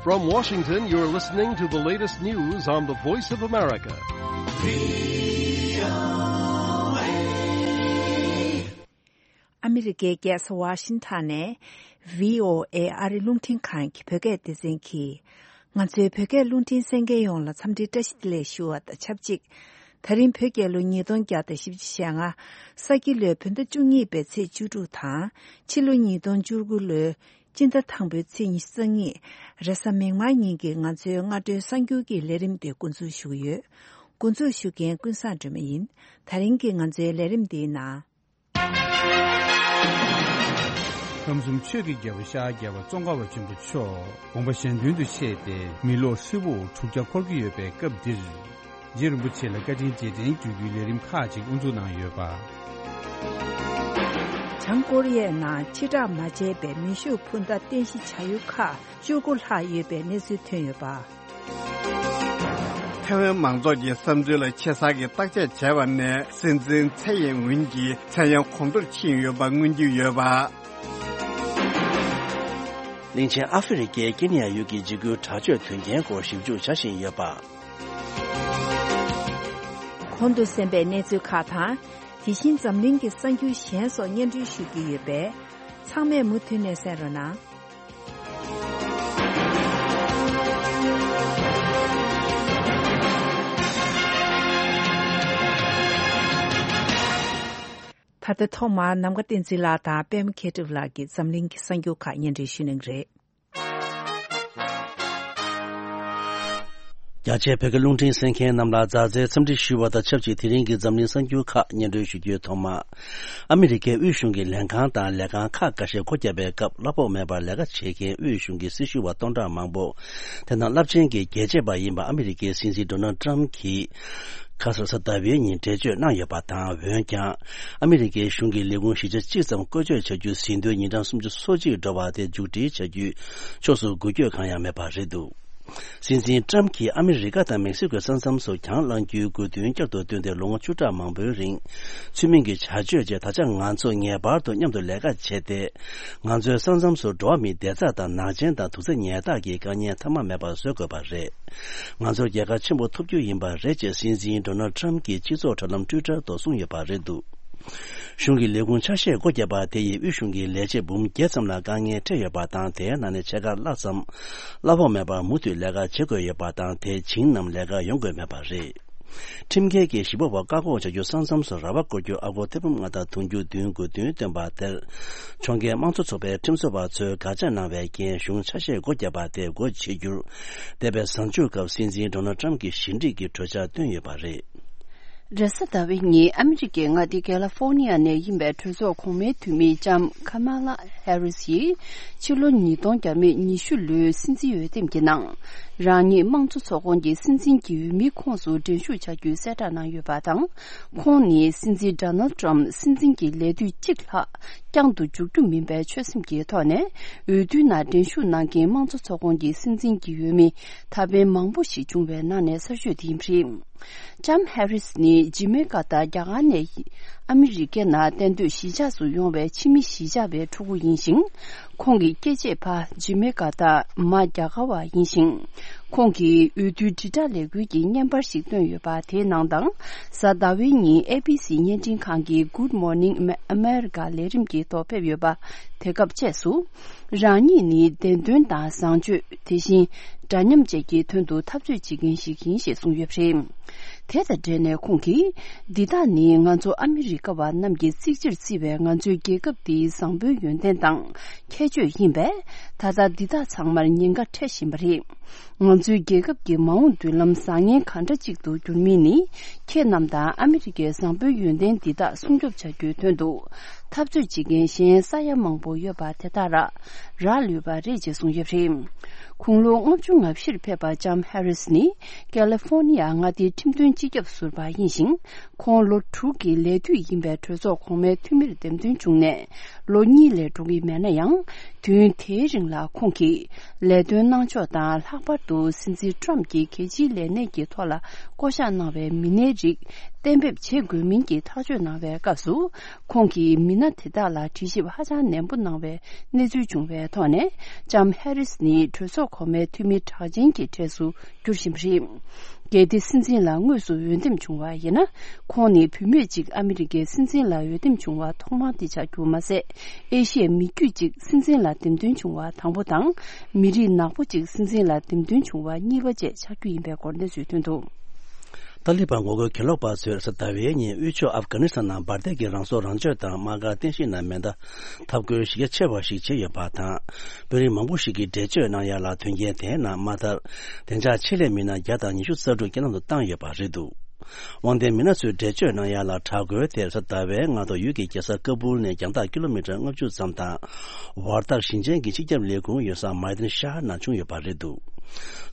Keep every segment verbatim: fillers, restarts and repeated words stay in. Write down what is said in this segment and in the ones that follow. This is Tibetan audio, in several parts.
From Washington, you're listening to the latest news on the Voice of America. ཨ་མི་རི་ཀའི་རྒྱལ་ས་ཝ་ཤིང་ཐན་ནས་བྷི་ཨོ་ཨེ་ཨ་རི་རླུང་འཕྲིན་ཁང་གི་བོད་སྐད་སྡེ་ཚན་གྱིས། ང་ཚོའི་བོད་སྐད་རླུང་འཕྲིན་གསན་མཁན་ཡོངས་ལ་འཚམས་འདྲིའི་བཀྲ་ཤིས་བདེ་ལེགས་ཞུ་བ་དང་ཆབས་ཅིག་ད་རིང་བོད་རྒྱལ་ལོ་ཉིས་སྟོང་བརྒྱ་དང་བཞི་བཅུ་ཞེ་ལྔ། ས་ཁྱི་ལོའི་བོད་ཟླ་བཅུ་གཉིས་པའི་ཚེས་བཅུ་དྲུག་དང་། ཕྱི་ལོ་ཉིས་སྟོང་བཅུ་དགུ་ལོའི་སྤྱི་ཟླ་དང་པོའི་ཚེས་ཉི་ཤུ་རྩ་གཉིས། རེས་གཟའ་མིག་དམར་ཉིན་གྱི་ང་ཚོའི་སྔ་དྲོའི་གསར་འགྱུར་གྱི་ལས་རིམ་དེ་འགོ་འཛུགས་ཞུ་གི་ཡོད། འགོ་འཛུགས་ཞུ་མཁན་ཀུན་བཟང་སྒྲོལ་མ་ཡིན། ད་རིང་གི་ང་ཚོའི་ལས་རིམ་འདིའི་ནང་། ཁམས་གསུམ་ཆོས་ཀྱི་རྒྱལ་པོ་ཤཱཀྱ་རྒྱལ་བ་ཙོང་ཁ་པ་ཆེན་པོ་མཆོག་དགོངས་པ་གཞན་དོན་དུ་གཤེགས་ཏེ་མི་ལོ་ཧྲིལ་པོ་དྲུག་བརྒྱ་འཁོར་གྱི་ཡོད་པའི་སྐབས་འདིར། རྗེ་རིན་པོ་ཆེ་ལ་བཀའ་དྲིན་རྗེས་དྲན་ཞུ་རྒྱུའི་ལས་རིམ་ཁག་ཅིག་དབུ་འཛུགས་གནང་ཡོད་པ། བྱང་ཀོ་རི་ཡའི་ནང་ཕྱིར་བསྒྲགས་མ་བྱས་པའི་མེ་ཤུགས་འཕུར་མདའ་རྟེན་གཞི་བྱ་ཡུལ་ཁག་བཅུ་དགུ་ལྷག་ཡོད་པའི་གནས་ཚུལ་ཐོན་ཡོད་པ། ཐའེ་ཝན་མང་ཚོགས་ཀྱི་བསམ་ཚུལ་ལ་ཆེ་ས་ཀྱི་བརྟག་དཔྱད་བྱས་པ་ནས་སྲིད་འཛིན་ཚའེ་ཡིན་ཝིན་གྱི་མཚན་གཡང་གོང་མཐོར་ཕྱིན་ཡོད་པ་མངོན་གྱི་ཡོད་པ། གླིང་ཆེན་ཨ་ཧྥེ་རི་ཁའི་ཀེ་ནི་ཡ་ཡུལ་གྱི་འཇིགས་སྐུལ་དྲག་སྤྱོད་དོན་རྐྱེན་སྐོར་ཞིབ་འཇུག་བྱ་བཞིན་ཡོད་པ། གོང་དུ་གསན་པའི་གནས་ཚུལ་ཁག་དང་། དེ་བཞིན་འཛམ་གླིང་གི་གསར་འགྱུར་གཞན་སོགས་སྙན་སྒྲོན་ཞུ་རྒྱུ་ཡོད་པས། ཚང་མས་མུ་མཐུད་ནས་གསན་རོགས་གནང་། ད་ལྟ་ཐོག་མར་ནམ་མཁའ་བསྟན་འཛིན་ལགས་དང་པད་མ་མཁས་གྲུབ་ལགས་ཀྱིས་འཛམ་གླིང་གི་གསར་འགྱུར་ཁག་སྙན་སྒྲོན་ཞུ་གནང་གི་རེད། རྒྱ་ཆེའི་བོད་སྐད་རླུང་འཕྲིན་གསན་མཁན་རྣམས་ལ་མཛའ་བརྩེའི་འཚམས་འདྲི་ཞུ་བ་དང་ཆབས་ཅིག་དེ་རིང་གི་འཛམ་གླིང་གསར་འགྱུར་ཁག་སྙན་སྒྲོན་ཞུ་རྒྱུའི་ཐོག་མ། ཨ་མི་རི་ཀའི་དབུས་གཞུང་གི་ལས་ཁང་དང་ལས་ཁང་ཁག་འགའ་ཤས་སྒོ་བརྒྱབ་པའི་སྐབས་གླ་ཕོགས་མེད་པར་ལས་ཀ་བྱེད་མཁན་དབུས་གཞུང་གི་སྲི་ཞུ་བ་སྟོང་ཕྲག་མང་པོ། དེ་ནང་རླབས་ཆེན་གྱི་རྒྱལ་གཅེས་པ་ཡིན་པ་ཨ་མི་རི་ཀའི་སྲིད་འཛིན་ཌོ་ནལ་ཊམ་གྱིས། ཁ་སང་གཟའ་ཟླ་བའི་ཉིན་འགྲེལ་བརྗོད་གནང་ཡོད་པ་དང་། འོན་ཀྱང་། ཨ་མི་རི་ཀའི་གཞུང་གི་ལས་ཁུངས་བཞི་ཆ་གཅིག་ཙམ་བཀོལ་སྤྱོད་བྱ་རྒྱུ་ཟིན་ཐོའི་ཉིན་གྲངས་སུམ་ཅུ་སོ་གཅིག་འགྲོ་བ་དེ་མཇུག་སྒྲིལ་བྱ་རྒྱུའི་ཕྱོགས་སུ་འགུལ་སྐྱོད་གང་ཡང་མེད་པ་རེད་འདུག་སྲིད་འཛིན་ཊམ་གྱིས་ཨ་མི་རི་ཀ་དང་མེག་སི་ཀོའི་ས་མཚམས་སུ་གྱང་བསླང་རྒྱུའི་དགོས་འདུན་བསྐྱར་དུ་བཏོན་ཏེ་ལོ་ངོ་བཅུ་ཕྲག་མང་པོའི་རིང་། ཚུལ་མིན་གྱི་བྱ་སྤྱོད་བཅས་ད་ཆ་ང་ཚོ་ངེས་པར་དུ་མཉམ་དུ་ལས་ཀ་བྱས་ཏེ། ང་ཚོའི་ས་མཚམས་སུ་འགྲོ་བ་མིའི་བདེ་རྩ་དང་ནག་ཅན་དང་དུག་རྫས་ཉལ་ཐག་གི་དཀའ་ངལ་མཐའ་མ་མེད་པར་བཟོ་དགོས་པ་རེད། ང་ཚོར་རྒྱལ་ཁ་ཆེན་པོ་ཐོབ་རྒྱུ་ཡིན་པ་རེད་ཅེས་སྲིད་འཛིན་ཌོ་ནལ་ཊམ་གྱིས་སྤྱི་ཚོགས་དྲ་ལམ་ཊུའི་ཊར་ཐོག་གསུངས་ཡོད་པ་རེད་འདུག་གཞུང་གི་ལས་ཁུངས་ཆ་ཤས་སྒོ་བརྒྱབ་པ་དེ་ཡིས་དབུས་གཞུང་གི་ལས་བྱེད་འབུམ་བརྒྱད་ཙམ་ལ་དཀའ་ངལ་འཕྲད་ཡོད་པ་དང་། དེའི་ནང་ནས་ཕྱེད་ཀ་ལྷག་ཙམ་གླ་ཕོགས་མེད་པར་མུ་མཐུད་ལས་ཀ་བྱེད་དགོས་ཡོད་པ་དང་། དེ་བྱིངས་རྣམས་ལས་ཀར་ཡོང་དགོས་མེད་པ་རེད། ཁྲིམས་འགལ་གྱི་གཞིས་སྤོ་བ་བཀག་འགོག་བྱ་རྒྱུ་ས་མཚམས་སུ་ར་བ་བསྐོར་རྒྱུ་ཨ་སྒོར་ཐེར་འབུམ་ལྔ་དང་དུང་ཕྱུར་བདུན་དགོས་འདུན་བཏོན་པ་དེར། ཕྱོགས་འགལ་དམངས་གཙོ་ཚོགས་པའི་ཁྲིམས་བཟོ་བ་ཚོས་དགག་བྱ་གནང་བའི་རྐྱེན། གཞུང་ཆ་ཤས་སྒོ་བརྒྱབ་པ་དེ་སྒོ་ཕྱེ་རྒྱུར། འདས་པའི་གཟའ་མཇུག་སྐབས་སྲིད་འཛིན་ཌོ་ནལ་ཊམ་གྱིས་ཞི་འགྲིག་གི་གྲོས་འཆར་བཏོན་ཡོད་པ་རེད། རེས་གཟའ་ཟླ་བའི་ཉིན་ཨ་མི་རི་ཀའི་མངའ་སྡེ་ཀེ་ལ་ཧྥོར་ནི་ཡ་ནས་ཡིན་པའི་གྲོས་ཚོགས་གོང་མའི་འཐུས་མི་ལྕམ་ཁ་མ་ལ་ཧེ་རིས་ཡིས་ཕྱི་ལོ་ཉིས་སྟོང་བརྒྱ་མེད་ཉི་ཤུ་ལོའི་སྲིད་འཛིན་འོས་འདེམས་ཀྱི་ནང་། རང་ཉིད་དམངས་གཙོ་ཚོགས་ཁོངས་ཀྱི་སྲིད་འཛིན་གྱི་འོས་མིའི་ཁོངས་སུ་འགྲན་ཞུགས་བྱ་རྒྱུའི་གསལ་བསྒྲགས་གནང་ཡོད་པ་དང་། ཁོང་ནི་སྲིད་འཛིན་ཌོ་ནལ་ཊམ་སྲིད་འཛིན་གྱི་ལས་དུས་གཅིག་ལྷག་བསྐྱངས་དུ་འཇུག་རྒྱུ་མིན་པའི་ཆོད་སེམས་ཀྱི་ཐོག་ནས། འོས་བསྡུའི་ནང་འགྲན་ཞུགས་གནང་མཁན་དམངས་གཙོ་ཚོགས་ཁོངས་ཀྱི་སྲིད་འཛིན་གྱི་འོས་མི་ད་ཕན་མང་པོ་ཞིག་བྱུང་བའི་ནང་ནས་གསར་ཤོས་དེ་ཡིན་པ་རེད། ལྕམ་ཧེ་རིས་ནི་ཇི་མེ་ཀ་ཏ་རྒྱ་གར་ནས་ཨ་མི་རི་ཀའི་ནང་གཏན་སྡོད་གཞིས་ཆགས་སུ་ཡོང་བའི་ཕྱི་མི་གཞིས་ཆགས་པའི་ཕྲུ་གུ་ཡིན་ཞིང་། ཁོང་གི་སྐྱེས་ཆེད་ཕ་ཇི་མེ་ཀ་ཏ་མ་རྒྱ་གར་བ་ཡིན་ཞིང་། ཁོང་གིས་འོས་བསྡུའི་དྲིལ་བསྒྲགས་ལས་འགུལ་གྱི་བརྙན་པར་ཞིག་བཏོན་ཡོད་པ་དེའི་ནང་དང་། གཟའ་ཟླ་བའི་ཉིན་ཨེ་བི་སི་བརྙན་འཕྲིན་ཁང་གི་Good Morning America ལས་རིམ་གྱི་ཐོག་ཕེབས་ཡོད་པ་དེ་སྐབས་བཅས་སུ། རང་ཉིད་ནི་བདེན་དོན་དང་བཟང་སྤྱོད། དེ་བཞིན་འདྲ་མཉམ་བཅས་ཀྱི་དོན་དུ་འཐབ་རྩོད་བྱེད་མཁན་ཞིག་ཡིན་ཞེས་གསུངས་ཡོད་པ་རེད། དེ་དང་འབྲེལ་ནས་ཁོང་གིས། འདི་དག་ནི་ང་ཚོ་ཨ་མི་རི་ཀ་བ་རྣམས་ཀྱིས་གཙིགས་ཆེར་བརྩི་བའི་ང་ཚོའི་རྒྱལ་ཁབ་འདིའི་བཟང་པོའི་ཡོན་ཏན་དང་ཁྱད་ཆོས་ཡིན་པས། ད་ལྟ་འདི་དག་ཚང་མར་ཉེན་ཁ་འཕྲད་བཞིན་པ་རེད། ང་ཚོའི་རྒྱལ་ཁབ་ཀྱི་མ་འོངས་མདུན་ལམ་བཟང་ངན་གང་འདྲ་ཅིག་ཏུ་འགྱུར་མིན་ནི། ཁྱེད་རྣམས་དང་ཨ་མི་རི་ཀའི་བཟང་པོའི་ཡོན་ཏན་འདི་དག་སྲུང་སྐྱོབ་བྱ་རྒྱུའི་དོན་དུ། འཐབ་རྩོད་བྱེད་མཁན་གཞན་ས་ཡ་མང་པོ་ཡོད་པ་དེ་དག་ར་རག་ལུས་པ་རེད་ཅེས་གསུངས་ཡོད་པ་རེད། དགུང་ལོ་ལྔ་བཅུ་ང་བཞིར་ཕེབས་པ་ལྕམ་ཧེ་རིས་ནི་ཀེ་ལི་ཧྥོར་ནི་ཡ་མངའ་སྡེའི་ཁྲིམས་དོན་སྤྱི་ཁྱབ་ཟུར་པ་ཡིན་ཞིང་། ཁོང་ལོ་དྲུག་གི་ལས་དུས་ཡིན་པའི་གྲོས་ཚོགས་གོང་མའི་འཐུས་མིར་འདེམས་ཐོན་བྱུང་ནས། ལོ་གཉིས་ལས་འགྲོ་གི་མེད་ན་ཡང་། དུས་ཡུན་དེའི་རིང་ལ་ཁོང་གིས་ལས་དོན་གནང་ཕྱོགས་དང་། ལྷག་པར་དུ་སྲིད་འཛིན་ཊམ་གྱིས་གལ་ཆེའི་ལས་གནས་ཀྱི་ཐོག་ལ་བསྐོ་གཞག་གནང་བའི་མི་སྣའི་རིགས་ གཏན་འབེབས་བྱེད་དགོས་མིན་གྱི་ཐག་གཅོད་གནང་བའི་སྐབས་སུ། ཁོང་གིས་མི་སྣ་དེ་དག་ལ་དྲི་ཞིབ་ཧ་ཅང་ནན་པོ་གནང་བའི་གནས་ཚུལ་བྱུང་བའི་ཐོག་ནས། ལྕམ་ཧེ་རིས་ནི་གྲོས་ཚོགས་གོང་མའི་འཐུས་མི་གྲགས་ཅན་གྱི་གྲས་སུ་འགྱུར་བཞིན་པ་རེད། གལ་ཏེ་སྲིད་འཛིན་ལ་དངོས་སུ་འོས་འདེམས་བྱུང་བ་ཡིན་ན། ཁོང་ནི་བུད་མེད་ཅིག་ཨ་མི་རི་ཀའི་སྲིད་འཛིན་ལ་འོས་འདེམས་བྱུང་བ་ཐོག་མ་དེ་ཆགས་རྒྱུ་མ་ཟད། ཨེ་ཤི་ཡའི་མི་རྒྱུད་ཅིག་སྲིད་འཛིན་ལ་འདེམས་ཐོན་བྱུང་བ་དང་པོ་དང་། མི་རིགས་ནག་པོ་ཅིག་སྲིད་འཛིན་ལ་འདེམས་ཐོན་བྱུང་བ་གཉིས་པ་བཅས་ཆགས་རྒྱུ་ཡིན་པའི་སྐོར་གནས་ཚུལ་ཐོན་འདུག། ཏཱ་ལི་བན་ངོ་རྒོལ་གྱེན་ལོག་པ་ཚོས་གཟའ་ཟླ་བའི་ཉིན་དབུས་ཕྱོགས་ཨབ་གྷ་ནི་སི་ཐན་ནང་འབར་མདེལ་གྱི་རང་སྲོག་རང་གཅོད་དང་དམག་སྒར་རྟེན་གཞི་ནང་མེ་མདའ་འཐབ་རྒོལ་གཞི་རྒྱ་ཆེ་བ་ཞིག་བྱས་ཡོད་པ་དང་། དཔོན་རིགས་མང་པོ་ཞིག་གིས་འགྲེལ་བརྗོད་གནང་ཡ་ལ། དོན་རྐྱེན་དེའི་ནང་མ་མཐར་བདེ་འཇགས་ཆེད་ལས་མི་སྣ་བརྒྱ་དང་ཉི་ཤུ་རྩ་དྲུག་རྐྱེན་ལམ་དུ་བཏང་ཡོད་པ་རེད་འདུག། དབང་ལྡན་མི་སྣ་ཚོས་འགྲེལ་བརྗོད་གནང་ཡ་ལ། དྲག་རྒོལ་དེར་གཟའ་ཟླ་བའི་སྔ་དྲོ་ཡུལ་གྱི་རྒྱལ་ས་ཀ་བུལ་ནས་རྒྱང་ཐག་ཀི་ལོ་མི་ཊར་ལྔ་བཅུ་ཙམ་དང་། བར་ཐག་ཞིང་ཆེན་གྱི་སྤྱི་ཁྱབ་ལས་ཁུངས་ཡོད་ས་མའི་ཏན་ཤ་ཧར་ནང་བྱུང་ཡོད་པ་རེད་འདུག།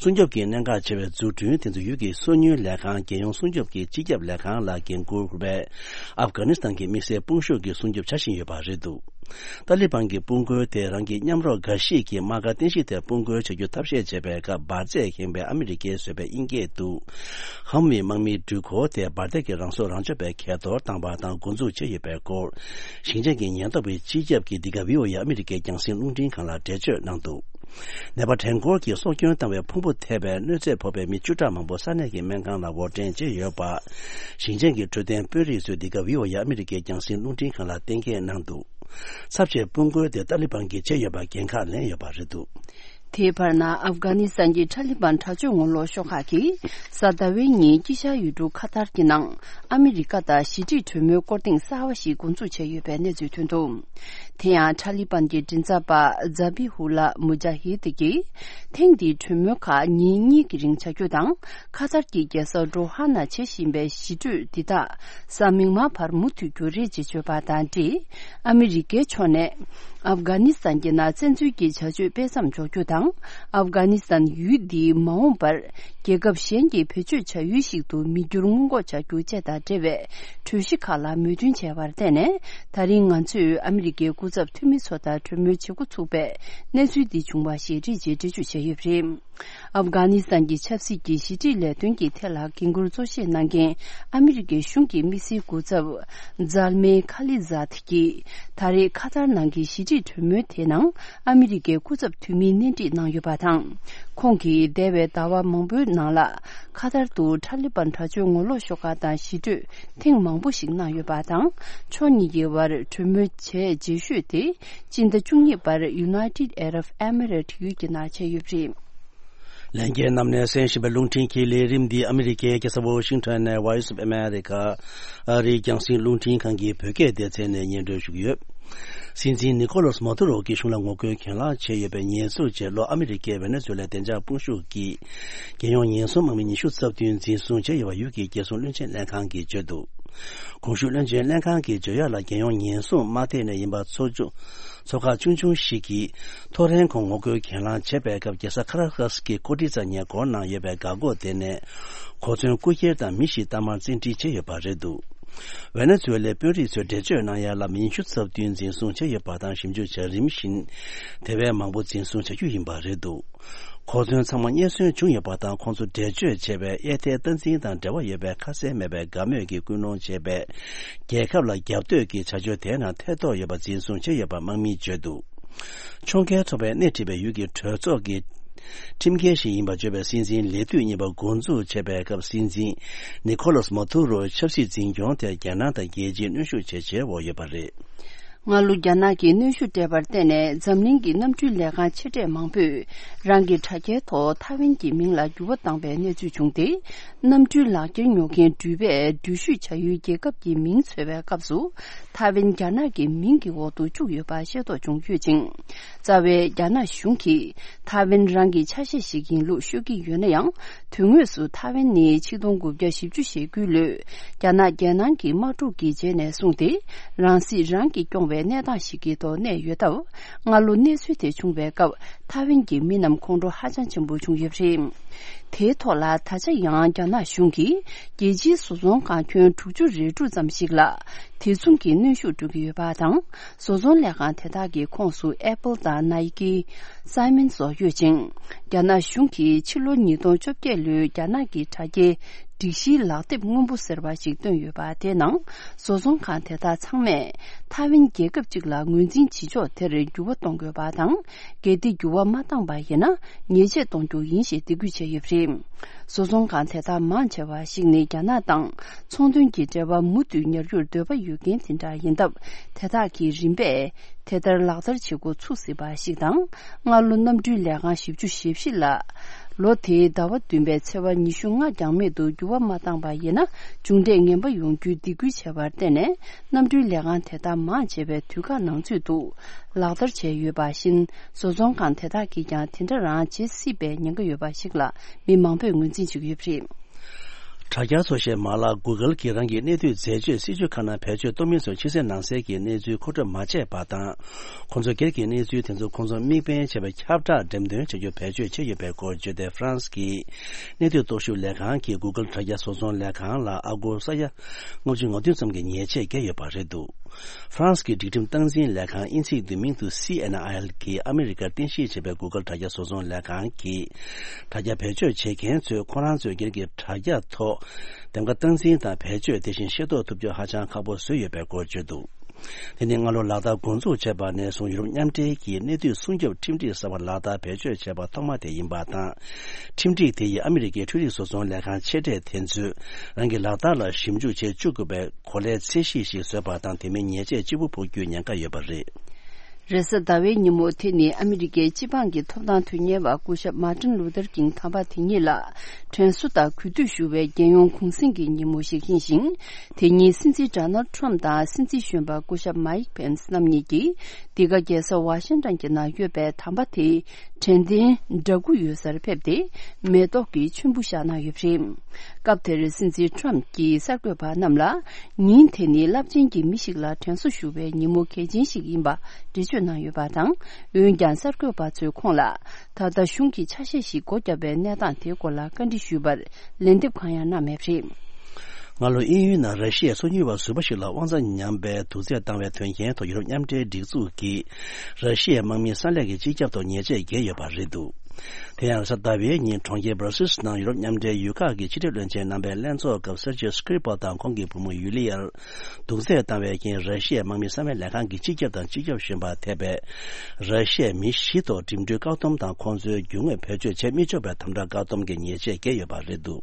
སྲུང་སྐྱོབ་ཀྱི་གནད་འགག་ཆེ་བའི་འཛུགས་སྐྲུན་དེ་ཚོ་ཡུལ་གྱི་སོ་ཉུལ་ལས་ཁང་། རྒྱལ་ཡོངས་སྲུང་སྐྱོབ་ཀྱི་སྤྱི་ཁྱབ་ལས་ཁང་ལ་འགན་འཁུར་བའི་ཨབ་གྷ་ནི་སི་ཐན་གྱི་དམིགས་བསལ་དཔུང་ཤུགས་ཀྱིས་སྲུང་སྐྱོབ་བྱ་བཞིན་ཡོད་པ་རེད་འདུག། ཏཱ་ལི་བན་གྱི་དཔུང་རྒོལ་དེ་རང་གི་མཉམ་རོགས་འགའ་ཞིག་གིས་དམག་སྒར་རྟེན་གཞི་དེར་དཔུང་རྒོལ་བྱ་རྒྱུ་ཐབས་ཤེས་བྱས་པའི་སྐབས། འབར་རྫས་ཁེངས་པའི་ཨ་མི་རི་ཀའི་བཟོས་པའི་དབྱིན་སྐད་དུ། ཧམ་བྷི་དམག་མིའི་འགྲུལ་འཁོར་དེ་འབར་མདེལ་གྱི་རང་སྲོག་རང་གཅོད་པའི་གས་གཏོར་བཏང་བ་དང་འགོ་འཛུགས་བྱས་ཡོད་པའི་སྐོར། ཞིང་ཆེན་གྱི་ཉེན་རྟོག་པའི་སྤྱི་ཁྱབ་ཀྱིས་འདི་ག་བྷི་ཨོ་ཨེ་ཨ་མི་རི་ཀའི་རྒྱང་སྲིང་རླུང་འཕྲིན་ཁང་ལ་འགྲེལ་བརྗོད་གནང་འདུག། ནད་པ་གྲངས་འབོར་གྱིས་སྲོག་སྐྱོན་བཏང་བའི་ཕུང་པོ་ཐེབས་པའི་གནོད་འཚེ་ཕོག་པའི་མི་བཅུ་ཕྲག་མང་པོ་ས་གནས་ཀྱི་སྨན་ཁང་ལ་འབོར་འདྲེན་བྱས་ཡོད་པ། ཞིང་ཆེན་གྱི་འཕྲོད་བསྟེན་དཔོན་རིགས་ཚོས་འདི་ག་བྷི་ཨོ་ཨེ་ཨ་མི་རི་ཀའི་རྒྱང་སྲིང་རླུང་འཕྲིན་ཁང་ལ་གཏན་འཁེལ་གནང་འདུག། ཚབས་ཆེའི་དཔུང་རྒོལ་དེ་ཏཱ་ལི་བན་གྱིས་བྱས་ཡོད་པར་འགན་ཁག་ལེན་ཡོད་པ་རེད་འདུག། དེའི་བར་ན། ཨབ་གྷ་ནི་སི་ཐན་གྱི་ཁྲ་ལི་བན་དྲག་སྤྱོད་ངོ་ལོག་ཤོག་ཁག་གིས་གཟའ་ཟླ་བའི་ཉིན་དཀྱིལ་ཤར་ཡུལ་གྲུ་ཁ་ཐར་གྱི་ནང་ཨ་མི་རི་ཀ་དང་ཞི་འགྲིག་གྲོས་མོལ་སྐོར་ཐེངས་གསར་བ་ཞིག་འགོ་འཛུགས་བྱས་ཡོད་པའི་གནས་ཚུལ་ཐོན་འདུག། དེ་ཡང་ཁྲ་ལི་བན་གྱི་མགྲིན་ཚབ་པ་ཛ་བྷི་ཧུ་ལ་མུ་ཇ་ཧི་དི་གིས། ཐེངས་འདིའི་གྲོས་མོལ་ཁག་ཉིན་གཉིས་ཀྱི་རིང་བྱ་རྒྱུ་དང་། ཁ་ཐར་གྱི་རྒྱལ་ས་ཌོ་ཧ་ནང་བྱེད་བཞིན་པའི་ཞི་གྲོས་འདི་དག་གཟའ་མིག་དམར་བར་མུ་མཐུད་རྒྱུ་རེད་ཅེས་བརྗོད་པ་དང་འབྲེལ། ཨ་མི་རི་ཀའི་ཕྱོགས་ནས་ཨབ་གྷ་ནི་སི་ཐན་གྱི་ནང་བཙན་འཛུལ་གྱི་བྱ་སྤྱོད་སྤེལ་མཚམས་འཇོག་རྒྱུ་དང་། ཨབ་གྷ་ནི་སི་ཐན་ཡུལ་འདི་མ་འོངས་པར་རྒྱལ་ཁབ་གཞན་གྱི་བེད་སྤྱོད་བྱ་ཡུལ་ཞིག་ཏུ་མི་འགྱུར་སྔོན་འགོག་བྱ་རྒྱུ་བཅས་དང་འབྲེལ་བའི་གྲོས་གཞི་ཁག་ལ་མོས་མཐུན་བྱས་པར་བརྟེན་ནས། ད་རིང་ང་ཚོས་ཨ་མི་རི་ཀའི་སྐུ་ཚབ་འཐུས་མི་ཚོ་དང་གྲོས་མོལ་བྱེད་འགོ་ཚུགས་པའི་གནས་ཚུལ་འདི་བྱུང་བ་ཞེས་རེད་ཅེས་འགྲེལ་བརྗོད་བྱས་ཡོད་པ་རེད། ཨབ་གྷ་ནི་སི་ཐན་གྱི་ཆབ་སྲིད་ཀྱི་ཞི་འགྲིག་ལས་དོན་གྱི་ཐད་ལ་འགན་འཁུར་གཙོ་ཆེ་གནང་མཁན་ཨ་མི་རི་ཀའི་གཞུང་གི་དམིགས་བསལ་སྐུ་ཚབ་ཛལ་མེ་ཁ་ལི་ཛཱད་ཀྱིས། ད་རེས་ཁ་ཐར་ནང་གི་ཞི་འགྲིག་གྲོས་མོལ་དེའི་ནང་ཨ་མི་རི་ཀའི་སྐུ་ཚབ་འཐུས་མིའི་གནས་འདྲིས་གནང་ཡོད་པ་དང་། ཁོང་གིས་འདས་པའི་ཟླ་བ་མང་པོའི་ནང་ལ་ཁ་ཐར་དུ་ཁྲ་ལི་བན་དྲག་སྤྱོད་ངོ་ལོག་ཤོག་ཁག་དང་ཞི་གྲོས་ཐེངས་མང་པོ་ཞིག་གནང་ཡོད་པ་དང་། ཕྱོགས་གཉིས་ཀྱི་དབར་གྲོས་མོལ་བྱས་རྗེས་ཤོས་དེ་སྤྱི་ཟླ་བཅུ་གཉིས་པར་ཡུ་ནའི་ཊེཌ་ཨ་རབ་ཨེ་མི་རེ་ཊི་ཡུལ་གྱི་ནང་བྱས་ཡོད་པ་རེད། ལྷན་རྒྱས་རྣམས་ནས་གསན་བཞིན་པའི་རླུང་འཕྲིན་གྱི་ལས་རིམ་འདི་ཨ་མི་རི་ཀའི་རྒྱལ་ས་ཝོ་ཤིང་ཊོན་ནས་Voice of America ཨ་རིའི་རྒྱང་སྲིང་རླུང་འཕྲིན་ཁང་གི་བོད་སྐད་སྡེ་ཚན་ནས་སྙན་སྒྲོན་ཞུ་གི་ཡོད། སྲིད་འཛིན་ནི་ཁོ་ལོ་སི་མ་དུ་རོ་གི་གཞུང་ལ་ངོ་རྒོལ་གྱེན་ལངས་བྱས་ཡོད་པའི་ཉེས་འཛུགས་བྱས་ལོ། ཨ་མི་རི་ཀའི་ཝེ་ནེ་ཛུ་ལའི་བདེ་འཇགས་དཔུང་ཤུགས་ཀྱིས་རྒྱལ་ཡོངས་ཉེན་སྲུང་དམག་མི་ཉི་ཤུ་རྩ་བདུན་འཛིན་བཟུང་བྱས་ཡོད་པ་ཡུལ་གྱི་རྒྱལ་སྲུང་བློན་ཆེན་ལྷན་ཁང་གིས་བརྗོད་འདུག། གོང་ཞུས་བློན་ཆེན་ལྷན་ཁང་གིས་བརྗོད་ཡག་ལ། རྒྱལ་ཡོངས་ཉེན་སྲུང་དམག་སྡེ་ནས་ཡིན་པ་ཚོ་ཆུང་། ཚོ་ཁག་ཆུང་ཆུང་ཞིག་གིས་ཐོ་རེངས་གོང་ངོ་རྒོལ་གྱེན་ལངས་བྱས་པའི་སྐབས། རྒྱལ་ས་ཁ་ར་ཀ་སི་ཀི་ཀོ་ཏི་ཙ་ཉེ་འཁོར་ནང་ཡོད་པའི་འགག་སྒོ་དེ་ནས་གོ་མཚོན་རྐུ་འཁྱེར་དང་མི་བཞི་གཏའ་མར་བཙན་ཁྲིད་བྱས་ཡོད་པ་རེད་འདུག། ཝེ་ནེ་ཛུ་ལའི་དཔོན་རིགས་ཚོས་འགྲེལ་བརྗོད་གནང་ཡག་ལ། མི་ཉི་ཤུ་རྩ་བདུན་འཛིན་བཟུང་བྱས་ཡོད་པ་དང་། ཞིབ་འཇུག་བྱ་རིམ་བཞིན་དེ་བས་མང་པོ་འཛིན་བཟུང་བྱ་རྒྱུ་ཡིན་པ་རེད་འདུག། གོ་མཚོན་ཚང་མ་རྙེད་སོན་བྱུང་ཡོད་པ་དང་། ཁོང་ཚོ་འགྲེལ་བརྗོད་བྱས་པའི་གཡས་ཐལ་སྟངས་འཛིན་དང་འབྲེལ་བ་ཡོད་པའི་ཁ་གསལ་མེད་པའི་དགའ་མོས་ཀྱིས་སྐུལ་སློང་བྱས་པའི་རྒྱལ་ཁབ་ལ་རྒྱབ་གཏོད་ཀྱི་བྱ་སྤྱོད་དེའི་ནང་ཐེ་གཏོགས་ཡོད་པ་འཛིན་བཟུང་བྱས་ཡོད་པ་དམག་མིས་བརྗོད་འདུག། ཕྱོགས་འགལ་ཚོགས་པས་སྣེ་ཁྲིད་པའི་ཡུལ་གྱི་གྲོས་ཚོགས་ཀྱི་ཁྲིམས་འགལ་ཞིག་ཡིན་པར་བརྗོད་པའི་སྲིད་འཛིན་ལས་དུས་གཉིས་པ་འགོ་འཛུགས་བྱས་པའི་སྐབས། སྲིད་འཛིན་ནི་ཁོ་ལོ་སི་མ་དུ་རོ་ཆབ་སྲིད་འཛིན་སྐྱོང་དེར་རྒྱ་ནག་དང་རྒྱལ་སྤྱིའི་གནོན་ཤུགས་ཇེ་ཆེར་འོག་ཡོད་པ་རེད། སྔ་ལོ་རྒྱ་ནག་གིས་གནོན་ཤུགས་སྤྲད་པར་བརྟེན་ནས། འཛམ་གླིང་གི་གནམ་གྲུའི་ལས་ཁང་ཆེ་གྲས་མང་པོས་རང་གི་དྲ་རྒྱའི་ཐོག་ཐའེ་ཝན་གྱི་མིང་ལ་འགྱུར་བ་བཏང་བའི་གནས་ཚུལ་བྱུང་སྟེ། གནམ་གྲུའི་ལག་འཁྱེར་ཉོ་མཁན་འགྲུལ་པས་འགྲུལ་བཞུད་བྱ་ཡུལ་རྒྱལ་ཁབ་ཀྱི་མིང་འཚོལ་བའི་སྐབས་སུ། ཐའེ་ཝན་རྒྱ་ནག་གི་མིང་གི་འོག་ཏུ་བཅུག་ཡོད་པ་ཤེས་རྟོགས་བྱུང་ཡོད་ཅིང་། རྩ་བའི་རྒྱ་ནག་གཞུང་གིས་ཐའེ་ཝན་རང་གི་ཆ་ཤས་ཤིག་ཡིན་ལུགས་ཤོད་ཀྱི་ཡོད་ན་ཡང་། དོན་དངོས་སུ་ཐའེ་ཝན་ནི་ཆིག་སྟོང་དགུ་བརྒྱ་བཞི་བཅུ་ཞེ་དགུའི་ལོའི་རྒྱ་ནག་རྒྱལ་ནང་གི་དམག་འཁྲུག་གི་རྗེས་ནས་བཟུང་སྟེ། རང་སྲིད་རང་གིས་སྐྱོང་བའི་གནས་སྟངས་ཤིག་གི་ཐོག་གནས་ཡོད་སྟབས། སྔ་ལོ་གནས་ཚུལ་དེ་བྱུང་བའི་སྐབས། ཐའེ་ཝན་གྱི་མི་རྣམས་ཁོང་ཁྲོ་ཧ་ཅང་ཆེན་པོ་བྱུང་ཡོད་པ་རེད། དེའི་ཐོག་ལ། ད་ཆ་ཡང་རྒྱ་ནག་གཞུང་གིས་རྒྱལ་སྤྱིའི་བཟོ་ཚོང་ཁང་ཁྱོན་དྲུག་ཅུ་རེ་དྲུག་ཙམ་ཞིག་ལ་དེ་མཚུངས་ཀྱི་གནོན་ཤུགས་སྤྲོད་ཀྱི་ཡོད་པ་དང་། བཟོ་ཚོང་ལས་ཁང་དེ་དག་གི་ཁོངས་སུ་ཨེ་པལ་དང་ནའི་ཀི། སའི་མན་སོགས་ཡོད་ཅིང་། རྒྱ་ནག་གཞུང་གིས་ཕྱི་ལོ་ཉིས་སྟོང་བཅོ་བརྒྱད་ལོའི་རྒྱ་ནག་གི་དྲ་རྒྱའི། སྒྲིག་གཞིའི་ལག་དེབ་སྔོན་པོ་ཟེར་བ་ཞིག་བཏོན་ཡོད་པ། དེའི་ནང་བཟོ་ཚོང་ཁང་དེ་དག་ཚང་མས་ཐའེ་ཝན་རྒྱལ་ཁབ་ཅིག་ལ་ངོས་འཛིན་བྱེད་ཕྱོགས་དེར་འགྱུར་བ་གཏོང་དགོས་པ་དང་། གལ་ཏེ་འགྱུར་བ་མ་བཏང་པ་ཡིན་ན། ཉེས་ཆད་གཏོང་རྒྱུ་ཡིན་ཞེས་འདེད་འགོད་བྱས་ཡོད་པ་རེད། བཟོ་ཚོང་ཁང་དེ་དག་མང་ཆེ་བ་ཞིག་ནི་རྒྱ་ནག་དང་ཚོང་དོན་གྱི་འབྲེལ་བ་མུ་མཐུད་ཉར་རྒྱུར་འདོད་པ་ཡོད་མཁན་དེ་འདྲ་ཡིན་སྟབས། དེ་དག་གིས་རིམ་པས་དེ་ལྟར་ལག་བསྟར་བྱེད་འགོ་ཚུགས་སྲིད་པ་ཞིག་དང་། སྔ་ལོ་གནམ་གྲུའི་ལས་ཁང་བཞི་བཅུ་ཞེ་བཞི་ལ། ལོ་དེའི་ཟླ་བ་བདུན་པའི་ཚེས་པ་ཉི་ཤུ་ལྔ་འགྱངས་མེད་དུ་འགྱུར་བ་མ་བཏང་པ་ཡིན་ན། མཇུག་འབྲས་ངན་པ་ཡོང་རྒྱུའི་སྡིགས་སྐུལ་བྱས་པར་བརྟེན་ནས། གནམ་གྲུའི་ལས་ཁང་དེ་དག་མང་ཆེ་བས་དུས་བཀག་ནང་ཚུད་དུ་ལག་བསྟར་བྱས་ཡོད་པ་བཞིན། བཟོ་ཚོང་ཁང་དེ་དག་གིས་ཀྱང་དེ་འདྲ་རང་བྱེད་སྲིད་པའི་ཉེན་ཁ་ཡོད་པ་ཞིག་ལ་མི་མང་པོས་ངོས་འཛིན་བྱེད་ཀྱི་ཡོད་པ་རེད། དྲ་རྒྱ་ཚོ་ཞེས་མ་ལག་Google་གིས་རང་གི་གནས་སྡུད་རྫས་སྤྱོད་སྲིད་ཇུས་ཁག་ནང་བེད་སྤྱོད་གཏོང་མིན་སོགས་ཕྱི་གསལ་ནང་གསལ་གྱི་གནས་ཚུལ་མཁོ་སྒྲུབ་མ་བྱས་པ་དང་། ཁོང་ཚོ་སྒེར་གྱི་གནས་ཚུལ་དེ་ཚོ་ཁོང་ཚོ་དམིགས་འབེན་བྱས་པའི་ཁྱབ་བསྒྲགས་འགྲེམས་སྟོན་བྱ་རྒྱུ་བེད་སྤྱོད་བྱས་ཡོད་པའི་སྐོར་བརྗོད་དེ། ཧྥ་རན་སི་གི་གནས་སྡུད་རྟོག་ཞིབ་ལས་ཁང་གིས་Google་དྲ་རྒྱ་བཟོ་ཚོང་ལས་ཁང་ལ་ཨ་སྒོར་ས་ཡ་ལྔ་བཅུ་ང་བདུན་ཙམ་གྱི་ཉེས་ཆད་བཀལ་ཡོད་པ་རེད་འདུག་ཧྥ་རན་སི་གི་སྒྲིག་ཁྲིམས་སྟངས་འཛིན་ལས་ཁང་དབྱིན་ཚིག་བསྡུས་མིང་དུ་C N I L་གིས་ཨ་མི་རི་ཀར་རྟེན་གཞི་བྱས་པའི་Google་དྲ་རྒྱ་བཟོ་ཚོང་ལས་ཁང་གིས། དྲ་རྒྱ་བེད་སྤྱོད་བྱེད་མཁན་ཚོས་ཁོ་རང་ཚོའི་སྒེར་གྱི་དྲ་རྒྱ་ཐོག་འདེམས་ཀ་སྟངས་འཛིན་དང་བེད་སྤྱོད་དེ་བཞིན་ཤེས་རྟོགས་ཐུབ་རྒྱུ་ཧ་ཅང་ཁག་པོ་བཟོས་ཡོད་པའི་སྐོར་བརྗོད་འདུག་དེ་ནི་སྔ་ལོ་ལག་བསྟར་འགོ་འཛུགས་བྱས་པ་ནས་བཟུང་ཡུ་རོབ་མཉམ་འབྲེལ་གྱིས་གནས་སྡུད་སྲུང་སྐྱོབ་ཁྲིམས་སྒྲིག་གསར་པ་ལག་བསྟར་བེད་སྤྱོད་བྱས་པ་ཐོག་མ་དེ་ཡིན་པ་དང་། ཁྲིམས་སྒྲིག་དེ་ཡིས་ཨ་མི་རི་ཀའི་འཕྲུལ་རིག་བཟོ་ཚོང་ལས་ཁང་ཆེ་གྲས་དེ་ཚོས་རང་གི་ལག་བསྟར་ལ་ཞིབ་འཇུག་བྱེད་བཅུག་དགོས་པའི་གོ་ལའི་ཚད་གཞི་ཞིག་བཟོས་པ་དང་། དེ་མིན་ཉེས་ཆད་ལྕི་པོ་ཕོག་རྒྱུའི་ཉེན་ཁ་ཡོད་པ་རེད། རེས་གཟའ་ཟླ་བའི་ཉིན་མོ་དེ་ནི་ཨ་མི་རི་ཀའི་སྤྱི་འབངས་ཀྱི་ཐོབ་ཐང་དོན་གཉེར་བ་སྐུ་ཞབས་Martin Luther King་དམ་པ་དེ་ཉིད་ལ་དྲན་གསོ་དང་གུས་འདུད་ཞུ་བའི་རྒྱལ་ཡོངས་གུང་གསེང་གི་ཉིན་མོ་ཞིག་ཡིན་ཞིང་། དེ་ཉིན་སྲིད་འཛིན་Donald Trump་དང་སྲིད་འཛིན་གཞོན་པ་སྐུ་ཞབས་Mike Pence་རྣམ་གཉིས་ཀྱིས་འདི་ག་རྒྱལ་ས་ཝ་ཤིང་ཊོན་གྱི་ནང་ཡོད་པའི་དམ་པ་དེའི་དྲན་རྟེན་འདྲ་སྐུ་ཡོད་སར་ཕེབས་ཏེ། མེ་ཏོག་གི་མཆོད་འབུལ་བཞག་གནང་ཡོད་པ་རེད། སྐབས་དེར་སྲིད་འཛིན་ཁྲོམ་གྱིས་གསར་འགོད་པ་རྣམས་ལ། ཉིན་དེ་ནི་རླབས་ཆེན་གྱི་མི་ཞིག་ལ་དྲན་གསོ་ཞུ་བའི་ཉིན་མོ་གལ་ཆེན་ཞིག་ཡིན་པ་འགྲེལ་བརྗོད་གནང་ཡོད་པ་དང་། འོན་ཀྱང་གསར་འགོད་པ་ཚོས་ཁོང་ལ། ད་ལྟ་གཞུང་གི་ཆ་ཤས་ཤིག་སྒོ་བརྒྱབ་པའི་གནས་སྟངས་དེའི་སྐོར་ལ་བཀའ་འདྲི་ཞུས་པར། ལན་འདེབས་གང་ཡང་གནང་མེད་པ་རེད། སྔ་ལོ་དབྱིན་ཡུལ་ནང་ར་ཤི་ཡའི་སོ་ཉུལ་བ་ཟུར་པ་ཞིག་ལ་དབང་རྩ་ཉམས་པའི་དུག་རྫས་བཏང་བའི་དོན་རྐྱེན་ཐོག་ཡུ་རོབ་མཉམ་འབྲེལ་སྒྲིག་འཛུགས་ཀྱིས་ར་ཤི་ཡའི་དམག་མིའི་ས་ལས་ཀྱི་སྤྱི་ཁྱབ་ཐོག་ཉེས་ཆད་བཀལ་ཡོད་པ་རེད་འདུག་དེ་ཡང་གཟའ་ཟླ་བའི་ཉིན་གྲོང་ཁྱེར་Brussels་ནང་ཡུ་རོབ་མཉམ་འབྲེལ་ཡུལ་ཁག་གི་ཕྱི་འབྲེལ་བློན་ཆེན་རྣམ་པའི་ལྷན་ཚོགས་སྐབས་Sergei Skripal་དང་ཁོང་གི་བུ་མོ་ཡུ་ལི་ཡར་དུག་རྫས་བཏང་བའི་རྐྱེན་ར་ཤི་ཡའི་དམག་མི་གསང་བའི་ལས་ཁང་གི་སྤྱི་ཁྱབ་དང་སྤྱི་ཁྱབ་གཞོན་པ་ཐེ་བའི་ར་ཤི་ཡའི་མི་བཞི་ཐོག་འགྲིམ་འགྲུལ་བཀག་སྡོམ་དང་ཁོང་ཚོའི་རྒྱུ་དངོས་བེད་སྤྱོད་བྱེད་མི་ཆོག་པའི་དམ་དྲག་བཀག་སྡོམ་གྱི་ཉེས་ཆད་བཀལ་ཡོད་པ་རེད་འདུག་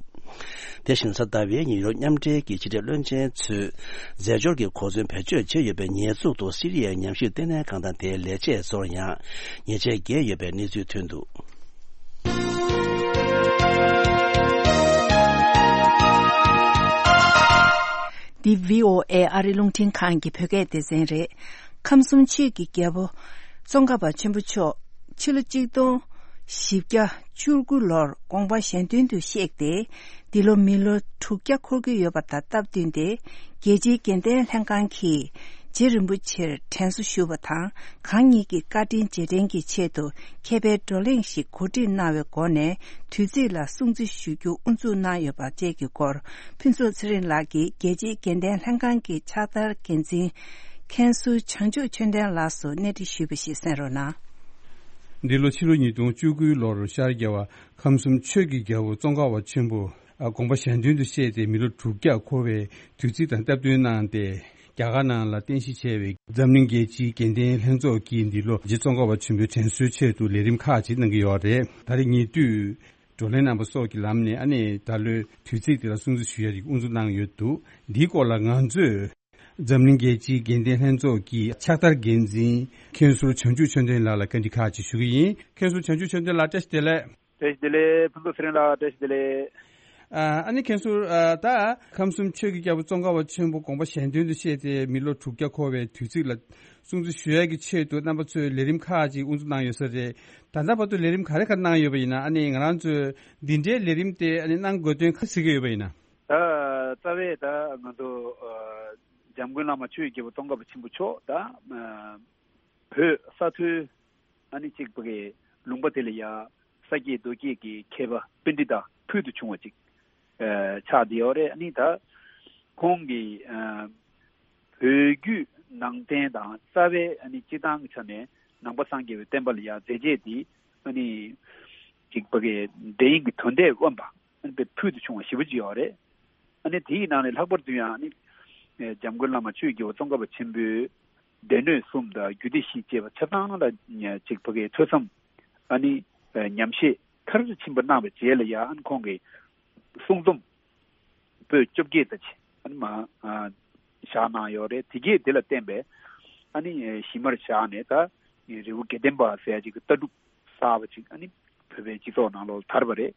དེ་བཞིན་གཟའ་ཟླ་བའི་ཉིན་ཡུ་རོབ་མཉམ་འབྲེལ་གྱི་ཕྱི་འབྲེལ་བློན་ཆེན་ཚོས་རྫས་སྦྱོར་གྱི་གོ་མཚོན་བེད་སྤྱོད་བྱས་ཡོད་པའི་ཉེས་འཛུགས་ཐོག་སི་རི་ཡའི་ཉམས་ཞིབ་ལྟེ་གནས་ཁང་དང་དེའི་ལས་བྱེད་ཚོར་ཡང་ཉེས་ཆད་བཀལ་ཡོད་པའི་གནས་ཚུལ་ཐོན་འདུག་འདི་བྷི་ཨོ་ཨེ་ཨ་རི་རླུང་འཕྲིན་ཁང་གི་བོད་སྐད་སྡེ་ཚན་རེད། ཁམས་གསུམ་ཆོས་ཀྱི་རྒྱལ་པོ་ཙོང་ཁ་པ་ཆེན་པོ་མཆོག་ཕྱི་ལོ་གཅིག་སྟོང་བཞི་བརྒྱ་བཅུ་དགུ་ལོར་དགོངས་པ་གཞན་དོན་དུ་གཤེགས་ཏེ། འདི་ལོ་མི་ལོ་དྲུག་བརྒྱ་འཁོར་གྱི་ཡོད་པ་དང་སྟབས་བསྟུན་ཏེ། རྒྱལ་སྤྱིའི་དགེ་ལྡན་ལྷན་ཁང་གིས་རྗེ་རིན་པོ་ཆེར་དྲན་གསོ་ཞུ་བ་དང་། གང་ཉིད་ཀྱི་བཀའ་དྲིན་རྗེས་དྲན་གྱི་ཆེད་དུ་མཁས་པའི་བགྲོ་གླེང་ཞིག་གོ་སྒྲིག་གནང་བའི་སྒོ་ནས། དུས་ཚིགས་ལ་སྲུང་བརྩི་ཞུ་རྒྱུ་དབུ་འཛུགས་གནང་ཡོད་པ་བཅས་ཀྱི་སྐོར། ཕུན་ཚོགས་ཚེ་རིང་ལགས་ཀྱིས་རྒྱལ་སྤྱིའི་དགེ་ལྡན་ལྷན་ཁང་གི་ཕྱག་བསྟར་འགན་འཛིན་མཁན་ཟུར་བྱང་ཆུབ་ཆོས་ལྡན་ལགས་སུ་གནས་འདྲི་ཞུས་པ་ཞིག་གསན་རོགས་གནང་། འདི་ལོ་ཕྱི་ལོ་ཉིས་སྟོང་བཅུ་དགུ་ལོར་ཤར་རྒྱལ་བ་ཁམས་གསུམ་ཆོས་ཀྱི་རྒྱལ་པོ་ཙོང་ཁ་པ་ཆེན་པོ་དགོངས་པ་གཞན་དོན་དུ་གཤེགས་ཏེ་མི་ལོ་དྲུག་བརྒྱ་འཁོར་བའི་དུས་ཚིགས་དང་སྟབས་བསྟུན་གནང་སྟེ། རྒྱ་གར་ནང་ལ་རྟེན་གཞི་བྱས་པའི་འཛམ་གླིང་རྒྱལ་སྤྱིའི་དགེ་ལྡན་ལྷན་ཚོགས་ཀྱིས་འདི་ལོ་རྗེ་ཙོང་ཁ་པ་ཆེན་པོའི་དྲན་གསོའི་ཆེད་དུ་ལས་རིམ་ཁག་ཅིག་གནང་གི་ཡོད་རེད། ད་རེས་ཉེ་དུས་བགྲོ་གླེང་གནང་པ་སོགས་ཀྱི་ལམ་ནས། ཨ་ནི་ད་ལོའི་དུས་ཚིགས་དེ་ལ་སྲུང་བརྩི་ཞུ་ཡ་ཅིག་དབུ་འཛུགས་གནང་ཡོད་འདུག་འདིའི་སྐོར་ལ་ང་ཚོས་འཛམ་གླིང་རྒྱལ་སྤྱིའི་དགེ་ལྡན་ལྷན་ཚོགས་ཀྱི་ཕྱག་བསྟར་འགན་འཛིན་མཁན་ཟུར་བྱང་ཆུབ་ཆོས་ལྡན་ལགས་ལ་བཀའ་འདྲི་ཁག་ཅིག་ཞུ་གི་ཡིན། མཁན་ཟུར་བྱང་ཆུབ་ཆོས་ལྡན་ལགས། བཀྲ་ཤིས་བདེ་ལེགས། བཀྲ་ཤིས་བདེ་ལེགས། ཕུན་ཚོགས་ཚེ་རིང་ལགས། བཀྲ་ཤིས་བདེ་ལེགས། ཨ་ནི་མཁན་ཟུར། ཨ་ད་ཁམས་གསུམ་ཆོས་ཀྱི་རྒྱལ་པོ་ཙོང་ཁ་པ་ཆེན་པོ་དགོངས་པ་གཞན་དོན་དུ་གཤེགས་ཏེ་མི་ལོ་དྲུག་བརྒྱ་འཁོར་བའི་དུས་ཚིགས་ལ་སྲུང་བརྩི་ཞུ་ཡག་གི་ཆེད་དུ་རྣམ་པ་ཚོས་ལས་རིམ་ཁག་ཅིག་དབུ་འཛུགས་གནང་ཡོད་ས་རེད། ད་ལྟ་བར་དུ་ལས་རིམ་ག་རེ་ག་རེ་གནང་ཡོད་པ་ཡིན་ན། ཨ་ནི་ང་རང་ཚོས་འདི་འདྲའི་ལས་རིམ་དེ་ཨ་ནི་གནང་དགོས་དོན་ག་རེ་གཟིགས་ཀྱི་ཡོད་པ་ཡིན་ན། ད་རྩ་བའི་ད་ང་ཚོ་ཨ་འཇམ་མགོན་བླ་མ་ཆོས་ཀྱི་རྒྱལ་པོ་ཙོང་ཁ་པ་ཆེན་པོ་མཆོག་ད་ཨ་བོད་ས་མཐོའི་ཨ་ནི་གཅིག་པ་གི་ལུང་པ་དེ་ལ་ཡ་ས་སྐྱེས་རྡོ་སྐྱེས་ཀྱི་མཁས་པ་པཎྜི་ཏ་ཕུལ་དུ་བྱུང་བ་ཅིག་ཨ་ཆགས་བསྡད་ཡོད་རེད། ཨ་ནི་ད་ཁོང་གིས་ཨ་བོད་བརྒྱུད་ནང་བསྟན་དང་རྩ་བའི་ཨ་ནི་སྤྱི་བཏང་གི་ཆ་ནས་ནང་པ་སངས་རྒྱས་པའི་བསྟན་པ་ལ་ཡ་མཛད་རྗེས་དེ་ཨ་ནི་གཅིག་པ་གི་འདྲ་ཡིན་གྱི་དོན་དེ་དབེན་པ་ཨ་ནི་དཔེ་ཕུལ་དུ་བྱུང་བ་ཞེ་པོ་ཅིག་ཡོད་རེད། ཨ་ནི་དེའི་ནང་ནས་ལྷག་པར་དུ་ཡང་ཨ་ནི་འཇམ་མགོན་བླ་མ་ཆོས་ཀྱི་འོད་ཙོང་ཁ་པ་ཆེན་པོའི་སྡེ་སྣོད་གསུམ་དང་རྒྱུད་སྡེ་བཞི་བཅས་པ་ཆ་ཚང་ལ་ཅིག་ཕ་གིའི་ཐོས་བསམ་ཨ་ནི་ཉམས་བཞེས་མཐར་ཕྱིན་པ་གནང་བའི་རྗེས་ལ་ཡང་ཨ་ནི་ཁོང་གིས་གསུང་རྩོམ་པོད་བཅོ་བརྒྱད་ཙམ་ཅིག་ཨ་ནི་མ་ཨ་བཞག་གནང་ཡོད་རེད། དེ་གས་དེ་ལ་བརྟེན་པའི་ཨ་ནི་གཞི་མར་བཞག་ནས་ད་རི་བོ་དགེ་ལྡན་པ་ཟེར་ཡ་ཅིག་གི་ལྟ་གྲུབ་གསར་པ་ཅིག་ཨ་ནི་བོད་པའི་སྤྱི་ཚོགས་ནང་ལོགས་དར་བ་རེད།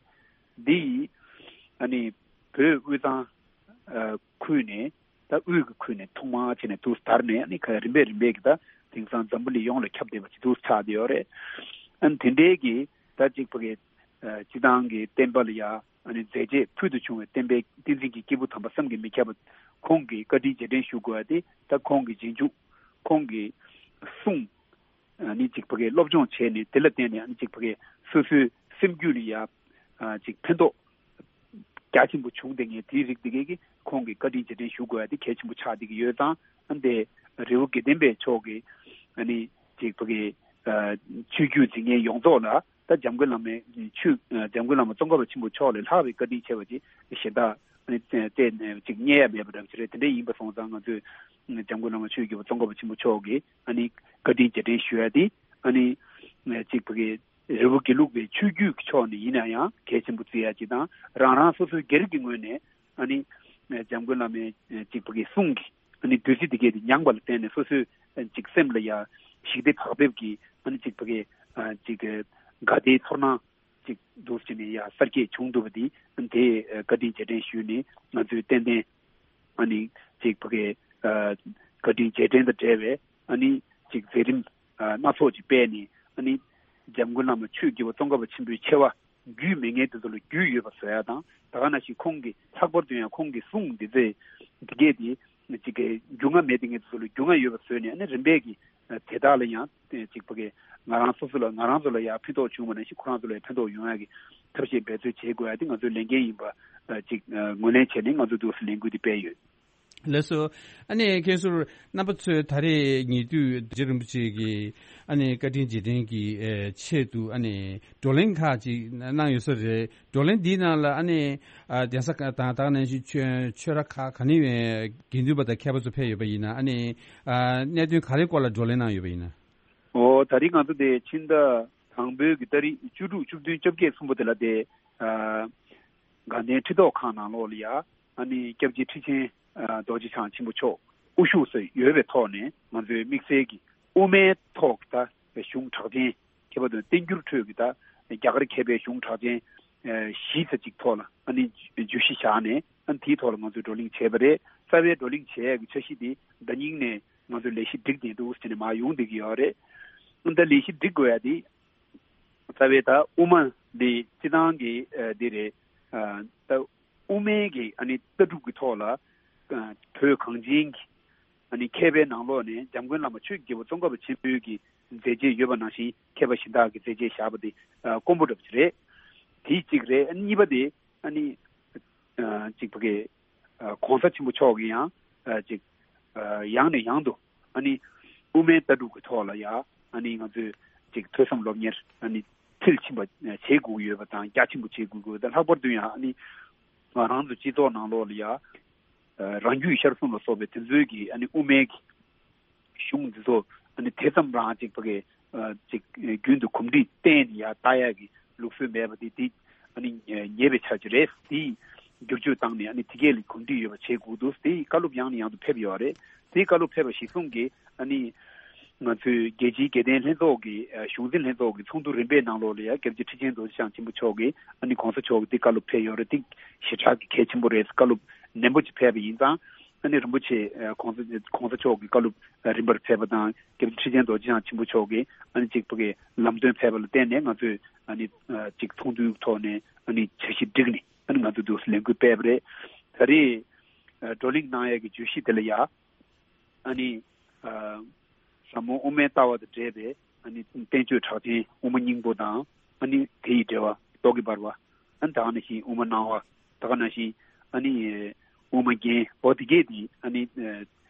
འདི་ཡིས་ཨ་ནི་བོད་དབུས་གཙང་ཨ་ཁུལ་ནས་ད་དབུས་ཀྱི་ཁུལ་ནས་ཐོག་མར་བྱས་ནས་དུ་དར་ནས་ཨ་ནི་ཁ་རིམ་པས་རིམ་པས་ཀྱི་ད་དེང་སང་འཛམ་བུ་གླིང་ཡོངས་ལ་ཁྱབ་བསྡད་པ་ཅིག་དུ་ཆགས་བསྡད་ཡོད་རེད། ཨ་ནི་དེ་འདྲའི་གི་ད་ཅིག་ཕ་གི་ཨ་སྤྱི་བཏང་གི་བསྟན་པ་ལ་ཡ་ཨ་ནི་མཛད་རྗེས་ཕུལ་དུ་བྱུང་བའི་བསྟན་པའི་བསྟན་འཛིན་གྱི་སྐྱེས་བུ་དམ་པ་བསམ་གྱིས་མི་ཁྱབ་པ་ཁོང་གི་བཀའ་དྲིན་རྗེས་དྲན་ཞུ་དགོས་པ་དེ་ད་ཁོང་གི་རྗེས་འཇུག་ཁོང་གི་གསུང་ཨ་ནི་ཅིག་ཕ་གི་སློབ་སྦྱོང་བྱས་ནས་དེ་ལ་བརྟེན་ནས་ཨ་ནི་ཅིག་ཕ་གི་སོ་སོའི་སེམས་རྒྱུད་ལ་ཡ་ཨ་ཅིག་ཕན་ཐོགས་རྒྱ་ཆེན་པོ་བྱུང་བསྡད་མཁན་དེའི་རིགས་དེ་གས་ཀྱིས་ཁོང་གི་བཀའ་དྲིན་རྗེས་དྲན་ཞུ་དགོས་ཡ་དེ་གལ་ཆེན་པོ་ཆགས་བསྡད་ཀྱི་ཡོད་ཙང་ཨ་ནི་དེ་རི་བོ་དགེ་ལྡན་པའི་ཕྱོགས་ཀྱི་ཨ་ནི་ཅིག་ཕ་གི་ཨ་ཆོས་བརྒྱུད་འཛིན་མཁན་ཡོངས་རྫོགས་ལ་ད་འཇམ་མགོན་བླ་མའི་ཆོས་ཨ་འཇམ་མགོན་བླ་མ་ཙོང་ཁ་པ་ཆེན་པོ་མཆོག་ལས་ལྷག་པའི་བཀའ་དྲིན་ཆེ་བ་ཅིག་གཞན་དག་ཨ་ནི་བལྟས་ནས་ཅིག་རྙེད་ཡ་མེད་པ་འདྲ་ཅིག་རེད། དེ་འདྲ་ཡིན་པ་སོང་ཙང་ང་ཚོས་འཇམ་མགོན་བླ་མ་ཆོས་ཀྱི་བུ་ཙོང་ཁ་པ་ཆེན་པོ་མཆོག་གི་ཨ་ནི་བཀའ་དྲིན་རྗེས་དྲན་ཞུ་ཡ་དེ་ཨ་ནི་ཅིག་ཕ་གི་རི་བོ་དགེ་ལུགས་པའི་ཆོས་བརྒྱུད་ཀྱི་ཕྱོགས་ནས་ཡིན་ན་ཡང་གལ་ཆེན་པོ་བརྩི་ཡ་ཅིག་དང་རང་རང་སོ་སོའི་སྒེར་གྱི་ངོས་ནས་ཨ་ནི་འཇམ་མགོན་བླ་མའི་ཅིག་ཕ་གི་གསུང་གི་ཨ་ནི་བདུད་རྩི་དེ་གས་དེ་མྱངས་པ་ལ་བརྟེན་ནས་སོ་སོའི་ཅིག་སེམས་ལ་ཡ་ཞི་བདེ་བག་ཕེབས་ཀྱི་ཨ་ནི་ཅིག་ཕ་གི་ཅིག་དགའ་བདེའི་ཚོར་སྣང་ཅིག་འདུག་ཅེས་ནས་ཡ་གསར་སྐྱེས་བྱུང་འདུག་པ་འདི་དེ་བཀའ་དྲིན་རྗེས་དྲན་ཞུས་ནས་ང་ཚོས་ཏན་ཏན་ཨ་ནི་ཅིག་ཕ་གི་བཀའ་དྲིན་རྗེས་དྲན་དང་འབྲེལ་བའི་ཨ་ནི་ཅིག་མཛད་རིམ་སྣ་ཚོགས་ཅིག་སྤེལ་ནས་ཨ་ནི་འཇམ་མགོན་བླ་མ་ཆོས་ཀྱི་བུ་ཙོང་ཁ་པ་ཆེན་པོའི་ཆེ་བ་རྒྱུས་མེད་མཁན་དེ་ཚོ་ལ་རྒྱུས་ཡོད་པ་བཟོ་ཡ་དང་ད་ག་ནང་བཞིན་ཁོང་གི་ལྷག་པར་དུ་ཡང་ཁོང་གི་གསུང་འདི་ཚོས་འདི་གས་དེ་ཅིག་གི་རྒྱུས་མངའ་མེད་དེ་ངེད་ཚོ་ལ་རྒྱུས་མངའ་ཡོད་པ་བཟོས་ནས་ཨ་ནི་རིམ་པས་ཀྱི་དེ་དག་ལ་ཡང་ཅིག་ཕ་གི་ང་རང་སོ་སོ་ལ་ང་རང་ཚོ་ལ་ཡང་ཕན་ཐོགས་བྱུང་བ་ནང་བཞིན་ཁོ་རང་ཚོ་ལ་ཡང་ཕན་ཐོགས་ཡོང་ཡ་གི་ཐབས་ཤེས་འབད་རྩོལ་བྱེད་དགོས་ཡ་དེ་ང་ཚོའི་ལས་འགན་ཡིན་པ་ཅིག་ངོས་ལེན་བྱས་ནས་ང་ཚོ་འདུག་སེ་ལས་འགུལ་འདི་སྤེལ་ཡོད། ལགས་སོ། ཨ་ནི་མཁན་ཟུར་རྣམ་པ་ཚོས་ད་རེས་ཉེ་དུས་རྗེ་རིན་པོ་ཆེ་གི་ཨ་ནི་བཀའ་དྲིན་རྗེས་དྲན་གྱི་ཆེད་དུ་ཨ་ནི་བགྲོ་གླེང་ཁག་ཅིག་གནང་ཡོད་ས་རེད། བགྲོ་གླེང་འདིའི་ནང་ལ་ཨ་ནི་ཨ་གདན་ས་ཁག་དང་ད་ག་ནང་བཞིན་ཆོས་ཆོས་ར་ཁག་ག་ནས་དགེ་འདུན་པ་དང་མཁས་པ་ཚོ་ཕེབས་ཡོད་པ་ཡིན་ན་ཨ་ནི་ཨ་གནད་དོན་ག་རེའི་སྐོར་ལ་བགྲོ་གླེང་གནང་ཡོད་པ་ཡིན་ན། ཨོ་ད་རེས་ང་ཚོ་དེ་ཕྱི་ཟླ་དང་པོའི་གི་ཏ་རིག་བཅུ་དྲུག་བཅུ་བདུན་བཅོ་བརྒྱད་གསུམ་པོ་དེ་ལ་དེ་ཨ་དགའ་ལྡན་ཁྲི་ཐོག་ཁང་ནང་ལོགས་ལ་ཡ་ཨ་ནི་སྐྱབས་རྗེ་ཁྲི་ཆེན་ཨ་རྡོ་རྗེ་འཆང་ཆེན་པོ་མཆོག་དབུ་བཞུགས་སུ་ཡོད་པའི་ཐོག་ནས་ང་ཚོའི་དམིགས་བསལ་གྱི་དབུ་མའི་ཐོག་གི་ད་གཞུང་གྲགས་ཅན་ཁྱད་པར་དུ་བསྟན་འགྱུར་ཁྲོད་ཀྱི་ད་རྒྱ་གར་མཁས་པའི་གཞུང་གྲགས་ཅན་ཨ་བཞི་ཙམ་ཅིག་ཐོག་ལ་ཨ་ནི་བརྗོད་གཞི་བཞག་ནས་ཨ་ནི་དེའི་ཐོག་ལ་ང་ཚོས་བགྲོ་གླེང་བྱས་པ་རེད། རྩ་བའི་བགྲོ་གླེང་བྱེད་ཡས་ཀྱི་འཆར་གཞི་དེ་ཟླ་ཉིན་ནས་ང་ཚོས་ལས་གཞི་སྒྲིག་བསྡད་འདུག་ཟེར་ནས་མར་ཡོང་བསྡད་ཀྱི་ཡོད་རེད། ཨ་ནི་ད་ལས་གཞི་སྒྲིག་དགོས་ཡ་དེ་རྩ་བའི་ད་དབུ་མ་འདི་སྤྱི་བཏང་གི་ཨ་འདི་རེད། ཨ་ད་དབུ་མའི་གི་ཨ་ནི་ལྟ་གྲུབ་ཀྱི་ཐོག་ལ་ཨ་བོད་གངས་ཅན་གྱི་ཨ་ནི་མཁས་པའི་ནང་ལོགས་ནས་འཇམ་མགོན་བླ་མ་ཆོས་ཀྱི་རྒྱལ་པོ་ཙོང་ཁ་པ་ཆེན་པོའི་གི་མཛད་རྗེས་ཡོད་པ་ནང་བཞིན་མཁས་པ་གཞན་དག་གི་མཛད་རྗེས་བཞག་པ་དེ་ཨ་དཀོན་པོ་འདྲ་པོ་ཅིག་རེད། དེ་གཅིག་རེད། ཨ་ནི་གཉིས་པ་དེ་ཨ་ནི་ཨ་གཅིག་པ་གི་ཨ་གོང་ས་ཆེན་པོ་མཆོག་གི་ཡང་ཨ་གཅིག་ཨ་ཡང་ནས་ཡང་དུ་ཨ་ནི་དབུ་མའི་ལྟ་གྲུབ་ཀྱི་ཐོག་ལ་ཡ་ཨ་ནི་ང་ཚོས་གཅིག་ཐོས་བསམ་སློབ་གཉེར་ཨ་ནི་མཐིལ་ཕྱིན་པ་བྱེད་དགོས་ཀྱི་ཡོད་པ་དང་རྒྱ་ཆེན་པོ་བྱེད་དགོས་ཀྱི་ཡོད་པ་དང་ལྷག་པར་དུ་ཡང་ཨ་ནི་ང་རང་ཚོ་སྤྱི་ཚོགས་ནང་ལོགས་ལ་ཡ་ཨ་རང་རྒྱུད་ཤར་གསུམ་ལ་སོགས་པའི་དེ་ཚོའི་གི་ཨ་ནི་དབུ་མའི་གི་གཞུང་འདི་ཚོ་ཨ་ནི་དེ་ཙམ་རང་ཅིག་ཕ་གི་ཨ་ཅིག་རྒྱུན་དུ་གོམས་འདྲིས་བསྟེན་ནས་ཡར་ལྟ་ཡག་གི་ལུགས་སྲོལ་མེད་པ་དེ་དེ་ཨ་ནི་ཉེས་པའི་ཆ་ཅིག་རེད། དེ་བསྒྱུར་བཅོས་བཏང་ནས་ཨ་ནི་དེ་གས་ལ་གོམས་འདྲིས་ཡོད་པ་བྱེད་དགོས་འདུག་དེ་བཀའ་སློབ་ཡང་ནས་ཡང་དུ་ཕེབས་ཡོད་རེད། དེ་བཀའ་སློབ་ཕེབས་པ་གཞིར་བཟུང་གིས་ཨ་ནི་ང་ཚོའི་རྒྱལ་སྤྱིའི་དགེ་ལྡན་ལྷན་ཚོགས་ཀྱི་ཨ་གཞུང་འཛིན་ལྷན་ཚོགས་ཀྱི་ཚོགས་འདུ་རིམ་པའི་ནང་ལོགས་ལ་ཡང་སྐྱབས་རྗེ་ཁྲི་ཆེན་རྡོ་རྗེ་འཆང་ཆེན་པོ་མཆོག་གིས་ཨ་ནི་གོང་ས་མཆོག་གིས་དེ་བཀའ་སློབ་ཕེབས་ཡོད་རེད། དེ་ཞེ་དྲག་གི་གལ་ཆེན་པོ་རེད། བཀའ་སློབ་ནན་པོ་ཅིག་ཕེབས་པ་ཡིན་ཙང་ཨ་ནི་རིན་པོ་ཆེ་ཨ་གོང་ས་གོང་ས་མཆོག་གི་བཀའ་སློབ་རིམ་པར་ཕེབས་པ་དང་སྐྱབས་རྗེ་ཁྲི་ཆེན་རྡོ་རྗེ་འཆང་ཆེན་པོ་མཆོག་གིས་ཨ་ནི་གཅིག་པ་གི་ལམ་སྟོན་ཕེབས་པ་ལ་བརྟེན་ནས་ང་ཚོས་ཨ་ནི་ཨ་གཅིག་ཚོགས་འདུའི་ཐོག་ནས་ཨ་ནི་འཆར་གཞི་བསྒྲིགས་ནས་ཨ་ནི་ང་ཚོས་འདུག་སེ་ལས་འགུལ་སྤེལ་བ་རེད། ད་རེས་ཨ་བགྲོ་གླེང་གནང་ཡས་ཀྱི་བརྗོད་གཞི་དེ་ལ་ཡ་ཨ་ནི་ཨ་ཟབ་མོ་དབུ་མའི་ལྟ་བ་དང་འབྲེལ་བའི་ཨ་ནི་བསྟན་བཅོས་གྲགས་ཅན་དབུ་མ་སྙིང་པོ་དང་ཨ་ནི་དེ་ཡི་འགྲེལ་བ་རྟོག་གེ་འབར་བ། ཨ་ནི་ད་ག་ནང་བཞིན་དབུ་མ་སྣང་བ། ད་ག་ནང་བཞིན་ཨ་ནི་དབུ་མ་རྒྱན། འོ་དེ་གས་དེ་ཨ་ནི་ཨ་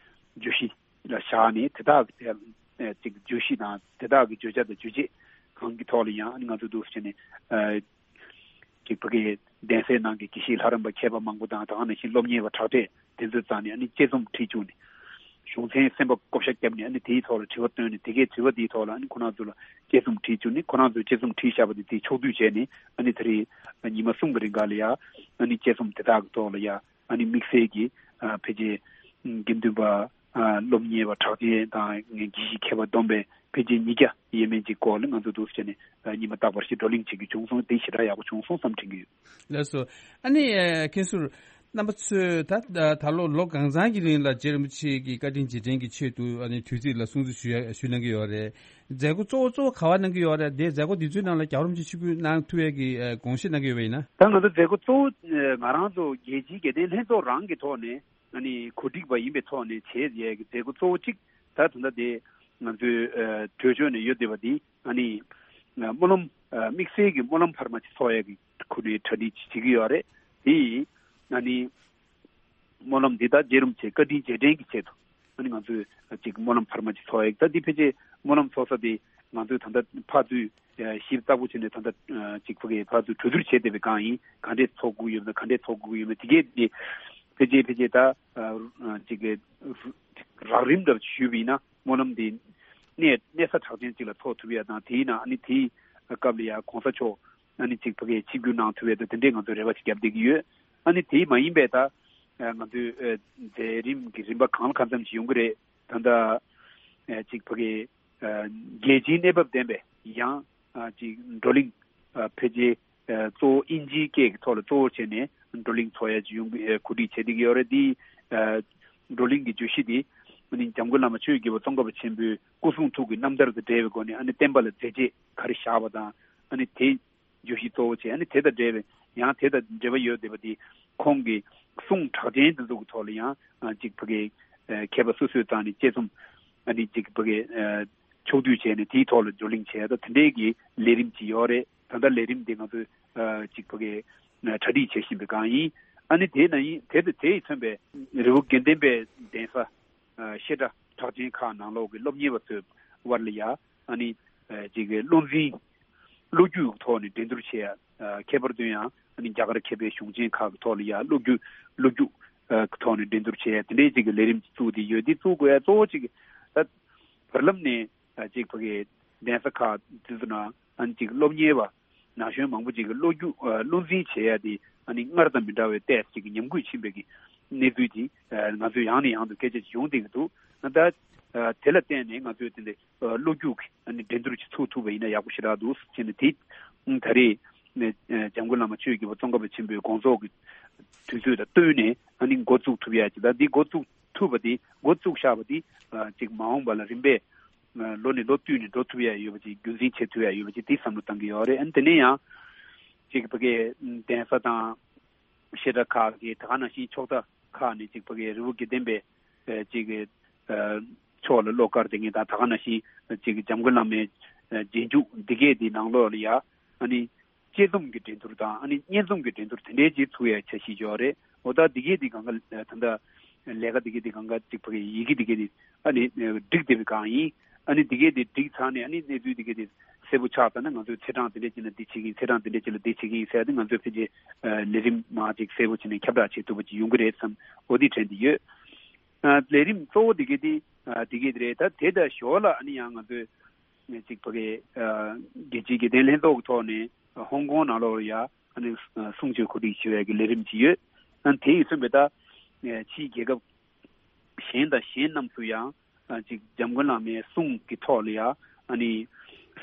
བརྗོད་གཞི་ལ་བཞག་ནས་དེ་དག་གི་ཨ་ཅིག་བརྗོད་གཞི་དང་དེ་དག་གི་བརྗོད་བྱ་དང་རྗོད་བྱེད་གང་གི་ཐོག་ལ་ཡང་ཨ་ནི་ང་ཚོ་འདུག་སེ་བྱས་ནས་ཨ་ཅིག་ཕ་གི་ གདན་སའི་ནང་གི་དགེ་བཤེས་ལྷ་རམས་པ་མཁས་པ་མང་པོ་དང་། ད་ག་ནང་བཞིན་སློབ་གཉེར་བ་དྲག་གྲས་དེ་ཚོའི་རྩ་ནས་ཨ་ནི་དཔྱད་རྩོམ་བྲིས་བཅུག་ནས། གཞུང་ཚན་གསན་པ་བསྐོ་བཞག་བརྒྱབ་ནས། ཨ་ནི་དེའི་ཐོག་ལ་དྲི་བ་བཏོན་ནས། དེ་གའི་དྲི་བ་དེའི་ཐོག་ལ་ཨ་ནི་ཁོ་རང་ཚོ་ལ་དཔྱད་རྩོམ་བྲིས་བཅུག་ནས། ཁོ་རང་ཚོས་དཔྱད་རྩོམ་བྲིས་བཞག་པ་དེ་དེ་ཕྱོགས་བསྡུས་བྱས་ནས། ཨ་ནི་ད་རེས་ཉི་མ་གསུམ་གྱི་རིང་ག་ལ་ཡ་ཨ་ནི་དཔྱད་རྩོམ་དེ་དག་གི་ཐོག་ལ་ཡ་ཨ་ནི་དམིགས་བསལ་གྱི་ཨ་ཕལ་ཆེར་དགེ་འདུན་པ་ཨ་སློབ་གཉེར་བ་གྲགས་ཅན་དང་དགེ་བཤེས་མཁས་པ་བསྡོམས་པས་ཕལ་ཆེར་ཉིས་བརྒྱ་ཡས་མས་ཅིག་སྐོར་ལ་ང་ཚོ་འདུག་སེ་བྱས་ནས་ཨ་ཉི་མ་རྟག་པར་ཞིག་བགྲོ་གླེང་བྱེད་རྒྱུ་བྱུང་སོང་། དེ་ཞེ་དྲག་ཡག་པོ་བྱུང་སོང་བསམ་དྲན་གྱི་ཡོད། ལགས་སོ། ཨ་ནི་ཨ་མཁན་ཟུར་རྣམ་པ་ཚོས་ད་ད་ལོ་ལོ་གང་ཚང་གི་རིང་ལ་རྗེ་རིན་པོ་ཆེ་གི་བཀའ་དྲིན་རྗེས་དྲན་གྱི་ཆེད་དུ་ཨ་ནི་དུས་ཚིགས་ལ་སྲུང་བརྩི་ཞུ་ཡ་ཞུ་གནང་གི་ཡོད་རེད། མཛད་སྒོ་གཙོ་བོ་གཙོ་བོ་ག་པར་གནང་གི་ཡོད་རེད། དེ་མཛད་སྒོ་འདི་ཚོའི་ནང་ལ་རྒྱལ་བ་རིན་པོ་ཆེ་ཆིབས་བསྒྱུར་གནང་ཐུབ་ཡས་ཀྱི་ཨ་དགོངས་བཞེས་གནང་གི་ཡོད་པ་ཡིན་ན། ད་ང་ཚོ་མཛད་སྒོ་གཙོ་བོ་ཨ་ང་རང་ཚོ་རྒྱལ་སྤྱིའི་དགེ་ལྡན་ལྷན་ཚོགས་རང་གི་ཐོག་ནས་ཨ་ནི་གོ་སྒྲིག་པ་ཡིན་པའི་ཐོག་ནས་བྱེད་ཡས་ཀྱི་མཛད་སྒོ་གཙོ་བོ་གཅིག་ད་ད་ལྟ་དེ་ང་ཚོའི་ཨ་གྲོས་ཆོད་ནས་ཡོད་བསྡད་པ་འདི་ཨ་ནི་ཨ་སྨོན་ལམ་ཨ་དམིགས་བསལ་གྱི་སྨོན་ལམ་འཕར་མ་ཅིག་ཚོགས་ཡས་ཀྱི་ཁོ་ནའི་གྲ་སྒྲིག་ཅིག་བྱེད་ཀྱི་ཡོད་རེད། དེ་ཡིས་ཨ་ནི། སྨོན་ལམ་འདི་དག་རྗེ་རིན་པོ་ཆེ་བཀའ་དྲིན་རྗེས་དྲན་གྱི་ཆེད་དུ་ཨ་ནི་ང་ཚོས་ཅིག་སྨོན་ལམ་འཕར་མ་ཅིག་ཚོགས་ཡག་ད་འདི་ཕལ་ཆེར་སྨོན་ལམ་ཚོགས་ས་དེ་ང་ཚོས་ད་ལྟ་ཕར་ཚུར་ཞིབ་ཚགས་པོ་བྱས་ནས་ད་ལྟ་ཅིག་ཕ་གི་ཕར་ཚུར་གྲོས་བསྡུར་བྱས་བསྡད་པའི་སྒང་ཡིན། ག་འདྲས་ཚོགས་དགོས་ཡོད་ན་ག་འདྲས་ཚོགས་དགོས་ཡོད་ན་དེ་གས་དེ་ཕལ་ཆེར་ཕལ་ཆེར་ད་ཅིག་གི་རགས་རིམ་འདྲ་ཞུས་པ་ཡིན་ན་སྨོན་ལམ་འདི་གནས་གནས་ས་གྲགས་ཅན་ཅིག་ལ་ཚོགས་ཐུབ་ཡག་དང་། དེ་ཡིན་ན་ཨ་ནི་དེའི་སྐབས་ལ་ཡང་གོང་ས་མཆོག་ཨ་ནི་ཅིག་ཕ་གིའི་ཆིབས་བསྒྱུར་གནང་ཐུབ་ཡས་དང་དེ་འདྲའི་ང་ཚོས་རེ་བ་ཅིག་བརྒྱབ་བསྡད་ཀྱི་ཡོད། ཨ་ནི་དེ་མ་ཡིན་པའི་ད་ང་ཚོའི་མཛད་རིམ་གྱི་རིམ་པ་གང་ལ་གང་འཚམ་ཞིག་ཡོང་གི་རེད། ད་ལྟ་ཅིག་ཕ་གིའི་རྒྱལ་སྤྱིའི་གནས་བབ་ལྡན་པའི་ཡང་ཅིག་བགྲོ་གླེང་ཕལ་ཆེར་གཙོ་བོ་དབྱིན་ཇིའི་སྐད་ཀྱི་ཐོག་ལ་གཙོ་བོ་བྱས་ནས་བགྲོ་གླེང་ཚོགས་ཡས་ཅིག་ཡོང་གི་གོ་སྒྲིག་བྱས་བསྡད་ཀྱི་ཡོད་རེད། འདི་བགྲོ་གླེང་གི་བརྗོད་གཞི་འདི་ཨ་ནི་འཇམ་མགོན་བླ་མ་ཆོས་ཀྱི་རྒྱལ་པོ་ཙོང་ཁ་པ་ཆེན་པོའི་སྐུ་གསུང་ཐུགས་ཀྱི་རྣམ་ཐར་དང་འབྲེལ་བའི་སྒོ་ནས་ཨ་ནི་བསྟན་པ་ལ་མཛད་རྗེས་ག་རེ་བཞག་པ་དང་། ཨ་ནི་དེ་བརྗོད་གཞི་གཙོ་བོ་བྱས། ཨ་ནི་དེ་དང་འབྲེལ་བའི་ཡང་དེ་དང་འབྲེལ་བ་ཡོད་བསྡད་པ་འདི་ཁོང་གི་གསུང་གྲགས་ཅན་དེ་ཚོ་གི་ཐོག་ལ་ཡང་ཅིག་ཕ་གི་མཁས་པ་སོ་སོའི་རྩ་ནས་དཔྱད་རྩོམ་ཨ་ནི་ཅིག་ཕ་གི་ཕྱོགས་བསྡུས་བྱས་ནས་དེའི་ཐོག་ལ་བགྲོ་གླེང་བྱས་ད་དེ་འདྲའི་གི་ལས་རིམ་ཅིག་ཡོད་རེད། ད་ལྟ་ལས་རིམ་དེ་ང་ཚོས་ཅིག་ཕ་གི་གྲ་སྒྲིག་བྱེད་བཞིན་པའི་སྒང་ཡིན། ཨ་ནི་དེ་ན་ཡིན་དེ་དེ་དེ་ཡིས་མཚོན་པའི་རི་བོ་དགེ་ལྡན་པའི་གདན་ས་བཤད་གྲྭ་གྲགས་ཅན་ཁག་ནང་ལོགས་ཀྱི་སློབ་གཉེར་བ་ཚོའི་དབར་ལ་ཡ་ཨ་ནི་ཅིག་བློ་འཛིན་བློ་རྒྱུག་ཐོག་ནས་འགྲན་བསྡུར་བྱེད་ཡ། ཁྱད་པར་དུ་ཡང་ཨ་ནི་རྒྱ་གར་མཁས་པའི་གཞུང་ཆེན་ཁག་གི་ཐོག་ལ་ཡ་བློ་རྒྱུག་བློ་རྒྱུག་ཐོག་ནས་འགྲན་བསྡུར་བྱེད་ཡ་དེ་འདྲའི་ཅིག་གི་ལས་རིམ་ཅིག་བཙུགས་ཏེ་ཡོད། འདི་བཙུགས་དགོས་ཡ་གཙོ་བོ་ཅིག་ད་བར་ལམ་ནས་ཅིག་ཕ་གི་གདན་ས་ཁག་དེ་ཚོ་ན་ཨ་ནི་ཅིག་སློབ་གཉེར་བ་ན་གཞོན་མང་པོ་ཅིག་གི་བློ་རྒྱུག་བློ་འཛིན་བྱེད་ཡ་དེ་ཨ་ནི་སྔར་དང་མི་འདྲ་བའི་ཏོག་ཙམ་ཅིག་གི་ཉམས་རྒུད་ཕྱིན་པའི་གི་གནས་ཚུལ་ཅིག་ང་ཚོས་ཡང་ནས་ཡང་དུ་སྐད་ཆ་ཅིག་ཡོང་བསྡད་ཀྱི་འདུག་ད་དེ་ལ་བརྟེན་ནས་ང་ཚོས་དེ་འདྲའི་བློ་རྒྱུག་གི་ཨ་ནི་འགྲན་བསྡུར་ཅིག་ཚུགས་ཐུབ་པ་ཡིན་ན་ཡག་པོ་ཞེ་དྲག་འདུག་ཟེར་ནས། དེ་ད་རེས་འཇམ་མགོན་བླ་མ་ཆོས་ཀྱི་རྒྱལ་པོ་ཙོང་ཁ་པ་ཆེན་པོའི་དགོངས་རྫོགས་ཀྱི་དུས་ཚོད་དང་བསྟུན་ནས་ཨ་ནི་འགོ་བཙུགས་ཐུབ་ཡ་ཅིག་དང་། འདི་འགོ་བཙུགས་ཐུབ་པ་དེ་འགོ་བཙུགས་བཞག་པ་དེ་ཅིག་མ་འོངས་པ་ལ་རིམ་པས་ལོ་ནས་ལོ་བསྟུད་ནས་འགྲོ་ཐུབ་ཡ་ཡོད་པ་ཅིག་རྒྱུན་འཛིན་བྱེད་ཐུབ་ཡ་ཡོད་པ་ཅིག་དེ་བསམ་བློ་བཏང་གི་ཡོད་རེད། ཨ་ནི་དེ་ནས་ཡང་ཅིག་ཕ་གིའི་གདན་ས་དང་བཤད་གྲྭ་ཁག་གི་ད་ག་ནང་བཞིན་ཕྱོགས་མཐའ་ཁག་ནས་ཅིག་ཕ་གིའི་རི་བོ་དགེ་ལྡན་པའི་ཅིག་ཕྱོགས་ལ་བློ་དཀར་དེ་ངེས་དང་། ད་ག་ནང་བཞིན་ཅིག་འཇམ་མགོན་བླ་མའི་རྗེས་འཇུག་འདི་གས་དེ་ནང་ལོགས་ལ་ཡ་ཨ་ནི་དཔྱད་རྩོམ་གྱི་འགྲན་བསྡུར་དང་ཨ་ནི་སྙན་རྩོམ་གྱི་འགྲན་བསྡུར་དེ་འདྲའི་ཅིག་ཚུགས་ཡ་འཆར་གཞི་ཡོད་རེད། འོ་ད་འདི་གས་དེ་གང་ག་ད་ལྟ་ལས་ཀ་འདི་གས་དེ་གང་ག་ཅིག་ཕ་གི་ཡི་གེ་འདི་གས་དེ་ཨ་ནི་བསྒྲིགས་བསྡད་པའི་སྒང་ཡིན། ཨ་ནི་འདི་གས་དེ་བསྒྲིགས་ཚར་ནས་ཨ་ནི་གནས་ཚུལ་འདི་གས་དེ་གསལ་པོ་ཆགས་ཚར་ན་ང་ཚོས་ཚེས་གྲངས་འདི་འདྲ་ཅིག་ན་འདི་བྱེད་ཀྱི་ཡིན། ཚེས་གྲངས་འདི་འདྲ་ཅིག་ལ་འདི་བྱེད་ཀྱི་ཡིན་ཟེར་ཏེ་ང་ཚོས་ཕལ་ཆེར་ལས་རིམ་མང་ཅིག་གསལ་པོ་བྱས་ནས་ཁྱབ་བསྒྲགས་བྱེད་ཐུབ་པ་ཅིག་ཡོང་གི་རེད་བསམ། འོ་འདི་དྲན་གྱི་ཡོད། ལས་རིམ་གཙོ་བོ་འདི་གས་དེ་འདི་གས་དེ་རེད། ད་དེ་དང་ཞོར་ལ་ཨ་ནི་ཡང་ང་ཚོས་ཅིག་ཕ་གི་རྒྱལ་སྤྱིའི་དགེ་ལྡན་ལྷན་ཚོགས་ཀྱི་ཐོག་ནས་ཧོང་ཀོང་ནང་ལོགས་ལ་ཡ་ཨ་ནི་གསུང་ཆོས་གོ་སྒྲིག་ཞུ་བའི་གི་ལས་རིམ་ཅིག་ཡོད། ཨ་ནི་དེ་ཡིས་མཚོན་པའི་ད་ཕྱིའི་རྒྱལ་ཁབ་གཞན་དང་གཞན་རྣམས་སུ་ཡང་ཅིག་འཇམ་མགོན་བླ་མའི་གསུང་གི་ཐོག་ལ་ཡ་ཨ་ནི་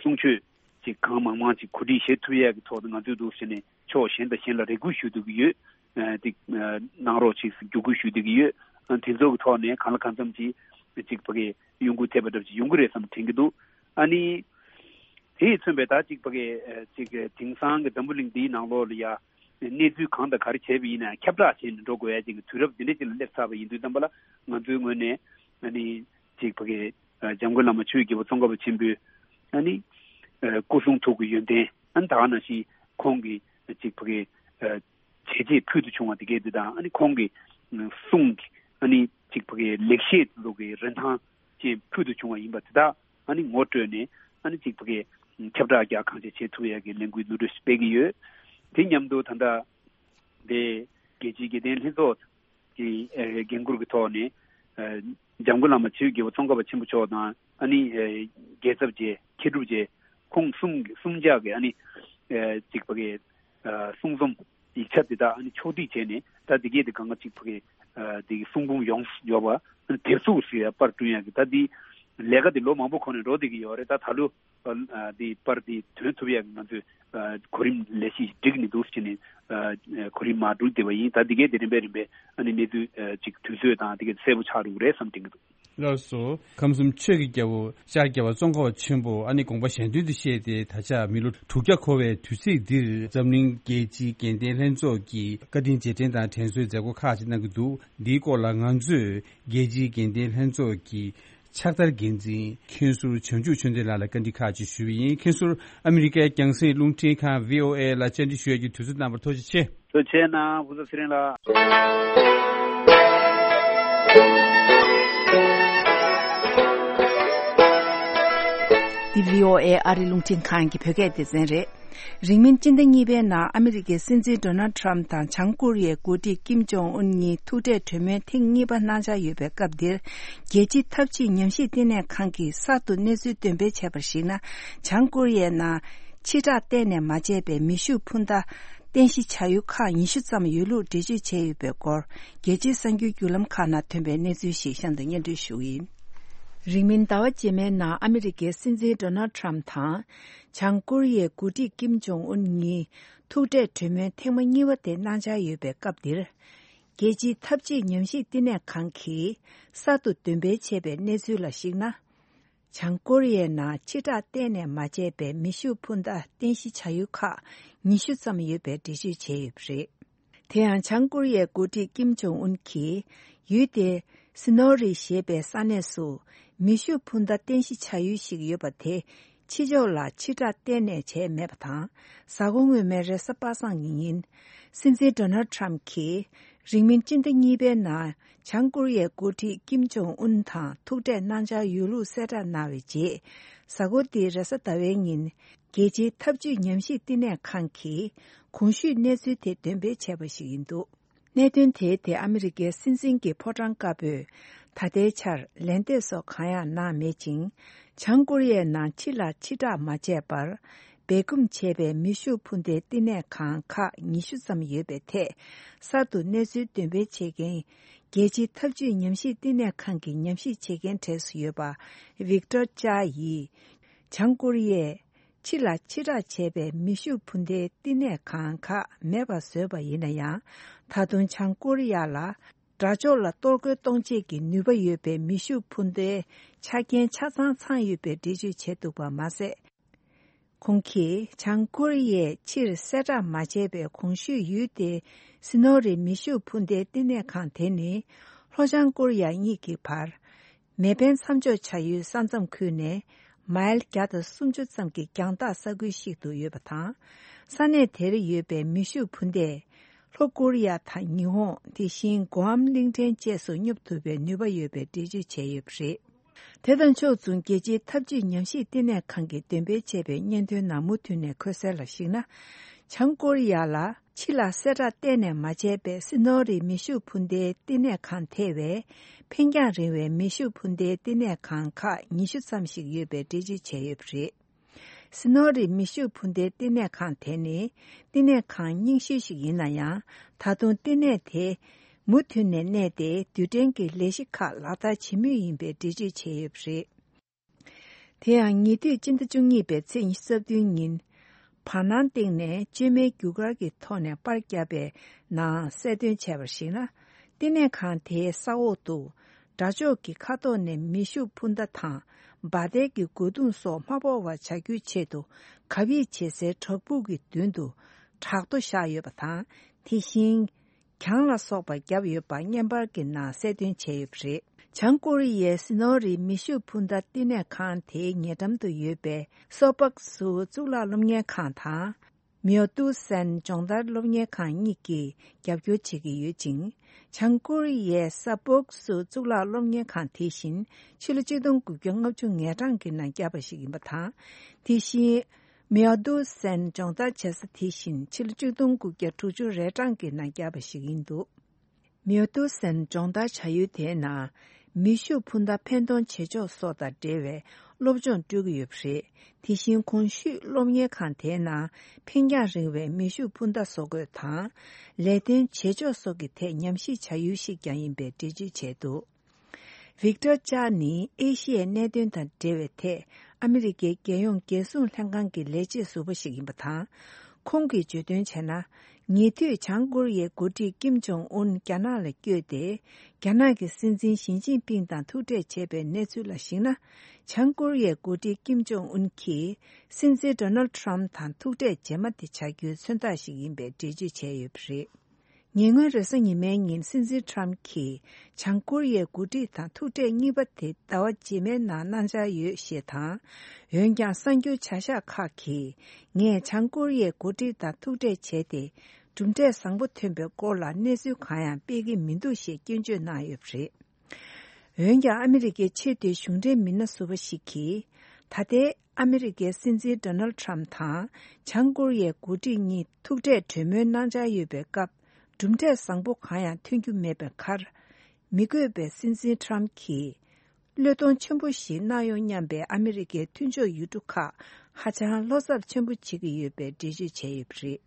གསུང་ཆོས་ཅིག་གང་མང་མང་ཅིག་གོ་སྒྲིག་བྱེད་ཐུབ་ཡས་ཀྱི་ཐོག་ཏུ་ང་ཚོས་འདུག་ཟེར་ནས་ཕྱོགས་གཞན་དང་གཞན་ལ་རེ་སྐུལ་ཞུ་སྡོད་ཀྱི་ཡོད། ཨ་དེ་གནང་རོགས་ཅིག་བརྒྱུད་སྐུལ་ཞུ་སྡོད་ཀྱི་ཡོད། ཨ་དེ་ཚོ་གི་ཐོག་ནས་གང་ལ་གང་འཚམ་ཅིག་ཅིག་ཕ་གི་གཡོ་འགུལ་ཐེབས་པ་འདྲ་ཅིག་ཡོང་གི་རེད་བསམ་དྲན་གྱི་འདུག་ཨ་ནི་དེ་ཡིས་མཚོན་པའི་ད་ཅིག་ཕ་གི་ཅིག་དེང་སང་གི་འཛམ་བུ་གླིང་འདིའི་ནང་ལོགས་ལ་ཡ་གནས་ཚུལ་གང་དང་ག་རེ་བྱས་པ་ཡིན་ན་ཁྱབ་བསྒྲགས་བྱས་ནས་འགྲོ་དགོས་ཡ་ཅིག་གི་དུས་རབས་འདི་འདྲ་ཅིག་ལ་སླེབས་ཚར་བ་ཡིན་དུས་ཙམ་པ་ལ་ང་ཚོའི་ངོས་ནས་ཨ་ནི་ཅིག་ཕ་གི་འཇམ་མགོན་བླ་མ་ཆོས་ཀྱི་རྒྱལ་པོ་ཙོང་ཁ་པ་ཆེན་པོའི་ཨ་ནི་སྐུ་གསུང་ཐུགས་ཀྱི་ཡོན་ཏན། ཨ་ནི་ད་ག་ནང་བཞིན་ཁོང་གི་ཅིག་ཕ་གི་བྱས་རྗེས་ཕུལ་དུ་བྱུང་བ་དེ་གས་དེ་དང་། ཨ་ནི་ཁོང་གི་གསུང་གི་ཨ་ནི་ཅིག་ཕ་གི་ལེགས་བཤད་ཚོ་གི་རིན་ཐང་ཅན་ཕུལ་དུ་བྱུང་བ་ཡིན་པ་དེ་དག་ཨ་ནི་ངོ་སྤྲོད་ནས་ཨ་ནི་ཅིག་ཕ་གི་ཁྱབ་བསྒྲགས་རྒྱག་གང་ཆེ་བྱེད་ཐུབ་ཡ་གི་ལས་འགུལ་བསྡུ་སྒྲིག་སྤེལ་གྱི་ཡོད། དེ་མཉམ་དུ་ད་ལྟ་ དེ་རྒྱལ་སྤྱིའི་དགེ་ལྡན་ལྷན་ཚོགས་ཀྱི་ཨ་འགན་འཁུར་གྱི་ཐོག་ནས་ཨ་འཇམ་མགོན་བླ་མ་ཆོས་ཀྱི་རྒྱལ་པོ་ཙོང་ཁ་པ་ཆེན་པོ་མཆོག་དང་ཨ་ནི་ཨ་རྒྱལ་ཚབ་རྗེ་མཁས་གྲུབ་རྗེ་ཁོང་གསུམ་གསུམ་ཆ་གི་ཨ་ནི་ཨ་གཅིག་པ་གི་ཨ་གསུང་རྩོམ་ཡིག་ཆ་དེ་དག་ཨ་ནི་ཕྱོགས་སྒྲིག་བྱས་ནས། ད་དེ་གས་དེ་གང་ག་གཅིག་པ་གི་ཨ་དེ་གི་གསུང་འབུམ་ཡོངས་སུ་འབྱོར་བ་ཨ་ནི་དེབ་གཟུགས་སུ་ཡ་པར་བསྐྲུན་ཡག་གི་ད་དེ་ལས་ཀ་དེ་ལོ་མང་པོ་གོང་ནས་འགྲོ་བསྡད་ཀྱི་ཡོད་རེད། ད་ད་ལོ་ཨ་དེ་པར་དེ་ཐོན་ཐུབ་ཡག་གི་ང་ཚོས་ཨ་གོ་རིམ་ལས་གཞི་སྒྲིག་ནས་འདུག་ཟེར་ནས་ཨ་གོ་རིམ་མར་བསྒྲིགས་བསྡད་པ་ཡིན། ད་དེ་གས་དེ་རིམ་པས་རིམ་པས་ཨ་ནི་གནས་ཚུལ་ཨ་ཅིག་དུས་ཚོད་དང་དེ་གས་གསལ་པོ་ཆགས་འགྲོ་གི་རེད་བསམ་དྲན་གྱི་འདུག། ལགས་སོ། ཁམས་གསུམ་ཆོས་ཀྱི་རྒྱལ་པོ་ཤར་རྒྱལ་བ་ཙོང་ཁ་པ་ཆེན་པོ་ཨ་ནི་དགོངས་པ་གཞན་དོན་དུ་བཤད་དེ། ད་ཆ་མི་ལོ་དྲུག་བརྒྱ་འཁོར་བའི་དུས་ཚིགས་འདིར་འཛམ་གླིང་རྒྱལ་སྤྱིའི་དགེ་ལྡན་ལྷན་ཚོགས་ཀྱིས་བཀའ་དྲིན་རྗེས་དྲན་དང་དྲན་གསོའི་མཛད་སྒོ་ཁག་ཅིག་གནང་གི་འདུག། འདིའི་སྐོར་ལ་ང་ཚོས་རྒྱལ་སྤྱིའི་དགེ་ལྡན་ལྷན་ཚོགས་ཀྱི་ཕྱག་བསྟར་འགན་འཛིན་མཁན་ཟུར་བྱང་ཆུབ་ཆོས་ལྡན་ལགས་ལ་བཀའ་འདྲི་ཁག་ཅིག་ཞུས་པ་ཡིན། མཁན་ཟུར་ཨ་མི་རི་ཀའི་རྒྱང་སྲིང་རླུང་འཕྲིན་ཁང་བྷི་ཨོ་ཨེ་ལ་བཅར་འདྲི་ཞུ་ཡས་ཀྱི་དུས་ཚོད་གནང་བར་ཐུགས་རྗེ་ཆེ། ཐུགས་རྗེ་ཆེ་གནང་། ཕུན་ཚོགས་ཚེ་རིང་ལགས། འདི་བྷི་ཨོ་ཨེ་ཨ་རི་རླུང་འཕྲིན་ཁང་གི་བོད་སྐད་སྡེ་ཚན་རེད། རིང་མིན་སྤྱི་ཟླ་གཉིས་པའི་ནང་ཨ་མི་རི་ཀའི་སྲིད་འཛིན་ཌོ་ནལ་ཊམ་དང་བྱང་ཀོ་རི་ཡའི་འགོ་ཁྲིད་ཀིམ་ཇོང་ཨུན་གཉིས་ཐུག་འཕྲད་གྲོས་མོལ་ཐེངས་གཉིས་པ་གནང་འཆར་ཡོད་པའི་སྐབས་འདིར། རྒྱལ་སྤྱིའི་འཐབ་ཇུས་ཉམས་ཞིབ་བསྟི་གནས་ཁང་གིས་གསར་དུ་གནས་ཚུལ་འདོན་སྤེལ་བྱས་པར་གཞིགས་ན། བྱང་ཀོ་རི་ཡའི་ནང་ཕྱི་བསྲེགས་གཏན་ནས་མ་བྱས་པའི་མེ་ཤུགས་འཕུར་མདའ་རྟེན་གཞི་བྱ་ཡུལ་ཁག་ཉི་ཤུ་ཙམ་ཡོད་ལུགས་འགྲེལ་བརྗོད་བྱས་ཡོད་པའི་སྐོར། རྒྱལ་སྤྱིའི་གསར་འགྱུར་བརྒྱུད་ལམ་ཁག་ནང་ཐོན་པའི་གནས་ཚུལ་ཞིག་གཤམ་དུ་སྙན་སྒྲོན་ཞུ་གི་ཡིན། རིང་མིན་ཟླ་བ་རྗེས་མའི་ནང་ཨ་མི་རི་ཀའི་སྲིད་འཛིན་ཌོ་ནལ་ཊམ་དང་། བྱང་ཀོ་རི་ཡའི་འགོ་ཁྲིད་ཀིམ་ཇོང་ཨུན་གཉིས་ཐུག་འཕྲད་གྲོས་མོལ་ཐེངས་མ་གཉིས་པ་དེ་གནང་འཆར་ཡོད་པའི་སྐབས་འདིར། རྒྱལ་སྤྱིའི་འཐབ་ཇུས་ཉམས་ཞིབ་བསྟི་གནས་ཁང་གིས་གསར་དུ་འདོན་སྤེལ་བྱས་པའི་གནས་ཚུལ་ལ་གཞིགས་ན། བྱང་ཀོ་རི་ཡའི་ནང་ཕྱི་བསྲེགས་གཏན་ནས་མ་བྱས་པའི་མེ་ཤུགས་འཕུར་མདའ་རྟེན་གཞི་བྱ་ཡུལ་ཁག་ཉི་ཤུ་ཙམ་ཡོད་པའི་འགྲེལ་བརྗོད་བྱས་ཡོད་པ་རེད། དེ་ཡང་བྱང་ཀོ་རི་ཡའི་འགོ་ཁྲིད་ཀིམ་ཇོང་ཨུན་གྱིས་ཡུལ་དེའི་སི་ནོ་རི་ཞེས་པའི་ས་གནས་སུ་མེ་ཤུགས་འཕུར་མདའ་རྟེན་གཞི་བྱ་ཡུལ་ཞིག་ཡོད་པ་དེ་ཕྱི་ཕྱོགས་ལ་ཕྱི་བསྲེགས་གཏན་ནས་བྱས་མེད་པ་དང་། གཟའ་འཁོར་སྔོན་མའི་རེས་གཟའ་པ་སངས་ཀྱི་ཉིན། སྲིད་འཛིན་ཌོ་ནལ་ཊམ་གྱིས་རིང་མིན་སྤྱི་ཟླ་གཉིས་པའི་ནང་བྱང་ཀོ་རི་ཡའི་འགོ་ཁྲིད་ཀིམ་ཇོང་ཨུན་དང་ཐུག་འཕྲད་གནང་འཆར་ཡོད་ལུགས་གསལ་བསྒྲགས་གནང་བའི་རྗེས། གཟའ་འཁོར་འདིའི་རེས་གཟའ་ཟླ་བའི་ཉིན། རྒྱལ་སྤྱིའི་འཐབ་ཇུས་ཉམས་ཞིབ་བསྟི་གནས་ཁང་གིས་གོང་ཞུས་གནས་ཚུལ་དེ་འདོན་སྤེལ་བྱས་པ་ཞིག་ཡིན་འདུག། གནད་དོན་དེའི་ཐད་ཨ་མི་རི་ཀའི་སྲིད་འཛིན་གྱི་ཕོ་བྲང་དཀར་པོས་ད་ལྟའི་ཆར་ལན་འདེབས་སོགས་གང་ཡང་གནང་མེད་ཅིང་། བྱང་ཀོ་རི་ཡའི་ནང་ཕྱི་ལ་ཕྱི་བསྲེགས་མ་བྱས་པར་སྦས་སྐུང་བྱས་པའི་མེ་ཤུགས་འཕུར་མདའི་བསྟི་གནས་ཁང་ཁག་ཉི་ཤུ་ཙམ་ཡོད་པའི་ཐད་གསར་དུ་གནས་ཚུལ་འདོན་སྤེལ་བྱེད་མཁན་རྒྱལ་སྤྱིའི་འཐབ་ཇུས་ཉམས་ཞིབ་བསྟི་གནས་ཁང་གི་ཉམས་ཞིབ་བྱེད་མཁན་གྲས་སུ་ཡོད་པ་ཝིག་ཏོར་ཅཱ་ཡིས། བྱང་ཀོ་རི་ཡས་ཕྱི་ལ་ཕྱི་བསྲེགས་བྱས་པའི་མེ་ཤུགས་འཕུར་མདའི་བསྟི་གནས་ཁང་ཁག་མེད་པར་བཟོས་པ་ཡིན་ན་ཡང་། ད་དུང་བྱང་ཀོ་རི་ཡ་ལ་དགྲ་ཕྱོགས་ལ་གཏོར་རྒོལ་གཏོང་ཆེད་ཀྱི་ནུས་པ་ཡོད་པའི་མེ་ཤུགས་འཕུར་མདའི་ཆ་རྐྱེན་ཆ་ཚང་ཚང་ཡོད་པའི་འགྲེལ་བརྗོད་བྱས་འདུག་པ་མ་ཟད། ཁོང་གིས་བྱང་ཀོ་རི་ཡས་ཕྱིར་གསལ་བསྒྲགས་མ་བྱས་པའི་གོང་ཞུས་ཡུལ་དེའི་སི་ནོ་རི་མེ་ཤུགས་འཕུར་མདའི་བསྟི་གནས་ཁང་དེ་ནི་ལྷོ་བྱང་ཀོ་རི་ཡ་གཉིས་ཀྱི་བར་མེ་འཕེན་མཚམས་འཇོག་བྱ་ཡུལ་ས་མཚམས་ཁུལ་ནས་མའིལ་བརྒྱ་དང་སུམ་ཅུ་ཙམ་གྱི་རྒྱང་ཐག་ས་ཁུལ་ཞིག་ཏུ་ཡོད་པ་དང་། ས་གནས་དེར་ཡོད་པའི་མེ་ཤུགས་འཕུར་མདས་ལྷོ་ཀོ་རི་ཡ་དང་ཉི་ཧོང་། དེ་བཞིན་གོའམ་གླིང་ཕྲན་བཅས་སུ་སྙོབ་ཐུབ་པའི་ནུས་པ་ཡོད་པའི་འགྲེལ་བརྗོད་བྱས་ཡོད་པ་རེད། དེ་དང་ཕྱོགས་མཚུངས་རྒྱལ་སྤྱིའི་འཐབ་ཇུས་ཉམས་ཞིབ་ལྟེ་གནས་ཁང་གིས་འདོན་སྤེལ་བྱས་པའི་སྙན་ཐོའི་ནང་མུ་མཐུད་ནས་འཁོད་གསལ་ལ་གཞིགས་ན། བྱང་ཀོ་རི་ཡ་ལ་ཕྱི་ལ་གསལ་བསྒྲགས་གཏན་ནས་མ་བྱས་པའི་སི་ནོ་རི་མེ་ཤུགས་འཕུར་མདའི་ལྟེ་གནས་ཁང་ཐེ་བའི་འཕེན་རྒྱང་རིང་བའི་མེ་ཤུགས་འཕུར་མདའི་ལྟེ་གནས་ཁང་ཁག་ཉི་ཤུ་ཙམ་ཞིག་ཡོད་པའི་འགྲེལ་བརྗོད་བྱས་ཡོད་པ་རེད། སི་ནོ་རི་མེ་ཤུགས་འཕུར་མདའི་ལྟེ་གནས་ཁང་དེ་ནི་ལྟེ་གནས་ཁང་རྙིང་ཤོས་ཤིག་ཡིན་ན་ཡང་། ད་དུང་ལྟེ་གནས་དེ་མུ་མཐུད་ནས་གནས་ཏེ་རྡུལ་ཕྲན་གྱི་ལས་གཞི་ཁག་ལག་བསྟར་བྱེད་མུས་ཡིན་པའི་འགྲེལ་བརྗོད་བྱས་ཡོད་པ་རེད། དེ་ཡང་ཉེ་དུས་སྤྱི་ཟླ་བཅུ་གཉིས་པའི་ཚེས་ཉི་ཤུ་རྩ་བདུན་ཉིན། བར་སྣང་སྟེང་ནས་བཅོས་མའི་རྒྱུ་སྐར་གྱི་ཐོག་ནས་པར་བརྒྱབ་པའི་ནང་གསལ་སྟོན་བྱས་པར་གཞིགས་ན། ལྟེ་གནས་ཁང་དེའི་ས་འོག་ཏུ་དགྲ་ཕྱོགས་ཀྱི་མཁའ་ཐོག་ནས་མེ་ཤུགས་འཕུར་མདའ་དང་འབར་མདེལ་གྱི་རྒོལ་རྡུང་སོགས་མ་ཕོག་པར་བྱ་རྒྱུའི་ཆེད་དུ་གབ་ཡིབ་བྱེད་སའི་བྲག་ཕུག་གི་མདུན་དུ་བྲག་རྡོ་བཞག་ཡོད་པ་དང་། དེ་བཞིན། གྱང་ལ་སོགས་པ་བརྒྱབ་ཡོད་པ་བརྙན་པར་གྱི་ནང་གསལ་སྟོན་བྱས་ཡོད་པ་རེད། བྱང་ཀོ་རི་ཡའི་སི་ནོ་རི་མེ་ཤུགས་འཕུར་མདའ་བསྟི་གནས་ཁང་དེའི་ཉེ་འགྲམ་དུ་ཡོད་པའི་སོ་པག་སུ་གཙུག་ལག་སློབ་གཉེར་ཁང་དང་། མིའོ་ཏུའུ་སན་སྦྱོང་བརྡར་སློབ་གཉེར་ཁང་གཉིས་ཀྱིས་རྒྱབ་སྐྱོར་བྱེད་ཀྱི་ཡོད་ཅིང་། བྱང་ཀོ་རི་ཡའི་ས་པོག་སུ་གཙུག་ལག་སློབ་གཉེར་ཁང་དེ་བཞིན་ཕྱི་ལོ་ཆིག་སྟོང་དགུ་བརྒྱ་ལྔ་བཅུ་ང་གྲངས་ཀྱི་ནང་བརྒྱབ་པ་ཞིག་ཡིན་པ་དང་། དེ་བཞིན། མེའོ་ཏུའུ་སན་སྦྱོང་བརྡར་བྱེད་ས་དེ་བཞིན་ཕྱི་ལོ་ཆིག་སྟོང་དགུ་བརྒྱ་དྲུག་ཅུ་རེ་གྲངས་ཀྱི་ནང་བརྒྱབ་པ་ཞིག་ཡིན་འདུག་མེའོ་ཏུའུ་སན་སྦྱོང་བརྡར་བྱ་ཡུལ་དེའི་ནང་མེ་ཤུགས་འཕུར་མདའ་འཕེན་གཏོང་བྱེད་ཕྱོགས་སོགས་དང་འབྲེལ་བའི་སློབ་སྦྱོང་སྤྲོད་ཀྱི་ཡོད་པ་རེད། དེ་བཞིན་གོང་ཞུས་སློབ་གཉེར་ཁང་དེའི་ནང་འཕེན་རྒྱང་རིང་བའི་མེ་ཤུགས་འཕུར་མདའ་བཟོ་འགོད་དང་། ལས་དོན་བྱེད་ཕྱོགས་སོགས་ཀྱི་ཐད་ཉམས་ཞིབ་བྱ་ཡུལ་ཞིག་ཀྱང་ཡིན་པའི་འགྲེལ་བརྗོད་བྱས་འདུག་ཝིག་ཏར་ཅཱ་ནི་ཨེ་ཤི་ཡའི་གནད་དོན་དང་འབྲེལ་བའི་ཐད་ཨ་མི་རི་ཀའི་རྒྱལ་ཡོངས་རྒྱལ་སྲུང་ལྷན་ཁང་གི་ལས་བྱེད་ཟུར་པ་ཞིག་ཡིན་པ་དང་། ཁོང་གིས་བརྗོད་དོན་བྱས་ན། ཉེ་དུས་བྱང་ཀོ་རི་ཡའི་འགོ་ཁྲིད་ཀིམ་ཇོང་ཨུན་རྒྱ་ནག་ལ་བསྐྱོད་དེ། རྒྱ་ནག་གི་སྲིད་འཛིན་ཞི་ཅིན་ཕིང་དང་ཐུག་འཕྲད་བྱས་པའི་གནས་ཚུལ་ལ་གཞིགས་ན། བྱང་ཀོ་རི་ཡའི་འགོ་ཁྲིད་ཀིམ་ཇོང་ཨུན་གྱིས་སྲིད་འཛིན་ཌོ་ནལ་ཁྲམ་དང་ཐུག་འཕྲད་རྗེས་མ་དེ་བྱ་རྒྱུའི་མཚོན་རྟགས་ཤིག་ཡིན་པའི་འགྲེལ་བརྗོད་བྱས་ཡོད་པ་རེད། ཉེ་སྔོན་རེས་གཟའ་ཉི་མའི་ཉིན་སྲིད་འཛིན་ཁྲམ་གྱིས་བྱང་ཀོ་རི་ཡའི་འགོ་ཁྲིད་དང་ཐུག་འཕྲད་གཉིས་པ་དེ་ཟླ་བ་རྗེས་མའི་ནང་གནང་འཆར་ཡོད་ཞེས་དང་། འོན་ཀྱང་གསར་འགྱུར་བྱ་གཞག་ཁག་གིས་ངས་བྱང་ཀོ་རི་ཡའི་འགོ་ཁྲིད་དང་ཐུག་འཕྲད་བྱས་ཏེ། གྲུབ་འབྲས་བཟང་པོ་ཐོན་པའི་སྐོར་ལ་གནས་ཚུལ་གང་ཡང་སྤེལ་གྱི་མི་འདུག་ཞེས་སྐྱོན་བརྗོད་གནང་ཡོད་པ་རེད། འོན་ཀྱང་ཨ་མི་རི་ཀའི་ཆེས་མཐོའི་གཞུང་འབྲེལ་མི་སྣ་ཟུར་པ་ཞིག་གིས། ད་ལྟའི་ཨ་མི་རི་ཀའི་སྲིད་འཛིན་ཌོ་ནལ་ཁྲམ་དང་བྱང་ཀོ་རི་ཡའི་འགོ་ཁྲིད་གཉིས་ཐུག་འཕྲད་གྲོས་མོལ་གནང་འཆར་ཡོད་པའི་སྐབས། གྲུབ་འབྲས་བཟང་པོ་གང་ཡང་ཐོན་རྒྱུ་མེད་པའི་ཁར། མི་དགོས་པའི་སྲིད་འཛིན་ཁྲམ་གྱིས། བློས་གཏོང་ཆེན་པོ་ཞིག་གནང་ཡོང་སྙམ་པའི་ཨ་མི་རི་ཀའི་མཐུན་ཕྱོགས་ཡུལ་གྲུ་ཁག་ཧ་ཅང་བློ་འཚབ་ཆེན་པོ་བྱེད་ཀྱི་ཡོད་པའི་འགྲེལ་བརྗོད་བྱས་ཡོད་པ་རེད།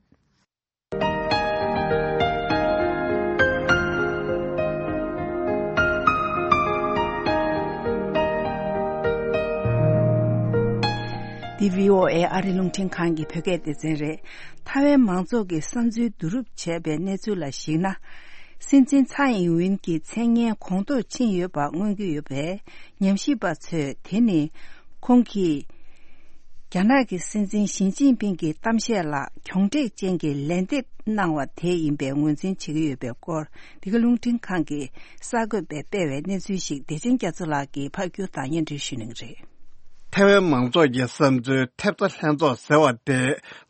འདི་བྷི་ཨོ་ཨེ་ཨ་རི་རླུང་འཕྲིན་ཁང་གི་བོད་སྐད་སྡེ་ཚན་རེད། ཐའེ་ཝན་མང་ཚོགས་ཀྱི་བསམ་ཚུལ་བསྡུ་རུབ་བྱས་པའི་གནས་ཚུལ་ལ་གཞིགས་ན། སྲིད་འཛིན་ཚའེ་ཨིན་ཝིན་གྱི་མཚན་སྙན་གོང་མཐོར་ཕྱིན་ཡོད་པ་མངོན་གྱི་ཡོད་པས། ཉམས་ཞིབ་པ་ཚོས་དེ་ནི་ཁོང་གིས་རྒྱ་ནག་གི་སྲིད་འཛིན་ཞི་ཅིན་ཕིང་གི་གཏམ་བཤད་ལ་གྱོང་འབྲེལ་ཅན་གྱི་ལན་འདེབས་གནང་བ་དེ་ཡིན་པའི་ངོས་འཛིན་བྱེད་ཀྱི་ཡོད་པའི་སྐོར། འདི་ག་རླུང་འཕྲིན་ཁང་གིས་གསར་འགོད་པས་སྤེལ་བའི་གནས་ཚུལ་ཞིག་བདེ་ཆེན་རྒྱ་མཚོ་ལགས་ཀྱིས་ཕབ་སྒྱུར་དང་སྙན་སྒྲོན་ཞུ་གནང་གི་རེད། ཐའེ་ཝན་མང་ཚོགས་ཀྱི་བསམ་ཚུལ་ཐེབས་རྩ་ལྷན་ཚོགས་ཟེར་བ་དེ་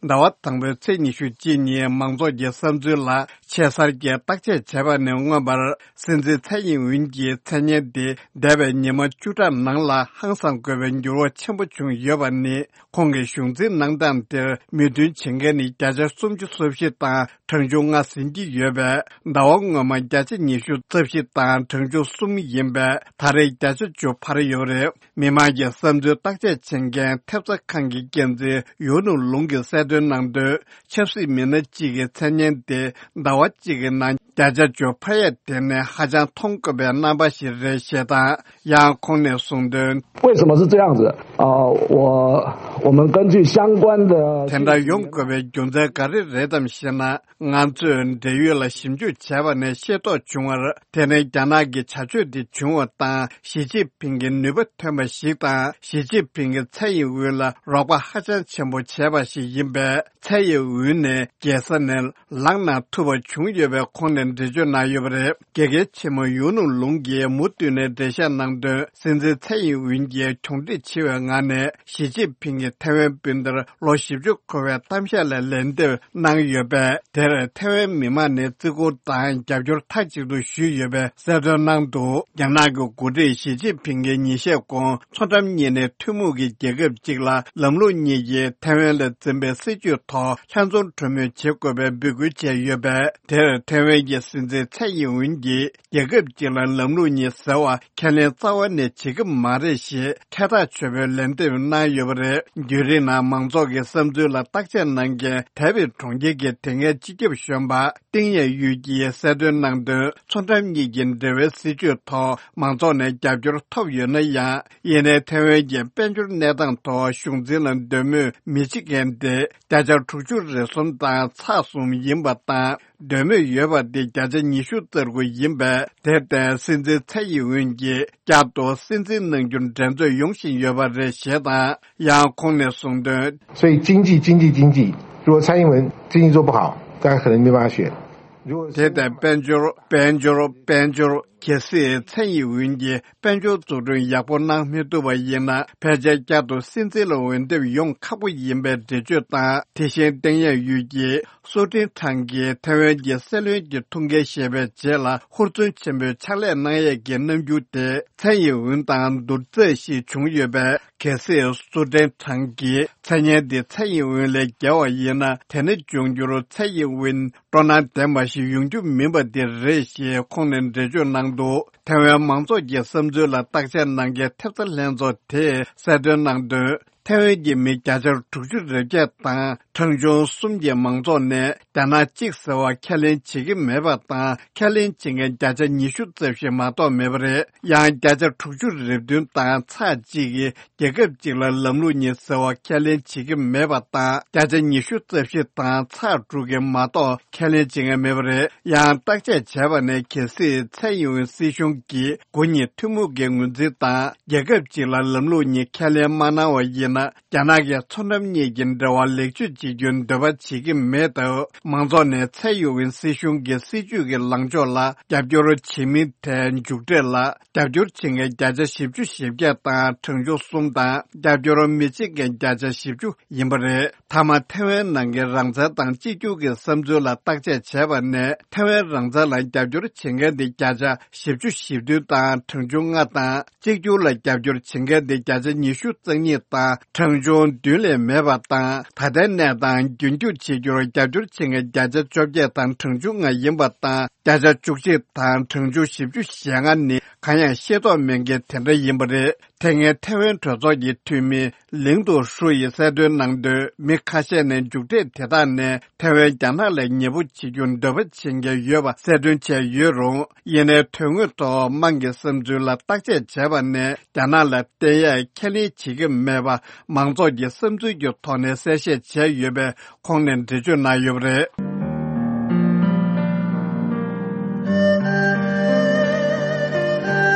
ཟླ་བ་དང་པོའི་ཚེས་ཉི་ཤུ་གཅིག་ཉིན་མང་ཚོགས་ཀྱི་བསམ་ཚུལ་ལ་ཆེ་སར་གྱིས་བརྟག་དཔྱད་བྱས་པ་ནས་མངོན་པར། སྲིད་འཛིན་ཚའེ་ཨིན་ཝིན་གྱི་མཚན་སྙན་དེ་འདས་པའི་ཉི་མ་བཅུ་ཕྲག་ནང་ལ་ཧང་སང་དགོས་པའི་འགྱུར་བ་ཆེན་པོ་བྱུང་ཡོད་པ་ནི། ཁོང་གི་གཞུང་འཛིན་གནང་སྟངས་དེར་མོས་མཐུན་བྱེད་མཁན་ནི་བརྒྱ་ཆ་སུམ་ཅུ་སོ་བཞི་དང་གྲངས་ཆུང་ལྔ་ཟིན་གྱི་ཡོད་པས། ཟླ་བ་སྔོན་མ་བརྒྱ་ཆ་ཉི་ཤུ་རྩ་བཞི་དང་གྲངས་ཆུང་གསུམ་ཡིན་པས། ད་རེས་བརྒྱ་ཆ་བཅུ་འཕར་ཡོད་རེད། མི་མང་གི་བསམ་ཚུལ་བརྟག་དཔྱད་བྱེད་མཁན་ཐེབས་རྩ་ཁང་གི་འགན་འཛིན་ཡུའུ་ནུ་ལུང་གིས་གསལ་སྟོན་གནང་དོན། ཆབ་སྲིད་མི་སྣ་གཅིག་གི་མཚན་སྙན་དེ་ཟླ་བ་གཅིག་གི་ནང་བརྒྱ་ཆ་བཅུ་འཕར་ཡ་དེ་ནི་ཧ་ཅང་མཐོང་དཀའ་བའི་རྣམ་པ་ཞིག་རེད་ཞེས་དང་། ཡང་ཁོང་ནས་གསུངས་དོན། 为什么是这样子？呃，我我们根据相关的 དེ་འདྲ་ཡོང་དགོས་པའི་རྒྱུ་མཚན་ག་རེ་རེད་དམ་ཞེ་ན། ང་ཚོས་འབྲེལ་ཡོད་ལ་ཞིབ་འཇུག་བྱས་པ་ནས་ཤེས་རྟོགས་བྱུང་བར། དེ་ནི་རྒྱ་ནག་གི་བྱ་སྤྱོད་འདི་བྱུང་བ་དང་། ཞི་ཅིན་ཕིང་གི་ནུས་པ་ཐོན་པ་ཞིག་དང་། ཞི་ཅིན་ཕིང་གིས་ཚའེ་ཡིན་ཝུན་ལ་རོགས་པ་ཧ་ཅང་ཆེན་པོ་བྱས་པ་ཞིག་ཡིན་པས། ཚའེ་ཡིན་ཝུན་ནས་རྒྱལ་ས་ནས་ལངས་གནང་ཐུབ་པ་བྱུང་ཡོད་པའི་ཁོང་ནས་འགྲེལ་བརྗོད་གནང་ཡོད་པ་རེད། དགེ་རྒན་ཆེན་མོ་ཡུའུ་ནུ་ལུང་གིས་མུ་མཐུད་ནས་འགྲེལ་བཤད་གནང་དོན། སྲིད་འཛིན་ཚའེ་ཡིན་ཝུན་གྱིས་གྱོང་འབྲེལ་ཆེ་བའི་ངང་ནས་ཞི་ཅིན་ཕིང་གིས་ཐའེ་ཝན་སྤུན་ཟླར་ལོ་བཞི་བཅུ་འཁོར་བའི་གཏམ་བཤད་ལ་ལན་འདེབས་གནང་ཡོད་པས། དེར་ཐའེ་ཝན་མི་མང་ནས་བརྩི་བཀུར་དང་རྒྱབ་སྐྱོར་མཐའ་གཅིག་ཏུ་ཞུས་ཡོད་པའི་གསལ་སྟོན་གནང་འདུག་རྒྱ་ནག་གི་འགོ་ཁྲིད་ཞི་ཅིན་ཕིང་གིས་ཉིན་ཤས་གོང་མཚོ་འགྲམ་གཉིས་ནས་ཐུན་མོང་གི་རྒྱལ་ཁབ་ཅིག་ལ་ལམ་ལུགས་གཉིས་ཀྱིས་ཐའེ་ཝན་ལ་འཛིན་པའི་སྲིད་བྱུས་ཐོག་ལྷན་འཛོམས་གྲོས་མོལ་བྱེད་དགོས་པའི་འབོད་སྐུལ་བྱས་ཡོད་པས། དེར་ཐའེ་ཝན་གྱི་སྲིད་འཛིན་ཚའེ་ཡིན་ཝུན་གྱིས། རྒྱལ་ཁབ་ཅིག་ལ་ལམ་ལུགས་གཉིས་ཟེར་བ་ཁས་ལེན་རྩ་བ་ནས་བྱེད་ཀྱི་མ་རེད་ཞེས་ཁྲལ་ཐག་ཆོད་པའི་ལན་འདེབས་གནང་ཡོད་པ་རེད། བརྒྱུད་རིམ་ནང་མང་ཚོགས་ཀྱི་བསམ་ཚུལ་ལ་བརྟག་དཔྱད་གནང་མཁན་ཐའེ་པེ་གྲོང་ཁྱེར་གྱི་དེ་སྔའི་སྤྱི་ཁྱབ་གཞོན་པ་ཏིང་ཡེ་ཡུས་ཀྱིས་གསལ་སྟོན་གནང་དོན། མཚོ་འགྲམ་གཉིས་ཀྱི་འབྲེལ་བའི་སྲིད་བྱུས་ཐོག་མང་ཚོགས་ནས་རྒྱབ་སྐྱོར་ཐོབ་ཡོད་ན་ཡང་། ཡིན་ནའི་ཐའེ་ཝན་གྱི་དཔལ་འབྱོར་གནས་སྟངས་ཐོག་གཞུང་འཛིན་ལ་འདོད་མོས་མི་བྱེད་མཁན་དེ་བརྒྱ་ཆ་དྲུག་ཅུ་རེ་གསུམ་དང་ཚེག་གསུམ་ཡིན་པ་དང་། འདོད་མོས་ཡོད་པ་དེ་བརྒྱ་ཆ་ཉི་ཤུ་རྩ་དགུ་ཡིན་པས། དེར་བརྟེན་སྲིད་འཛིན་ཚའེ་ཡིན་ཝུན་གྱིས་བསྐྱར་དུ་སྲིད་འཛིན་གནང་རྒྱུར་འགྲན་རྩོད་ཡོང་བཞིན་ཡོད་པ་རེད་ཞེས་དང་། ཡང་ཁོང་ནས་གསུངས་དོན། 所以经济，经济，经济，如果蔡英文经济做不好，大家可能没办法选。དེ་ལྟར་དཔལ་འབྱོར། དཔལ་འབྱོར། དཔལ་འབྱོར། གལ་སྲིད་མཚན་ཡིན་འོན་གྱི་དཔལ་འབྱོར་འཛུགས་སྐྲུན་ཡག་པོ་གནང་མི་ཐུབ་པ་ཡིན་ན། ཕལ་ཆེར་བསྐྱར་དུ་སྲིད་འཛིན་ལ་འོས་འདེམས་ཡོང་ཁག་པོ་ཡིན་པའི་འགྲེལ་བརྗོད་དང་། དེ་བཞིན་བསྟན་ཡག་ཡུལ་གྱི་སུའུ་ཀྲེང་ཁྲང་གིས་ཐེ་ཝན་གྱི་སྲིད་བློན་གྱི་ཐུགས་འགན་བཞེས་པའི་རྗེས་ལ་ཧུར་བརྩོན་ཆེན་པོས་ཕྱག་ལས་གནང་ཡས་ཀྱི་རྣམ་འགྱུར་དེ། མཚན་ཡིན་འོན་དང་བསྡུར་ཚད་ཞིག་བྱུང་ཡོད་པས། གལ་སྲིད་སུའུ་ཀྲེང་ཁྲང་གིས་མཚན་སྙན་འདི་མཚན་ཡིན་འོན་ལས་བརྒལ་བ་ཡིན་ན། དེ་ནི་འབྱུང་འགྱུར་མཚན་ཡིན་འོན་སྤྲོ་སྣང་ལྡན་པ་ཞིག་ཡོང་རྒྱུ་མིན་པ་འདི་རེད་ཞེས་ཁོང་ནས་འགྲེལ་བརྗོད་གནང་འདུག་ཐེ་ཝན་མང་ཚོགས་ཀྱི་བསམ་ཚུལ་ལ་བརྟག་དཔྱད་གནང་མཁན་ཐེབས་རྩ་ལྷན་ཚོགས་དེས་གསལ་སྟོན་གནང་དོན། ཐེ་ཝན་གྱི་མི་བརྒྱ་ཆ་དྲུག་ཅུ་རེ་བརྒྱད་དང་གྲངས་ཆུང་གསུམ་གྱི་མང་ཚོགས་ནས་རྒྱ་ནག་གཅིག་ཟེར་བ་ཁས་ལེན་བྱེད་ཀྱི་མེད་པ་དང་། ཁས་ལེན་བྱེད་མཁན་བརྒྱ་ཆ་ཉི་ཤུ་རྩ་བཞི་མ་གཏོགས་མེད་པ་རེད། ཡང་བརྒྱ་ཆ་དྲུག་ཅུ་རེ་བདུན་དང་ཚེག་གཅིག་གིས་རྒྱལ་ཁབ་གཅིག་ལ་ལམ་ལུགས་གཉིས་ཟེར་བ་ཁས་ལེན་བྱེད་ཀྱི་མེད་པ་དང་། བརྒྱ་ཆ་ཉི་ཤུ་རྩ་བཞི་དང་ཚེག་དྲུག་གིས་མ་གཏོགས་ཁས་ལེན་བྱེད་མཁན་མེད་པ་རེད། ཡང་བརྟག་དཔྱད་བྱས་པ་ནས། གལ་སྲིད་ཚའེ་ཡིན་ཝེན་སྲིད་གཞུང་གིས་དགུ་གཉིས་ཐུན་མོང་གི་ངོས་འཛིན་དང་རྒྱལ་ཁབ་གཅིག་ལ་ལམ་ལུགས་གཉིས་ཁས་ལེན་མ་གནང་བ་ཡིན་ན། རྒྱ་ནག་གི་མཚོ་འགྲམ་གཉིས་ཀྱི་འབྲེལ་བ་ལེགས་བཅོས་བྱེད་རྒྱུའི་འདོད་པ་བྱེད་ཀྱི་མེད་སྟབས། མང་ཚོགས་ནས་ཚའེ་ཡིན་ཝེན་སྲིད་གཞུང་གི་སྲིད་ཇུས་ཀྱི་ལངས་ཕྱོགས་ལ་རྒྱབ་སྐྱོར་བྱེད་མིན་ཐད་མཇུག་འབྲས་ལ་རྒྱབ་སྐྱོར་བྱེད་མཁན་བརྒྱ་ཆ་བཞི་བཅུ་ཞེ་བརྒྱད་དང་གྲངས་ཆུང་གསུམ་དང་། རྒྱབ་སྐྱོར་མི་བྱེད་མཁན་བརྒྱ་ཆ་བཞི་བཅུ་ཡིན་པ་རེད། མཐའ་མ་ཐེ་ཝན་ནང་གི་རང་བཙན་དང་གཅིག་གྱུར་གྱི་བསམ་ཚུལ་ལ་བརྟག་དཔྱད་བྱས་པ་ནས། ཐེ་ཝན་རང་བཙན་ལ་རྒྱབ་སྐྱོར་བྱེད་མཁན་དེ་བརྒྱ་ཆ་བཞི་བཅུ་ཞེ་བདུན་དང་གྲངས་ཆུང་ལྔ་དང་། གཅིག་གྱུར་ལ་རྒྱབ་སྐྱོར་བྱེད་མཁན་དེ་བརྒྱ་ཆ་ཉི་ཤུ་རྩ་གཉིས་དང་གྲངས་ཆུང་བདུན་ལས་མེད་པ་དང་། ད་ལྟའི་གནས་སྟངས་རྒྱུན་འཁྱོངས་བྱེད་རྒྱུར་རྒྱབ་སྐྱོར་བྱེད་མཁན་བརྒྱ་ཆ་བཅོ་བརྒྱད་དང་གྲངས་ཆུང་ལྔ་ཡིན་པ་དང་། བརྒྱ་ཆ་བཅུ་གཅིག་དང་གྲངས་ཆུང་བཞི་བཅུ་ཞེ་ལྔ་ནི་གང་ཡང་ཤེས་རྟོགས་མེད་མཁན་དེ་འདྲ་ཡིན་པ་རེད། དེ་སྔའི་ཐེ་ཝན་གྲོས་ཚོགས་ཀྱི་འཐུས་མི་ལིང་ཏུ་ཧྲུའུ་ཡིས་གསལ་སྟོན་གནང་དོན། མི་ཁ་ཤས་ནས་མཇུག་འབྲས་དེ་དག་ནས་ཐེ་ཝན་རྒྱ་ནག་ལ་ཉེ་པོ་བྱེད་རྒྱུར་འདོད་པ་བྱེད་མཁན་ཡོད་པ་གསལ་སྟོན་བྱས་ཡོད་རུང་། ཡིན་ནའི་དོན་དངོས་ཐོག་དམངས་ཀྱི་བསམ་ཚུལ་ལ་བརྟག་དཔྱད་བྱས་པ་ནས། རྒྱ་ནག་ལ་བརྟེན་ཡས་ཁས་ལེན་བྱེད་ཀྱི་མེད་པ་མང་ཚོགས་ཀྱི་བསམ་ཚུལ་གྱི་ཐོག་ནས་གསལ་བཤད་བྱས་ཡོད་པས། ཁོང་ནས་འགྲེལ་བརྗོད་གནང་ཡོད་པ་རེད།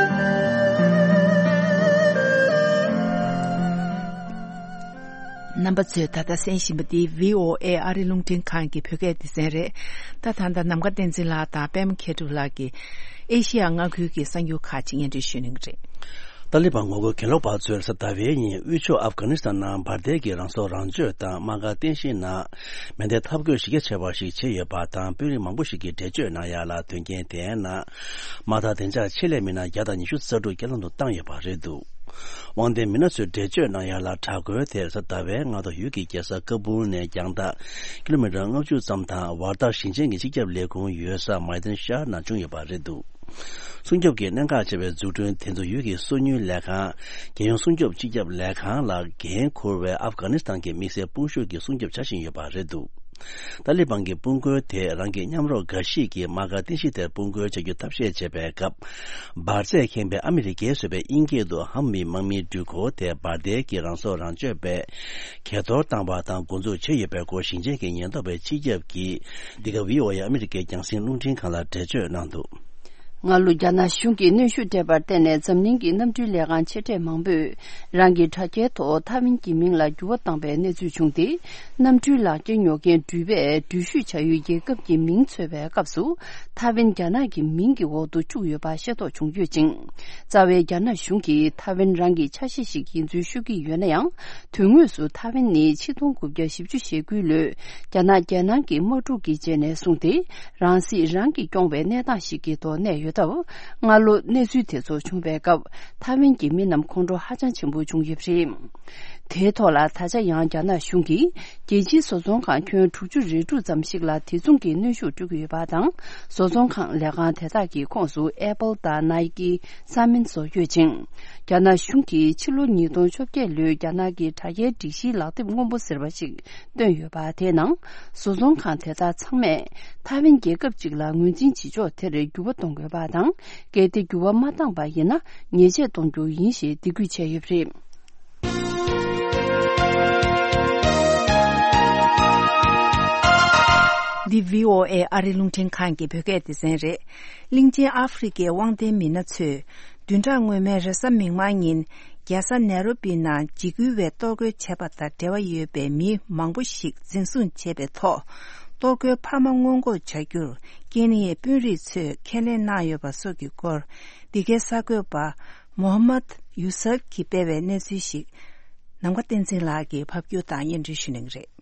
རྣམ་པ་ཚོས་ད་ལྟ་གསན་བཞིན་པ་འདི་བྷི་ཨོ་ཨེ་ཨ་རི་རླུང་འཕྲིན་ཁང་གི་བོད་སྐད་སྡེ་ཚན་རེད། ད་ད་ལྟ་ནམ་མཁའ་བསྟན་འཛིན་ལགས་དང་པད་མ་མཁས་གྲུབ་ལགས་ཀྱིས་ཨེ་ཤེ་ཡ་མངའ་ཁུལ་གྱི་གསར་འགྱུར་ཁག་ཅིག་སྙན་སྒྲོན་ཞུ་གནང་གི་རེད། ཏཱ་ལི་བན་ངོ་རྒོལ་གྱེན་ལོག་པ་ཚོས་གཟའ་ཟླ་བའི་ཉིན་དབུས་ཕྱོགས་ཨབ་གྷ་ནི་སི་ཐན་ནང་འབར་མདེལ་གྱི་རང་སྲོག་རང་གཅོད་དང་དམག་སྒར་རྟེན་གཞིའི་ནང་མེ་མདའི་འཐབ་རྒོལ་གཞི་རྒྱ་ཆེ་བ་ཞིག་བྱས་ཡོད་པ་དང་། དཔོན་རིགས་མང་པོ་ཞིག་གིས་འགྲེལ་བརྗོད་གནང་ཡ་ལ། དོན་རྐྱེན་དེའི་ནང་དམག་དང་བདེ་འཇགས་ཆེད་ལས་མི་སྣ་བརྒྱ་དང་ཉི་ཤུ་རྩ་དྲུག་རྐྱེན་ལམ་དུ་བཏང་ཡོད་པ་རེད་འདུག་དབང་ལྡན་མི་སྣ་ཚོས་འགྲེལ་བརྗོད་གནང་ཡ་ལ། དྲག་རྒོལ་དེར་གཟའ་ཟླ་བའི་སྔ་དྲོ་ཡུལ་གྱི་རྒྱལ་ས་ཀ་སྦུལ་ནས་རྒྱང་ཐག་ཀི་ལོ་མི་ཊར་ལྔ་བཅུ་ཙམ་དང་། ཝར་ཐག་ཞིང་ཆེན་གྱི་སྤྱི་ཁྱབ་ལས་ཁུངས་ཡོད་ས་མའི་ཏན་ཤར་ནང་བྱུང་ཡོད་པ་རེད་འདུག་སྲུང་སྐྱོབ་ཀྱི་གནད་འགག་ཆེ་བའི་འཛུགས་སྐྲུན་དེ་ཚོ་ཡུལ་གྱི་སོ་ཉུལ་ལས་ཁང་། རྒྱལ་ཡོངས་སྲུང་སྐྱོབ་སྤྱི་ཁྱབ་ལས་ཁང་ལ་འགན་འཁུར་བའི་ཨབ་གྷ་ནི་སི་ཐན་གྱི་དམིགས་བསལ་དཔུང་ཤུགས་ཀྱི་སྲུང་སྐྱོབ་བྱ་བཞིན་ཡོད་པ་རེད་འདུག་ཏཱ་ལི་བན་གྱི་དཔུང་རྒོལ་དེས་རང་གི་མཉམ་རོགས་འགའ་ཞིག་གིས་དམག་སྒར་རྟེན་གཞི་དེར་དཔུང་རྒོལ་བྱ་རྒྱུ་ཐབས་ཤེས་བྱེད་པའི་སྐབས། འབར་རྫས་ཁེངས་པའི་ཨ་མི་རི་ཀས་བཟོས་པའི་དབྱིན་སྐད་དུ་ཧམ་བི་དམག་མིའི་འགྲུལ་འཁོར་དེ་འབར་མདེལ་གྱི་རང་སྲོག་རང་གཅོད་པས་གས་གཏོར་བཏང་བ་དང་འགོ་འཛུགས་བྱས་ཡོད་པའི་སྐོར་ཞིང་ཆེན་གྱི་ཉེན་རྟོག་པའི་སྤྱི་ཁྱབ་ཀྱིས། འདི་ག་བྷི་ཨོ་ཨེ་ཨ་མི་རི་ཀའི་རྒྱང་སྲིང་རླུང་འཕྲིན་ཁང་ལ་འགྲེལ་བརྗོད་གནང་འདུག་སྔ་ལོ་རྒྱ་ནག་གཞུང་གིས་གནོན་ཤུགས་སྤྲད་པར་བརྟེན་ནས། འཛམ་གླིང་གི་གནམ་གྲུའི་ལས་ཁང་ཆེ་གྲས་མང་པོས་རང་གི་དྲ་རྒྱའི་ཐོག་ཐའེ་ཝན་གྱི་མིང་ལ་འགྱུར་བ་བཏང་པའི་གནས་ཚུལ་བྱུང་སྟེ། གནམ་གྲུའི་ལག་འཁྱེར་ཉོ་མཁན་འགྲུལ་པས་འགྲུལ་བཞུད་བྱ་ཡུལ་རྒྱལ་ཁབ་ཀྱི་མིང་འཚོལ་བའི་སྐབས་སུ། ཐའེ་ཝན་རྒྱ་ནག་གི་མིང་གི་འོག་ཏུ་བཅུག་ཡོད་པ་ཤེས་རྟོགས་བྱུང་ཡོད་ཅིང་། རྩ་བའི་རྒྱ་ནག་གཞུང་གིས་ཐའེ་ཝན་རང་གི་ཆ་ཤས་ཤིག་ཡིན་ཚུལ་ཤོད་ཀྱི་ཡོད་ན་ཡང་། དོན་དངོས་སུ་ཐའེ་ཝན་ནི་ཆིག་སྟོང་དགུ་བརྒྱ་བཞི་བཅུ་ཞེ་དགུའི་ལོའི་རྒྱ་ནག་རྒྱལ་ནང་གི་དམག་འཁྲུག་གི་རྗེས་ནས་བཟུང་སྟེ། རང་སྲིད་རང་གིས་སྐྱོང་བའི་གནས་སྟངས་ཤིག་གི་ཐོག་གནས་ཡོད་སྟབས། སྔ་ལོ་གནས་ཚུལ་དེ་ཚོ་བྱུང་བའི་སྐབས། ཐའེ་ཝན་གྱི་མི་རྣམས་ཁོང་ཁྲོ་ཧ་ཅང་ཆེན་པོ་བྱུང་ཡོད་པ་རེད། དེའི་ཐོག་ལ་ད་ཆ་ཡང་རྒྱ་ནག་གཞུང་གིས་རྒྱལ་སྤྱིའི་བཟོ་ཚོང་ཁང་ཁྱོན་དྲུག་ཅུ་རེ་དྲུག་ཙམ་ཞིག་ལ་དེ་མཚུངས་ཀྱི་གནོན་ཤུགས་སྤྲོད་ཀྱི་ཡོད་པ་དང་། བཟོ་ཚོང་ཁང་ལས་ཁང་དེ་དག་གི་ཁོངས་སུ་ཨེ་པལ་དང་ནའི་ཀི་རྩ་མིན་སོགས་ཡོད་ཅིང་། རྒྱ་ནག་གཞུང་གིས་ཕྱི་ལོ་ཉིས་སྟོང་བཅོ་བརྒྱད་ལོའི་རྒྱ་ནག་གི་དྲ་རྒྱའི་སྒྲིག་གཞིའི་ལག་དེབ་སྔོན་པོ་ཟེར་བ་ཞིག་བཏོན་ཡོད་པ། དེའི་ནང་བཟོ་ཚོང་ཁང་དེ་དག་ཚང་མས་ཐའེ་ཝན་རྒྱལ་ཁབ་ཅིག་ལ་ངོས་འཛིན་བྱེད་ཕྱོགས་དེར་འགྱུར་བ་གཏོང་དགོས་པ་དང་། གལ་ཏེ་འགྱུར་བ་མ་བཏང་པ་ཡིན་ན། ཉེས་ཆད་གཏོང་རྒྱུ་ཡིན་ཞེས་འདེད་འགོད་བྱས་ཡོད་པ་རེད། འདི་བྷི་ཨོ་ཨེ་ཨ་རི་རླུང་འཕྲིན་ཁང་གི་བོད་སྐད་སྡེ་ཚན་རེད། གླིང་ཆེན་ཨ་ཧྥེ་རི་ཁའི་དབང་ལྡན་མི་སྣ་ཚོས། བདུན་ཕྲག་སྔོན་མའི་རེས་གཟའ་མིག་དམར་ཉིན། རྒྱལ་ས་ནེ་རོ་པི་ནང་འཇིགས་སྐུལ་བས་གཏོར་རྒོལ་བྱས་པ་དང་འབྲེལ་བ་ཡོད་པའི་མི་མང་པོ་ཞིག་འཛིན་བཟུང་བྱས་པའི་ཐོག་གཏོར་རྒོལ་འཕར་མ་སྔོན་འགོག་བྱ་རྒྱུར་ཀེ་ནི་ཡའི་དཔོན་རིགས་ཚོས་ཁས་ལེན་གནང་ཡོད་པ་སོགས་ཀྱི་སྐོར། འདི་གའི་གསར་འགོད་པ་མོ་ཧམ་མད་ཡུ་སབ་ཀྱིས་སྤེལ་བའི་གནས་ཚུལ་ཞིག་ནམ་མཁའ་བསྟན་འཛིན་ལགས་ཀྱིས་ཕབ་སྒྱུར་དང་སྙན་སྒྲོན་ཞུ་གནང་གི་རེད།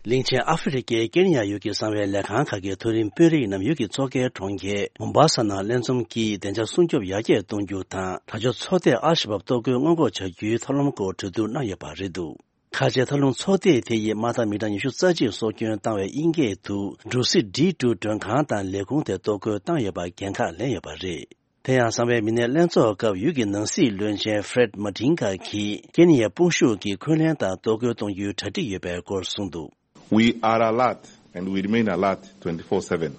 གླིང་ཆེན་ཨ་ཧྥེ་རི་ཁའི་ཀེ་ནི་ཡ་ཡུལ་གྱི་གསང་བའི་ལས་ཁང་ཁག་གི་མཐོ་རིམ་དཔོན་རིགས་རྣམས་ཡུལ་གྱི་མཚོ་ཁའི་གྲོང་ཁྱེར་མོམ་བྷ་ས་ནང་ལྷན་འཛོམས་ཀྱིས་བདེ་འཇགས་སྲུང་སྐྱོབ་ཡར་རྒྱས་གཏོང་རྒྱུ་དང་། དྲག་སྤྱོད་ཚོགས་སྡེས་ཨལ་ཤ་བབ་གཏོར་རྒོལ་སྔོན་འགོག་བྱ་རྒྱུའི་ཐབས་ལམ་སྐོར་གྲོས་བསྡུར་གནང་ཡོད་པ་རེད་འདུག་ཁ་ཆེའི་ཐབས་ལམ་ཚོགས་སྡེ་དེ་ཡིས་དམག་འཐབ་མི་གྲངས་ཉི་ཤུ་རྩ་གཅིག་སྲོག་སྐྱོན་བཏང་བའི་དབྱིན་སྐད་དུ་འབྲུ་སི་ཌི་ཊུ་མགྲོན་ཁང་དང་ལས་ཁུངས་དེ་གཏོར་རྒོལ་བཏང་ཡོད་པར་འགན་ཁག་ལེན་ཡོད་པ་རེད། དེ་ཡང་གསང་བའི་མི་སྣའི་ལྷན་ཚོགས་སྐབས་ཡུལ་གྱི་ནང་སྲིད་བློན་ཆེན་ཧྥེ་རེད་མ་ཏིན་གྷ་གིས་ཀེ་ནི་ཡའི་དཔུང་ཤུགས་ཀྱིས་འཁོན་ལན་དང་གཏོར་རྒོལ་གཏོང་རྒྱུའི་གྲ་སྒྲིག་ཡོད་པའི་སྐོར་གསུངས་འདུག We are alert and we remain alert twenty-four seven.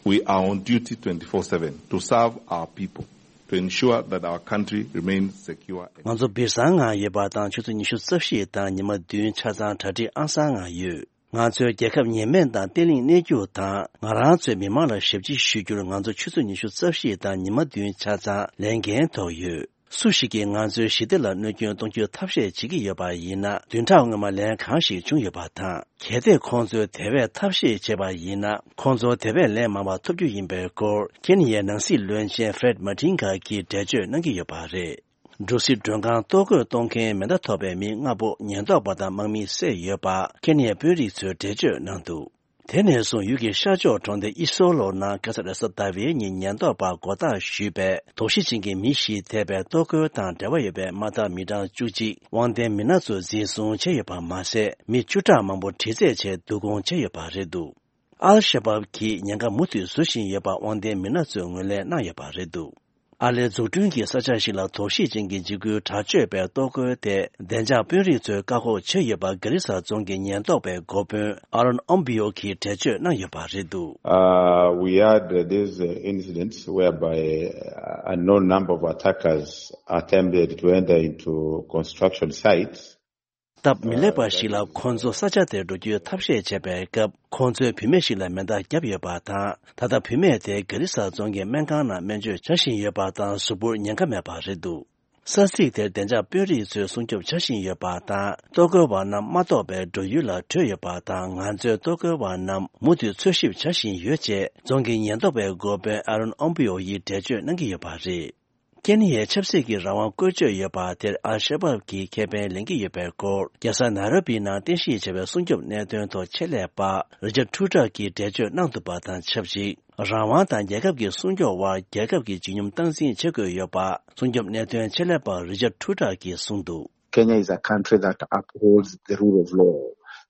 We are on duty twenty-four seven to serve our people, to ensure that our country remains secure and ང་ཚོ་སྦིར་སང་ངང་ཡོད་པ་དང་ཆུ་ཚོད་ཉི་ཤུ་རྩ་བཞི་དང་ཉི་མ་བདུན་ཆ་ཚང་གྲ་སྒྲིག་ཨང་གསར་ངང་ཡོད། ང་ཚོའི་རྒྱལ་ཁབ་ཉེས་མེད་དང་བརྟན་ལྷིང་གནས་རྒྱུ་དང་། ང་རང་ཚོའི་མི་མང་ལ་ཞབས་ཕྱི་ཞུ་རྒྱུར་ང་ཚོ་ཆུ་ཚོད་ཉི་ཤུ་རྩ་བཞི་དང་ཉི་མ་བདུན་ཆ་ཚང་ལས་འགན་ཐོག་ཡོད། སུ་ཞིག་གིས་ང་ཚོའི་ཞི་བདེ་ལ་གནོད་སྐྱོན་གཏོང་རྒྱུའི་ཐབས་ཤེས་བྱེད་ཀྱི་ཡོད་པ་ཡིན་ན། བདུན་ཕྲག་སྔོན་མ་ལན་གང་ཞིག་བྱུང་ཡོད་པ་དང་། གལ་ཏེ་ཁོང་ཚོས་དེ་བས་ཐབས་ཤེས་བྱས་པ་ཡིན་ན། ཁོང་ཚོར་དེ་བས་ལན་མང་བ་ཐོབ་རྒྱུ་ཡིན་པའི་སྐོར། ཁེ་ནི་ཡའི་ནང་སྲིད་བློན་ཆེན་ཧྥེ་རེད་མ་ཏིན་གྷ་གིས་འགྲེལ་བརྗོད་གནང་གི་ཡོད་པ་རེད། འབྲུ་སི་མགྲོན་ཁང་གཏོར་རྒོལ་གཏོང་མཁན་མེ་མདའ་ཐོགས་པའི་མི་ལྔ་པོ་ཉེན་རྟོག་པ་དང་དམག་མིས་བསད་ཡོད་པ་ཁེ་ནི་ཡའི་དཔོན་རིགས་ཚོས་འགྲེལ་བརྗོད་གནང་འདུག་དེ་ནས་བཟུང་ཡུལ་གྱི་ཤར་ཕྱོགས་གྲོང་སྡེ་ཨི་སོ་ལོ་ནང་ཁ་སང་རེས་གཟའ་ཟླ་བའི་ཉིན་ཉེན་རྟོག་པར་མགོ་བཏགས་ཞུས་པའི་དོགས་གཞི་ཅན་གྱི་མི་བཞི་ཐེ་བའི་གཏོར་རྒོལ་དང་འབྲེལ་བ་ཡོད་པའི་དམག་འཐབ་མི་གྲངས་བཅུ་གཅིག་དབང་ལྡན་མི་སྣ་ཚོས་འཛིན་བཟུང་བྱས་ཡོད་པ་མ་ཟད། མི་བཅུ་ཕྲག་མང་པོ་དྲི་རྩད་བྱས་བསྡུ་སྐོང་བྱས་ཡོད་པ་རེད་འདུག་ཨལ་ཤ་བབ་ཀྱིས་ཉེན་ཁ་མུ་མཐུད་བཟོ་བཞིན་ཡོད་པ་དབང་ལྡན་མི་སྣ་ཚོས་ངོས་ལེན་གནང་ཡོད་པ་རེད་འདུག་ཨ་ལའི་འཛུགས་སྐྲུན་གྱི་ས་ཆ་ཞིག་ལ་དོགས་གཞི་ཅན་གྱི་འཇིགས་སྐུལ་དྲག་སྤྱོད་པའི་གཏོར་རྒོལ་དེ་བདེ་འཇགས་དཔོན་རིགས་ཚོས་བཀག་འགོག་བྱས་ཡོད་པ་གྷ་རི་ས་རྫོང་གི་ཉེན་རྟོག་པའི་འགོ་དཔོན་ཨ་རོན་ཨོམ་བྷི་ཡོ་གིས་འགྲེལ་བརྗོད་གནང་ཡོད་པ་རེད་འདུག Uh, we had uh, these uh, incidents whereby uh, a known number of attackers attempted to enter into construction sites. སྟབས་མི་ལེགས་པ་ཞིག་ལ་ཁོང་ཚོ་ས་ཆ་དེར་འགྲོ་རྒྱུའི་ཐབས་ཤེས་བྱས་པའི་སྐབས། ཁོང་ཚོས་བུད་མེད་ཞིག་ལ་མེ་མདའ་བརྒྱབ་ཡོད་པ་དང་། ད་ལྟ་བུད་མེད་དེ་གྷ་རི་ས་རྫོང་གི་སྨན་ཁང་ནང་སྨན་བཅོས་བྱ་བཞིན་ཡོད་པ་དང་། གཟུགས་པོར་ཉེན་ཁ་མེད་པ་རེད་འདུག་ས་ཚིགས་དེར་བདེ་འཇགས་དཔོན་རིགས་ཚོས་སྲུང་སྐྱོབ་བྱ་བཞིན་ཡོད་པ་དང་། གཏོར་རྒོལ་བ་རྣམས་མ་གཏོགས་པའི་བགྲོ་ཡུལ་ལ་བྲོས་ཡོད་པ་དང་། ང་ཚོས་གཏོར་རྒོལ་བ་རྣམས་མུ་མཐུད་འཚོལ་ཞིབ་བྱ་བཞིན་ཡོད་ཅེས་རྫོང་གི་ཉེན་རྟོག་པའི་འགོ་དཔོན་ཨ་རོན་ཨོམ་པི་ཡོ་ཡིས་འགྲེལ་བརྗོད་གནང་གི་ཡོད་པ་རེད། ཀེ་ནི་ཡའི་ཆབ་སྲིད་ཀྱི་རང་དབང་བཀོལ་སྤྱོད་ཡོད་པ་དེར་ཨལ་ཤ་བབ་ཀྱིས་ཁེ་ཕན་ལེན་གྱི་ཡོད་པའི་སྐོར། རྒྱལ་ས་ནཱ་རོ་པི་ནང་རྟེན་གཞི་བྱས་པའི་སྲུང་སྐྱོབ་གནད་དོན་ཐོག་ཆེད་ལས་པ་རི་ཅར་ཊུ་ཊར་གྱིས་འགྲེལ་བརྗོད་གནང་འདུག་པ་དང་ཆབས་ཅིག་རང་དབང་དང་རྒྱལ་ཁབ་ཀྱི་སྲུང་སྐྱོབ་དབར་རྒྱལ་ཁབ་ཀྱི་བརྗིད་སྙོམས་སྟངས་འཛིན་བྱེད་དགོས་ཡོད་པ། སྲུང་སྐྱོབ་གནད་དོན་ཆེད་ལས་པ་རི་ཅར་ཊུ་ཊར་གྱིས་གསུངས་འདུག Kenya is a country that upholds the rule of law.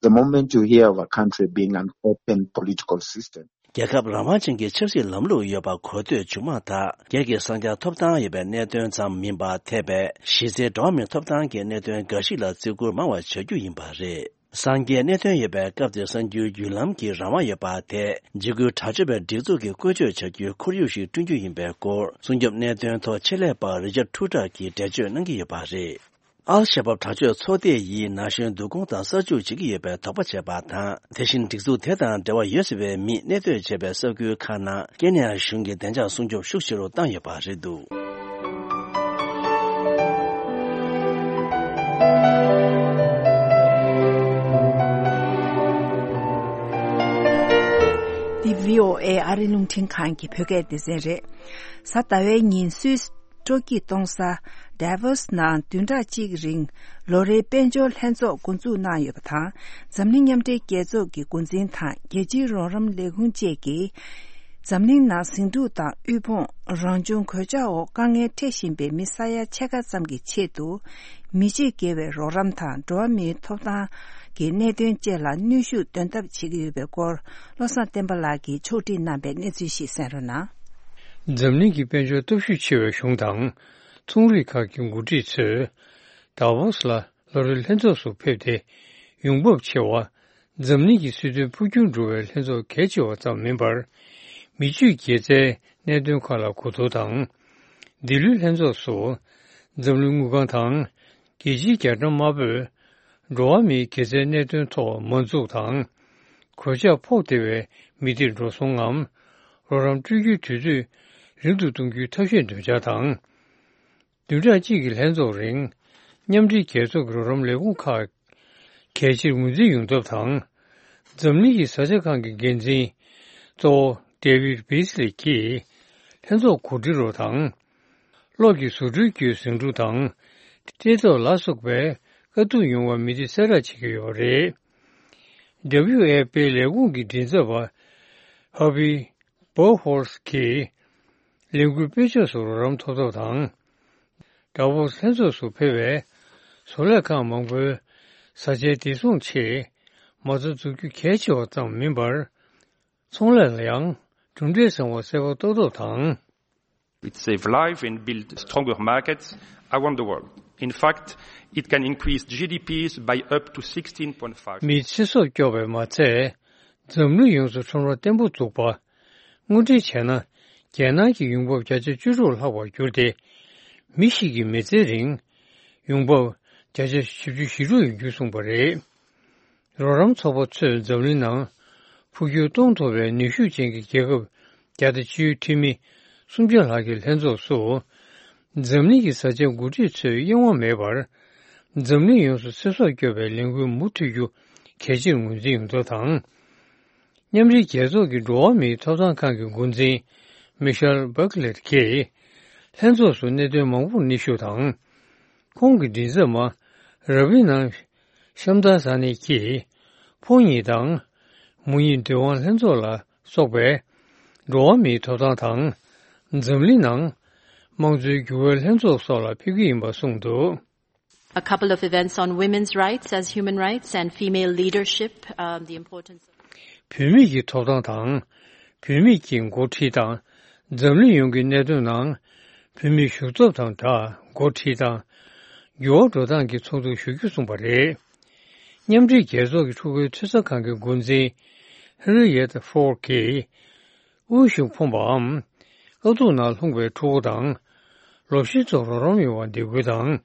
The moment you hear of a country being an open political system, རྒྱལ་ཁབ་རང་དབང་ཅན་གྱི་ཆབ་སྲིད་ལམ་ལུགས་ཡོད་པ་གོ་ཐོས་བྱུང་མ་ཐག་སྒེར་གྱི་གསང་རྒྱ་ཐོབ་ཐང་ཡོད་པའི་གནད་དོན་ཙམ་མིན་པར། འཐད་པའི་གཞི་རྩའི་འགྲོ་བ་མིའི་ཐོབ་ཐང་གི་གནད་དོན་འགའ་ཞིག་ལ་བརྩི་བཀུར་མང་བ་བྱ་རྒྱུ་ཡིན་པ་རེད། གསང་རྒྱའི་གནད་དོན་ཡོད་པའི་སྐབས་དེར་གསར་འགྱུར་བརྒྱུད་ལམ་གྱི་རང་དབང་ཡོད་པ་དེ་འཇིགས་སྐུལ་དྲག་སྤྱོད་པའི་སྒྲིག་འཛུགས་ཀྱིས་བཀོལ་སྤྱོད་བྱ་རྒྱུའི་ཁོར་ཡུག་ཞིག་བསྐྲུན་རྒྱུ་ཡིན་པའི་སྐོར། སྲུང་སྐྱོབ་གནད་དོན་ཐོག་ཆེད་ལས་པ་རི་ཅར་ཊུ་ཊར་གྱིས་འགྲེལ་བརྗོད་གནང་གི་ཡོད་པ་རེད། ཨལ་ཤ་བབ་དྲག་སྤྱོད་ཚོགས་སྡེ་ཡིས་ན་གཞོན་བསྡུ་སྐོང་དང་གསར་འཇུག་བྱེད་ཀྱི་ཡོད་པའི་དོགས་པ་བྱས་པ་དང་། དེ་བཞིན་སྒྲིག་འཛུགས་དེ་དང་འབྲེལ་བ་ཡོད་ཟེར་བའི་མིས་གནས་སྡོད་བྱས་པའི་ས་ཁུལ་ཁག་ནང་ཀེ་ནི་ཡ་གཞུང་གིས་བདེ་འཇགས་སྲུང་སྐྱོབ་ཤུགས་ཆེ་རུ་བཏང་ཡོད་པ་རེད་འདུག་འདི་བྷི་ཨོ་ཨེ་ཨ་རི་རླུང་འཕྲིན་ཁང་གི་བོད་སྐད་སྡེ་ཚན་རེད། གཟའ་ཟླ་བའི་ཉིན་སུད་སི་སྤྲོ་སྐྱིད་གཏོང་ས་ཌེ་ཝོ་སི་ནང་བདུན་ཕྲག་གཅིག་རིང་ལོ་རེའི་དཔལ་འབྱོར་ལྷན་ཚོགས་འགོ་འཛུགས་གནང་ཡོད་པ་དང་། འཛམ་གླིང་མཉམ་འབྲེལ་རྒྱལ་ཚོགས་ཀྱི་འགོ་འཛིན་དང་རྒྱལ་སྤྱིའི་རོགས་རམ་ལས་ཁུངས་བཅས་ཀྱིས། འཛམ་གླིང་ནང་ཟིང་འཁྲུག་དང་དབུལ་ཕོངས། རང་བྱུང་གོད་ཆག་འོག་དཀའ་ངལ་འཕྲད་བཞིན་པའི་མི་ས་ཡ་ཕྱེད་ཀ་ཙམ་གྱི་ཆེད་དུ། མི་ཕྱེད་བརྒལ་བའི་རོགས་རམ་དང་འགྲོ་བ་མིའི་ཐོབ་ཐང་གི་གནད་དོན་བཅས་ལ་གནོན་ཤུགས་འདོན་ཐབས་བྱེད་ཀྱི་ཡོད་པའི་སྐོར། བློ་བཟང་བསྟན་པ་ལགས་ཀྱིས་ཕྱོགས་སྒྲིག་གནང་པའི་གནས་ཚུལ་ཞིག་གསན་རོགས་གནང་། འཛམ་གླིང་གི་དཔལ་འབྱོར་སྟོབས་ཤུགས་ཆེ་བའི་གཞུང་དང་། ཚོང་རིགས་ཁག་གི་འགོ་ཁྲིད་ཚོས། དཱ་ཝོ་སི་ལ་ལོ་རེའི་ལྷན་ཚོགས་སུ་ཕེབས་ཏེ། ཡོང་འབབ་ཆེ་བ། འཛམ་གླིང་གི་སྲིད་དོན་འཕོ་འགྱུར་འགྲོ་བའི་ལྷན་ཚོགས་གལ་ཆེ་བ་ཙམ་མིན་པར། མི་སྤྱོད་དགེ་རྩའི་གནད་དོན་ཁག་ལ་གོ་བསྡུར་དང་། འདི་ལོའི་ལྷན་ཚོགས་སུ། འཛམ་གླིང་དངུལ་ཁང་དང་། རྒྱལ་སྤྱིའི་རྒྱ་གྲམ་དམར་པོས། འགྲོ་བ་མིའི་དགེ་རྩའི་གནད་དོན་ཐོག་མ་འཛུགས་དང་། གོད་ཆག་ཕོག་བསྡད་པའི་མི་སྡེར་འགྲོ་སོང་ངམ། རོགས་རམ་སྤྲོད་རྒྱུའི་དུས་ཚོད་རིང་དུ་གཏོང་རྒྱུའི་ཐབས་ཤེས་འདོན་འཆར་དང་། བདུན་ཕྲག་གཅིག་གི་ལྷན་ཚོགས་རིང་། མཉམ་འབྲེལ་རྒྱལ་ཚོགས་ཀྱི་རོགས་རམ་ལས་ཁུངས་ཁག་གལ་ཆེར་ངོས་འཛིན་ཡོང་ཐབས་དང་། འཛམ་གླིང་གི་བཟའ་བཅའ་ཁང་གི་འགན་འཛིན་གཙོ་བོ་ཌེ་ཝིད་བྷི་སི་ལི་ཡིས་ལྷན་ཚོགས་གོ་སྒྲིག་རོགས་དང་། གློག་གི་བཟོ་སྐྲུན་གྱི་ཟིང་འཁྲུག་དང་། ལྟེ་ཐོག་ལ་སོགས་པའི་དཀའ་སྡུག་མྱོང་བ་མི་སྡེ་གསལ་བསྒྲགས་བྱེད་ཀྱི་ཡོད་པ་རེད། ཌབ་ལིའུ་ཨེཕ་པིའི་ལས་ཁུངས་ཀྱི་མགྲིན་ཚབ་པ་ཧར་བྷི་བོ་ཧོར་སི་གིས་ལས་འགུལ་སྤེལ་ཕྱོགས་སུ་རོགས་རམ་ཐོབ་ཐབས་དང་། ཌ་བོ་སི་ལྷན་ཚོགས་སུ་ཕེབས་པའི་བཟོ་ལས་ཁང་མང་པོའི་བཟའ་བཅའི་བདེ་སྲུང་ཆེད་མ་རྩ་འཛུགས་རྒྱུ་གལ་ཆེ་བ་ཙམ་མིན་པར། ཚོང་ལས་ལ་ཡང་གྲུབ་འབྲས་བཟང་བ་གསལ་པོ་རྟོགས་ཐབས་དང་། It save life and build stronger markets around the world. In fact, it can increase G D Ps by up to sixteen point five. མིའི་ཚེ་སྲོག་སྐྱོབ་པས་མ་ཚད། འཛམ་གླིང་ཡོངས་སུ་ཁྲོམ་ར་བརྟན་པོ་འཛུགས་པ། དངོས་འབྲེལ་བྱས་ན། རྒྱལ་ནང་གི་ཡོང་འབབ་བརྒྱ་ཆ་བཅུ་དྲུག་ལྷག་པར་གྱུར་ཏེ། མི་ཞིག་གི་མི་ཚེའི་རིང་ཡོང་འབབ་བརྒྱ་ཆ་བཞི་བཅུ་ཞེ་དྲུག་ཡོང་རྒྱུ་གསུངས་པ་རེད། རོགས་རམ་ཚོགས་པ་ཚོས་འཛམ་གླིང་ནང་འཕོ་འགྱུར་གཏོང་ཐུབ་པའི་ནུས་ཤུགས་ཅན་གྱི་རྒྱལ་ཁབ་བརྒྱ་དང་བཅུའི་འཐུས་མི་སུམ་བརྒྱ་ལྷག་གི་ལྷན་ཚོགས་སུ། འཛམ་གླིང་གི་བཟའ་བཅའ་འགོ་ཁྲིད་ཚོས་གཡེང་བ་མེད་པར། འཛམ་གླིང་ཡོངས་སུ་ཚེ་སྲོག་སྐྱོབ་པའི་ལས་འགུལ་མུ་མཐུད་རྒྱུ་གལ་ཆེར་ངོས་འཛིན་ཡོང་ཐབས་དང་། མཉམ་འབྲེལ་རྒྱལ་ཚོགས་ཀྱི་འགྲོ་བ་མིའི་ཐོབ་ཐང་ཁང་གི་འགོ་འཛིན་མི་ཤེལ་བྷག་ལེར་གྱིས་ལྷན་ཚོགས་སུ་གནད་དོན་མང་པོར་སྙན་ཞུ་དང་། ཁོང་གི་མགྲིན་ཚབ་མ་ར་བི་ན་ཤམ་དཱ་ས་ནི་གྱིས། ཕོ་ཉིད་དང་། མོ་ཉིད་འབྲེལ་དབང་ལྷན་ཚོགས་ལ་སོགས་པའི་འགྲོ་བ་མིའི་ཐོབ་ཐང་དང་། འཛམ་གླིང་ནང་དམངས་གཙོའི་འགྱུར་བའི་ལྷན་ཚོགས་སོགས་ལ་ཕེབས་ཀྱི་ཡིན་པ་གསུངས་འདུག། A couple of events on women's rights as human rights and female leadership, um, the importance of བུད་མེད་ཀྱི་ཐོབ་ཐང་དང་། བུད་མེད་ཀྱི་འགོ་ཁྲིད་དང་། འཛམ་གླིང་ཡོངས་ཀྱི་གནད་དོན་ནང་བུད་མེད་ཞུགས་ཚད་དང་སྦྲགས་འགོ་ཁྲིད་དང་། འགྱུར་བ་འགྲོ་སྟངས་ཀྱི་ཚོགས་འདུར་ཞུགས་རྒྱུ་གསུངས་པ་རེད། མཉམ་འབྲེལ་རྒྱལ་ཚོགས་ཀྱི་ཕྲུ་གུའི་འཐུས་ཚབ་ཁང་གི་འགོ་འཛིན་ཧེ་རི་ཡེད་ཧྥོར་གྱིས། དབུལ་ཞིང་ཕོངས་པའམ། དཀའ་སྡུག་ནང་ལྷུང་བའི་ཕྲུ་གུ་དང་། ལོ་གཞོན་ཚོར་རོགས་རམ་ཡོང་བར་འདེད་སྐུལ་དང་།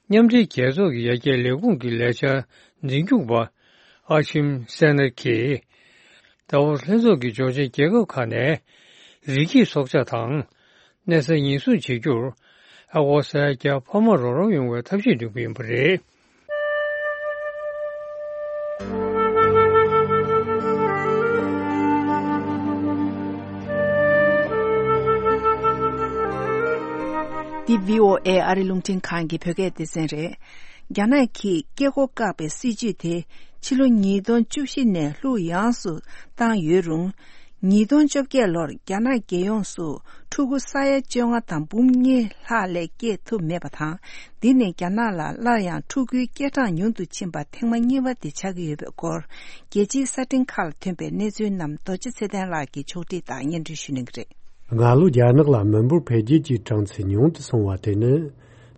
མཉམ་འབྲེལ་རྒྱལ་ཚོགས་ཀྱི་ཡར་རྒྱས་ལས་ཁུངས་ཀྱི་ལས་འཆར་འཛིན་སྐྱོང་པ་ཨ་ཆིམ་སེ་ནར་གྱིས། ཟླ་བ་ལྷན་ཚོགས་ཀྱི་གྱོང་ཆེན་རྒྱལ་ཁབ་ཁག་ནས་རི་སྐྱེས་སྲོག་ཆགས་དང་། གནས་ས་ཉེན་སྲུང་བྱེད་རྒྱུར། ཨ་ཁོ་ས་ཡ་བརྒྱ་འཕར་མ་རོགས་རམ་ཡོང་བའི་ཐབས་ཤེས་འདོན་གྱི་ཡིན་པ་རེད། འདི་བྷི་ཨོ་ཨེ་ཨ་རི་རླུང་འཕྲིན་ཁང་གི་བོད་སྐད་སྡེ་ཚན་རེད། རྒྱ་ནག་གིས་སྐྱེ་སྒོ་བཀག་པའི་སྲིད་ཇུས་དེ་ཕྱི་ལོ་ཉིས་སྟོང་བཅུ་བཞི་ནས་ལྷུག་ཡངས་སུ་བཏང་ཡོད་རུང་། ཉིས་སྟོང་བཅོ་བརྒྱད་ལོར་རྒྱ་ནག་རྒྱལ་ཡོངས་སུ་ཕྲུ་གུ་ས་ཡ་བཅོ་ལྔ་དང་འབུམ་གཉིས་ལྷག་ལས་སྐྱེས་ཐུབ་མེད་པ་དང་། འདི་ནི་རྒྱ་ནག་ལ་སླར་ཡང་ཕྲུ་གུའི་སྐྱེ་གྲངས་ཉུང་དུ་ཕྱིན་པ་ཐེངས་མ་གཉིས་པ་དེ་ཆགས་ཀྱི་ཡོད་པའི་སྐོར། རྒྱལ་སྤྱིའི་གསར་སྤྲིན་ཁག་ལ་ཐོན་པའི་གནས་ཚུལ་རྣམས་རྡོ་རྗེ་ཚེ་བརྟན་ལགས་ཀྱིས་ཕྱོགས་སྒྲིག་དང་སྙན་སྒྲོན་ཞུ་གནང་གི་རེད། སྔ་ལོ་རྒྱ་ནག་ལ་མི་འབོར་འཕེལ་རྒྱས་ཀྱི་གྲངས་ཚད་ཉུང་དུ་སོང་བ་དེ་ནི།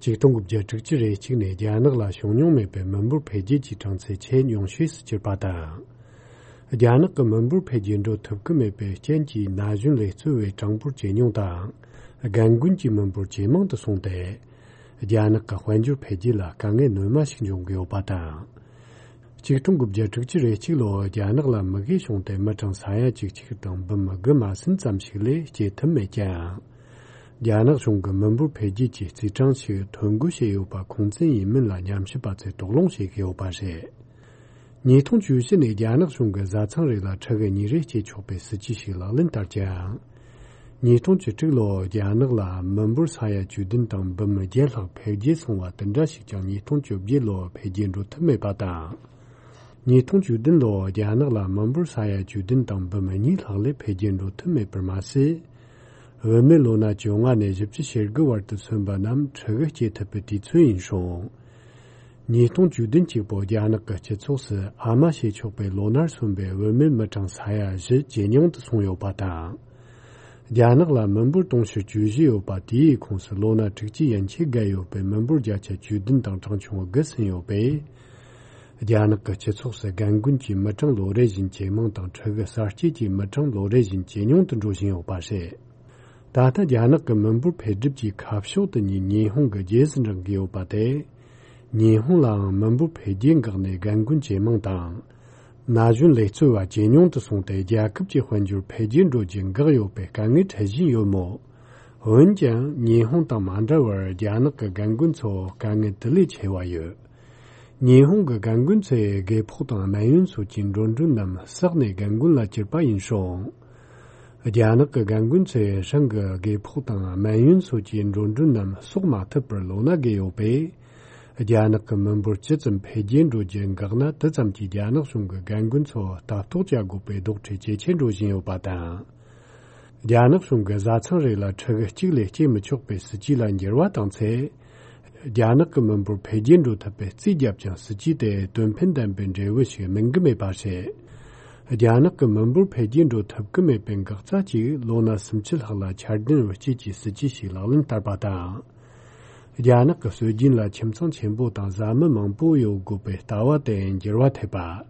ཆིག་སྟོང་དགུ་བརྒྱ་དྲུག་ཅུ་རེ་གཅིག་ནས་རྒྱ་ནག་ལ་བྱུང་མྱོང་མེད་པའི་མི་འབོར་འཕེལ་རྒྱས་ཀྱི་གྲངས་ཚད་ཆེས་ཉུང་ཤོས་སུ་གྱུར་པ་དང་། རྒྱ་ནག་གི་མི་འབོར་འཕེལ་རྒྱས་འགྲོ་ཐུབ་ཀྱི་མེད་པའི་རྐྱེན་གྱིས་ན་གཞོན་ལས་གཙོ་བའི་གྲངས་འབོར་ཇེ་ཉུང་དང་། རྒན་རྒོན་གྱི་མི་འབོར་ཇེ་མང་དུ་སོང་སྟེ། རྒྱ་ནག་གི་དཔལ་འབྱོར་འཕེལ་རྒྱས་ལ་དཀའ་ངལ་སྣོན་མ་ཞིག་འབྱུང་གི་ཡོད་པ་དང་། ཆིག་སྟོང་དགུ་བརྒྱ་དྲུག་ཅུ་རེ་གཅིག་ལོར་རྒྱ་ནག་ལ་མུ་གེ་བྱུང་སྟེ་མི་གྲངས་ས་ཡ་གཅིག་གཅིག་དང་འབུམ་དགུ་མ་ཟིན་ཙམ་ཞིག་ལས་སྐྱེ་ཐུབ་མེད་ཀྱང་། རྒྱ་ནག་གཞུང་གིས་མི་འབོར་འཕེལ་རྒྱས་ཀྱི་རྩིས་གྲངས་ཤིག་ཐོ་འགོད་བྱས་ཡོད་པ་ཁུངས་བཙན་ཡིན་མིན་ལ་ཉམས་ཞིབ་པ་ཚོས་དོགས་སློང་བྱེད་ཀྱི་ཡོད་པ་རེད། ཉིས་སྟོང་བཅུ་བཞི་ནས་རྒྱ་ནག་གཞུང་གིས་བཟའ་ཚང་རེ་ལ་ཕྲུ་གུ་གཉིས་རེ་སྐྱེ་ཆོག་པའི་སྲིད་ཇུས་ཤིག་ལག་ལེན་བསྟར་ཀྱང་། ཉིས་སྟོང་བཅུ་དྲུག་ལོར་རྒྱ་ནག་ལ་མི་འབོར་ས་ཡ་བཅུ་བདུན་དང་འབུམ་བརྒྱད་ལྷག་འཕེལ་རྒྱས་སོང་བ་དེ་འདྲ་ཞིག་ཀྱང་ཉིས་སྟོང་བཅོ་བརྒྱད་ལོར་འཕེལ་རྒྱས་འགྲོ་ཐུབ་མེད་པ་དང་། ཉིས་སྟོང་བཅུ་བདུན་ལོར་རྒྱ་ནག་ལ་མི་འབོར་ས་ཡ་བཅུ་བདུན་དང་འབུམ་གཉིས་ལྷག་ལས་འཕེལ་རྒྱས་འགྲོ་ཐུབ་མེད་པར་མ་ཟད། བུད་མེད་ལོ་ན་བཅོ་ལྔ་ནས་བཞི་བཅུ་ཞེ་དགུ་བར་དུ་སོན་པ་རྣམས་ཕྲུ་གུ་སྐྱེ་ཐུབ་པའི་དུས་ཚོད་ཡིན་སོང་། ཉིས་སྟོང་བཅུ་བདུན་གཅིག་པོ་རྒྱ་ནག་གི་སྤྱི་ཚོགས་སུ་ཨ་མ་བྱེད་ཆོག་པའི་ལོ་ནར་སོན་པའི་བུད་མེད་མི་གྲངས་ས་ཡ་བཞི་ཇེ་ཉུང་དུ་སོང་ཡོད་པ་དང་། རྒྱ་ནག་ལ་མི་འབོར་དུང་ཕྱུར་བཅུ་བཞི་ཡོད་པ་དེའི་ཁོངས་སུ་ལོ་ན་དྲུག་ཅུ་ཡན་ཆད་བརྒལ་ཡོད་པའི་མི་འབོར་བརྒྱ་ཆ་བཅུ་བདུན་དང་གྲངས་ཆུང་དགུ་ཟིན་ཡོད་པས། རྒྱ་ནག་གི་སྤྱི་ཚོགས་སུ་རྒན་རྒོན་གྱི་མི་གྲངས་ལོ་རེ་བཞིན་ཇེ་མང་དང་ཕྲུ་གུ་གསར་སྐྱེས་ཀྱི་མི་གྲངས་ལོ་རེ་བཞིན་ཇེ་ཉུང་དུ་འགྲོ་བཞིན་ཡོད་པ་རེད། ད་ལྟ་རྒྱ་ནག་གི་མི་འབོར་འཕེལ་འགྲིབ་ཀྱི་ཁ་ཕྱོགས་དེ་ཉིད་ཉི་ཧོང་གི་རྗེས་སུ་འབྲང་གི་ཡོད་པ་དེ། ཉི་ཧོང་ལའང་མི་འབོར་འཕེལ་རྒྱས་འགག་ནས་རྒན་རྒོན་ཇེ་མང་དང་། ན་གཞོན་ལས་གཙོ་བ་ཇེ་ཉུང་དུ་སོང་སྟེ་རྒྱལ་ཁབ་ཀྱི་དཔལ་འབྱོར་འཕེལ་རྒྱས་འགྲོ་རྒྱུ་འགག་ཡོད་པའི་དཀའ་ངལ་འཕྲད་བཞིན་ཡོད་མོད། འོན་ཀྱང་ཉི་ཧོང་དང་མ་འདྲ་བར་རྒྱ་ནག་གི་རྒན་རྒོན་ཚོ་དཀའ་ངལ་དེ་ལས་ཆེ་བ་ཡོད། ཉི་ཧོང་གི་རྒན་རྒོན་ཚོས་རྒས་ཕོགས་དང་སྨན་ཡོན་སོགས་ཀྱི་འགྲོ་གྲོན་རྣམས་བསགས་ནས་རྒན་རྒོན་ལ་བསྐྱུར་པ་ཡིན་སྲོལ། རྒྱ་ནག་གི་རྒན་རྒོན་ཚོས་རང་གི་རྒས་ཕོགས་དང་སྨན་ཡོན་སོགས་ཀྱི་འགྲོ་གྲོན་རྣམས་གསོག་མ་ཐུབ་པར་ལོ་ན་རྒས་ཡོད་པས། རྒྱ་ནག་གི་མི་འབོར་ཇི་ཙམ་འཕེལ་རྒྱས་འགྲོ་རྒྱུ་འགག་ན། དེ་ཙམ་གྱིས་རྒྱ་ནག་གཞུང་གིས་རྒན་རྒོན་ཚོ་ལྟ་རྟོག་བྱ་དགོས་པའི་རྡོག་ཁྲེས་ཇེ་ཆེར་འགྲོ་བཞིན་ཡོད་པ་དང་། རྒྱ་ནག་གཞུང་གིས་བཟའ་ཚང་རེ་ལ་ཕྲུ་གུ་གཅིག་ལས་སྐྱེ་མི་ཆོག་པའི་སྲིད་ཇུས་ལ་འགྱུར་བ་བཏང་ཚེ། རྒྱ་ནག་གི་མི་འབོར་འཕེལ་རྒྱས་འགྲོ་ཐུབ་པའི་རྩིས་བརྒྱབ་ཀྱང་། སྲིད་ཇུས་དེ་དོན་ཕན་ལྡན་པའི་འབྲས་བུ་ཞིག་སྨིན་གྱི་མེད་པ་རེད། རྒྱ་ནག་གི་མི་འབོར་འཕེལ་རྒྱས་འགྲོ་ཐུབ་ཀྱི་མེད་པའི་འགག་རྩ་གཅིག་ལོ་ན་སུམ་ཅུ་ལྷག་ལ་འཆར་ལྡན་དབུལ་སྐྱེད་ཀྱི་སྲིད་ཇུས་ཤིག་ལག་ལེན་བསྟར་པ་དང་། རྒྱ་ནག་གི་སྲོལ་རྒྱུན་ལ་ཁྱིམ་ཚང་ཆེན་པོ་དང་བཟའ་མི་མང་པོ་ཡོད་དགོས་པའི་ལྟ་བ་དེ་འགྱུར་བ་ཐེབས་པ།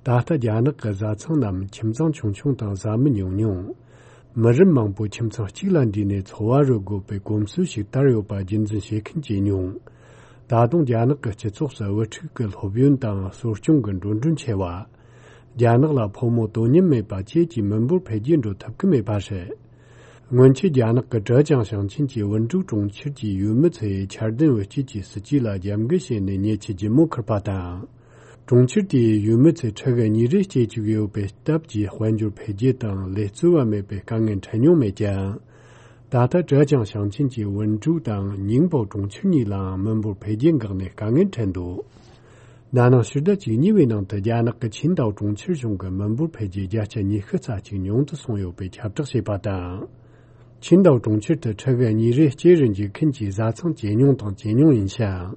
ད་ལྟ་རྒྱ་ནག་གི་བཟའ་ཚང་རྣམས་ཁྱིམ་ཚང་ཆུང་ཆུང་དང་བཟའ་མི་ཉུང་ཉུང་། མི་རབས་མང་པོ་ཁྱིམ་ཚང་གཅིག་ལ་འདུས་ནས་འཚོ་བ་རོལ་དགོས་པའི་གོམས་སྲོལ་ཞིག་དར་ཡོད་པ་རྒྱུན་འཛིན་བྱེད་མཁན་ཇེ་ཉུང་། ད་དུང་རྒྱ་ནག་གི་སྤྱི་ཚོགས་སུ་དབུ་ཕྲུག་གི་སློབ་ཡོན་དང་གསོ་སྐྱོང་གི་འགྲོ་གྲོན་ཆེ་བ། རྒྱ་ནག་ལ་ཕོ་མོ་དོ་མཉམ་མེད་པ་བཅས་ཀྱི་མི་འབོར་འཕེལ་རྒྱས་འགྲོ་ཐུབ་ཀྱི་མེད་པ་རེད། སྔོན་ཆད་རྒྱ་ནག་གི་ཀྲེ་ཅང་ཞིང་ཆེན་གྱི་ཝུན་ཀྲུའུ་གྲོང་ཁྱེར་གྱི་ཡུལ་མི་ཚོས་འཆར་ལྡན་དབུལ་སྐྱེད་ཀྱི་སྲིད་ཇུས་ལ་རྒྱབ་འགལ་བྱས་ནས་ཉེ་ཆར་ལྗིད་མོ་ཁུར་པ་དང་། གྲོང་ཁྱེར་དེའི་ཡུལ་མི་ཚོས་ཕྲུ་གུ་གཉིས་རེ་སྐྱེ་བཅུག་ཡོད་པའི་སྟབས་ཀྱིས་དཔལ་འབྱོར་འཕེལ་རྒྱས་དང་ལས་རྩོལ་བ་མེད་པའི་དཀའ་ངལ་འཕྲད་མྱོང་མེད་ཀྱང་། ད་ལྟ་ཀྲེ་ཅང་ཞིང་ཆེན་གྱི་ཝུན་ཀྲུའུ་དང་ཉིང་པའོ་གྲོང་ཁྱེར་གཉིས་ལའང་མི་འབོར་འཕེལ་རྒྱས་འགག་ནས་དཀའ་ངལ་འཕྲད་འདུག། ན་ནིང་ཕྱི་ཟླ་བཅུ་གཉིས་པའི་ནང་དུ་རྒྱ་ནག་གི་ཆིང་ཏའོ་གྲོང་ཁྱེར་གཞུང་གིས་མི་འབོར་འཕེལ་རྒྱས་བརྒྱ་ཆ་ཉི་ཤུ་རྩ་གཅིག་ཉུང་དུ་སོང་ཡོད་པའི་ཁྱབ་བསྒྲགས་བྱས་པ་དང་། ཆིང་ཏའོ་གྲོང་ཁྱེར་དུ་ཕྲུ་གུ་གཉིས་རེ་སྐྱེ་རུ་འཇུག་མཁན་གྱི་བཟའ་ཚང་ཇེ་ཉུང་དང་ཇེ་ཉུང་ཡིན་ཞིང་།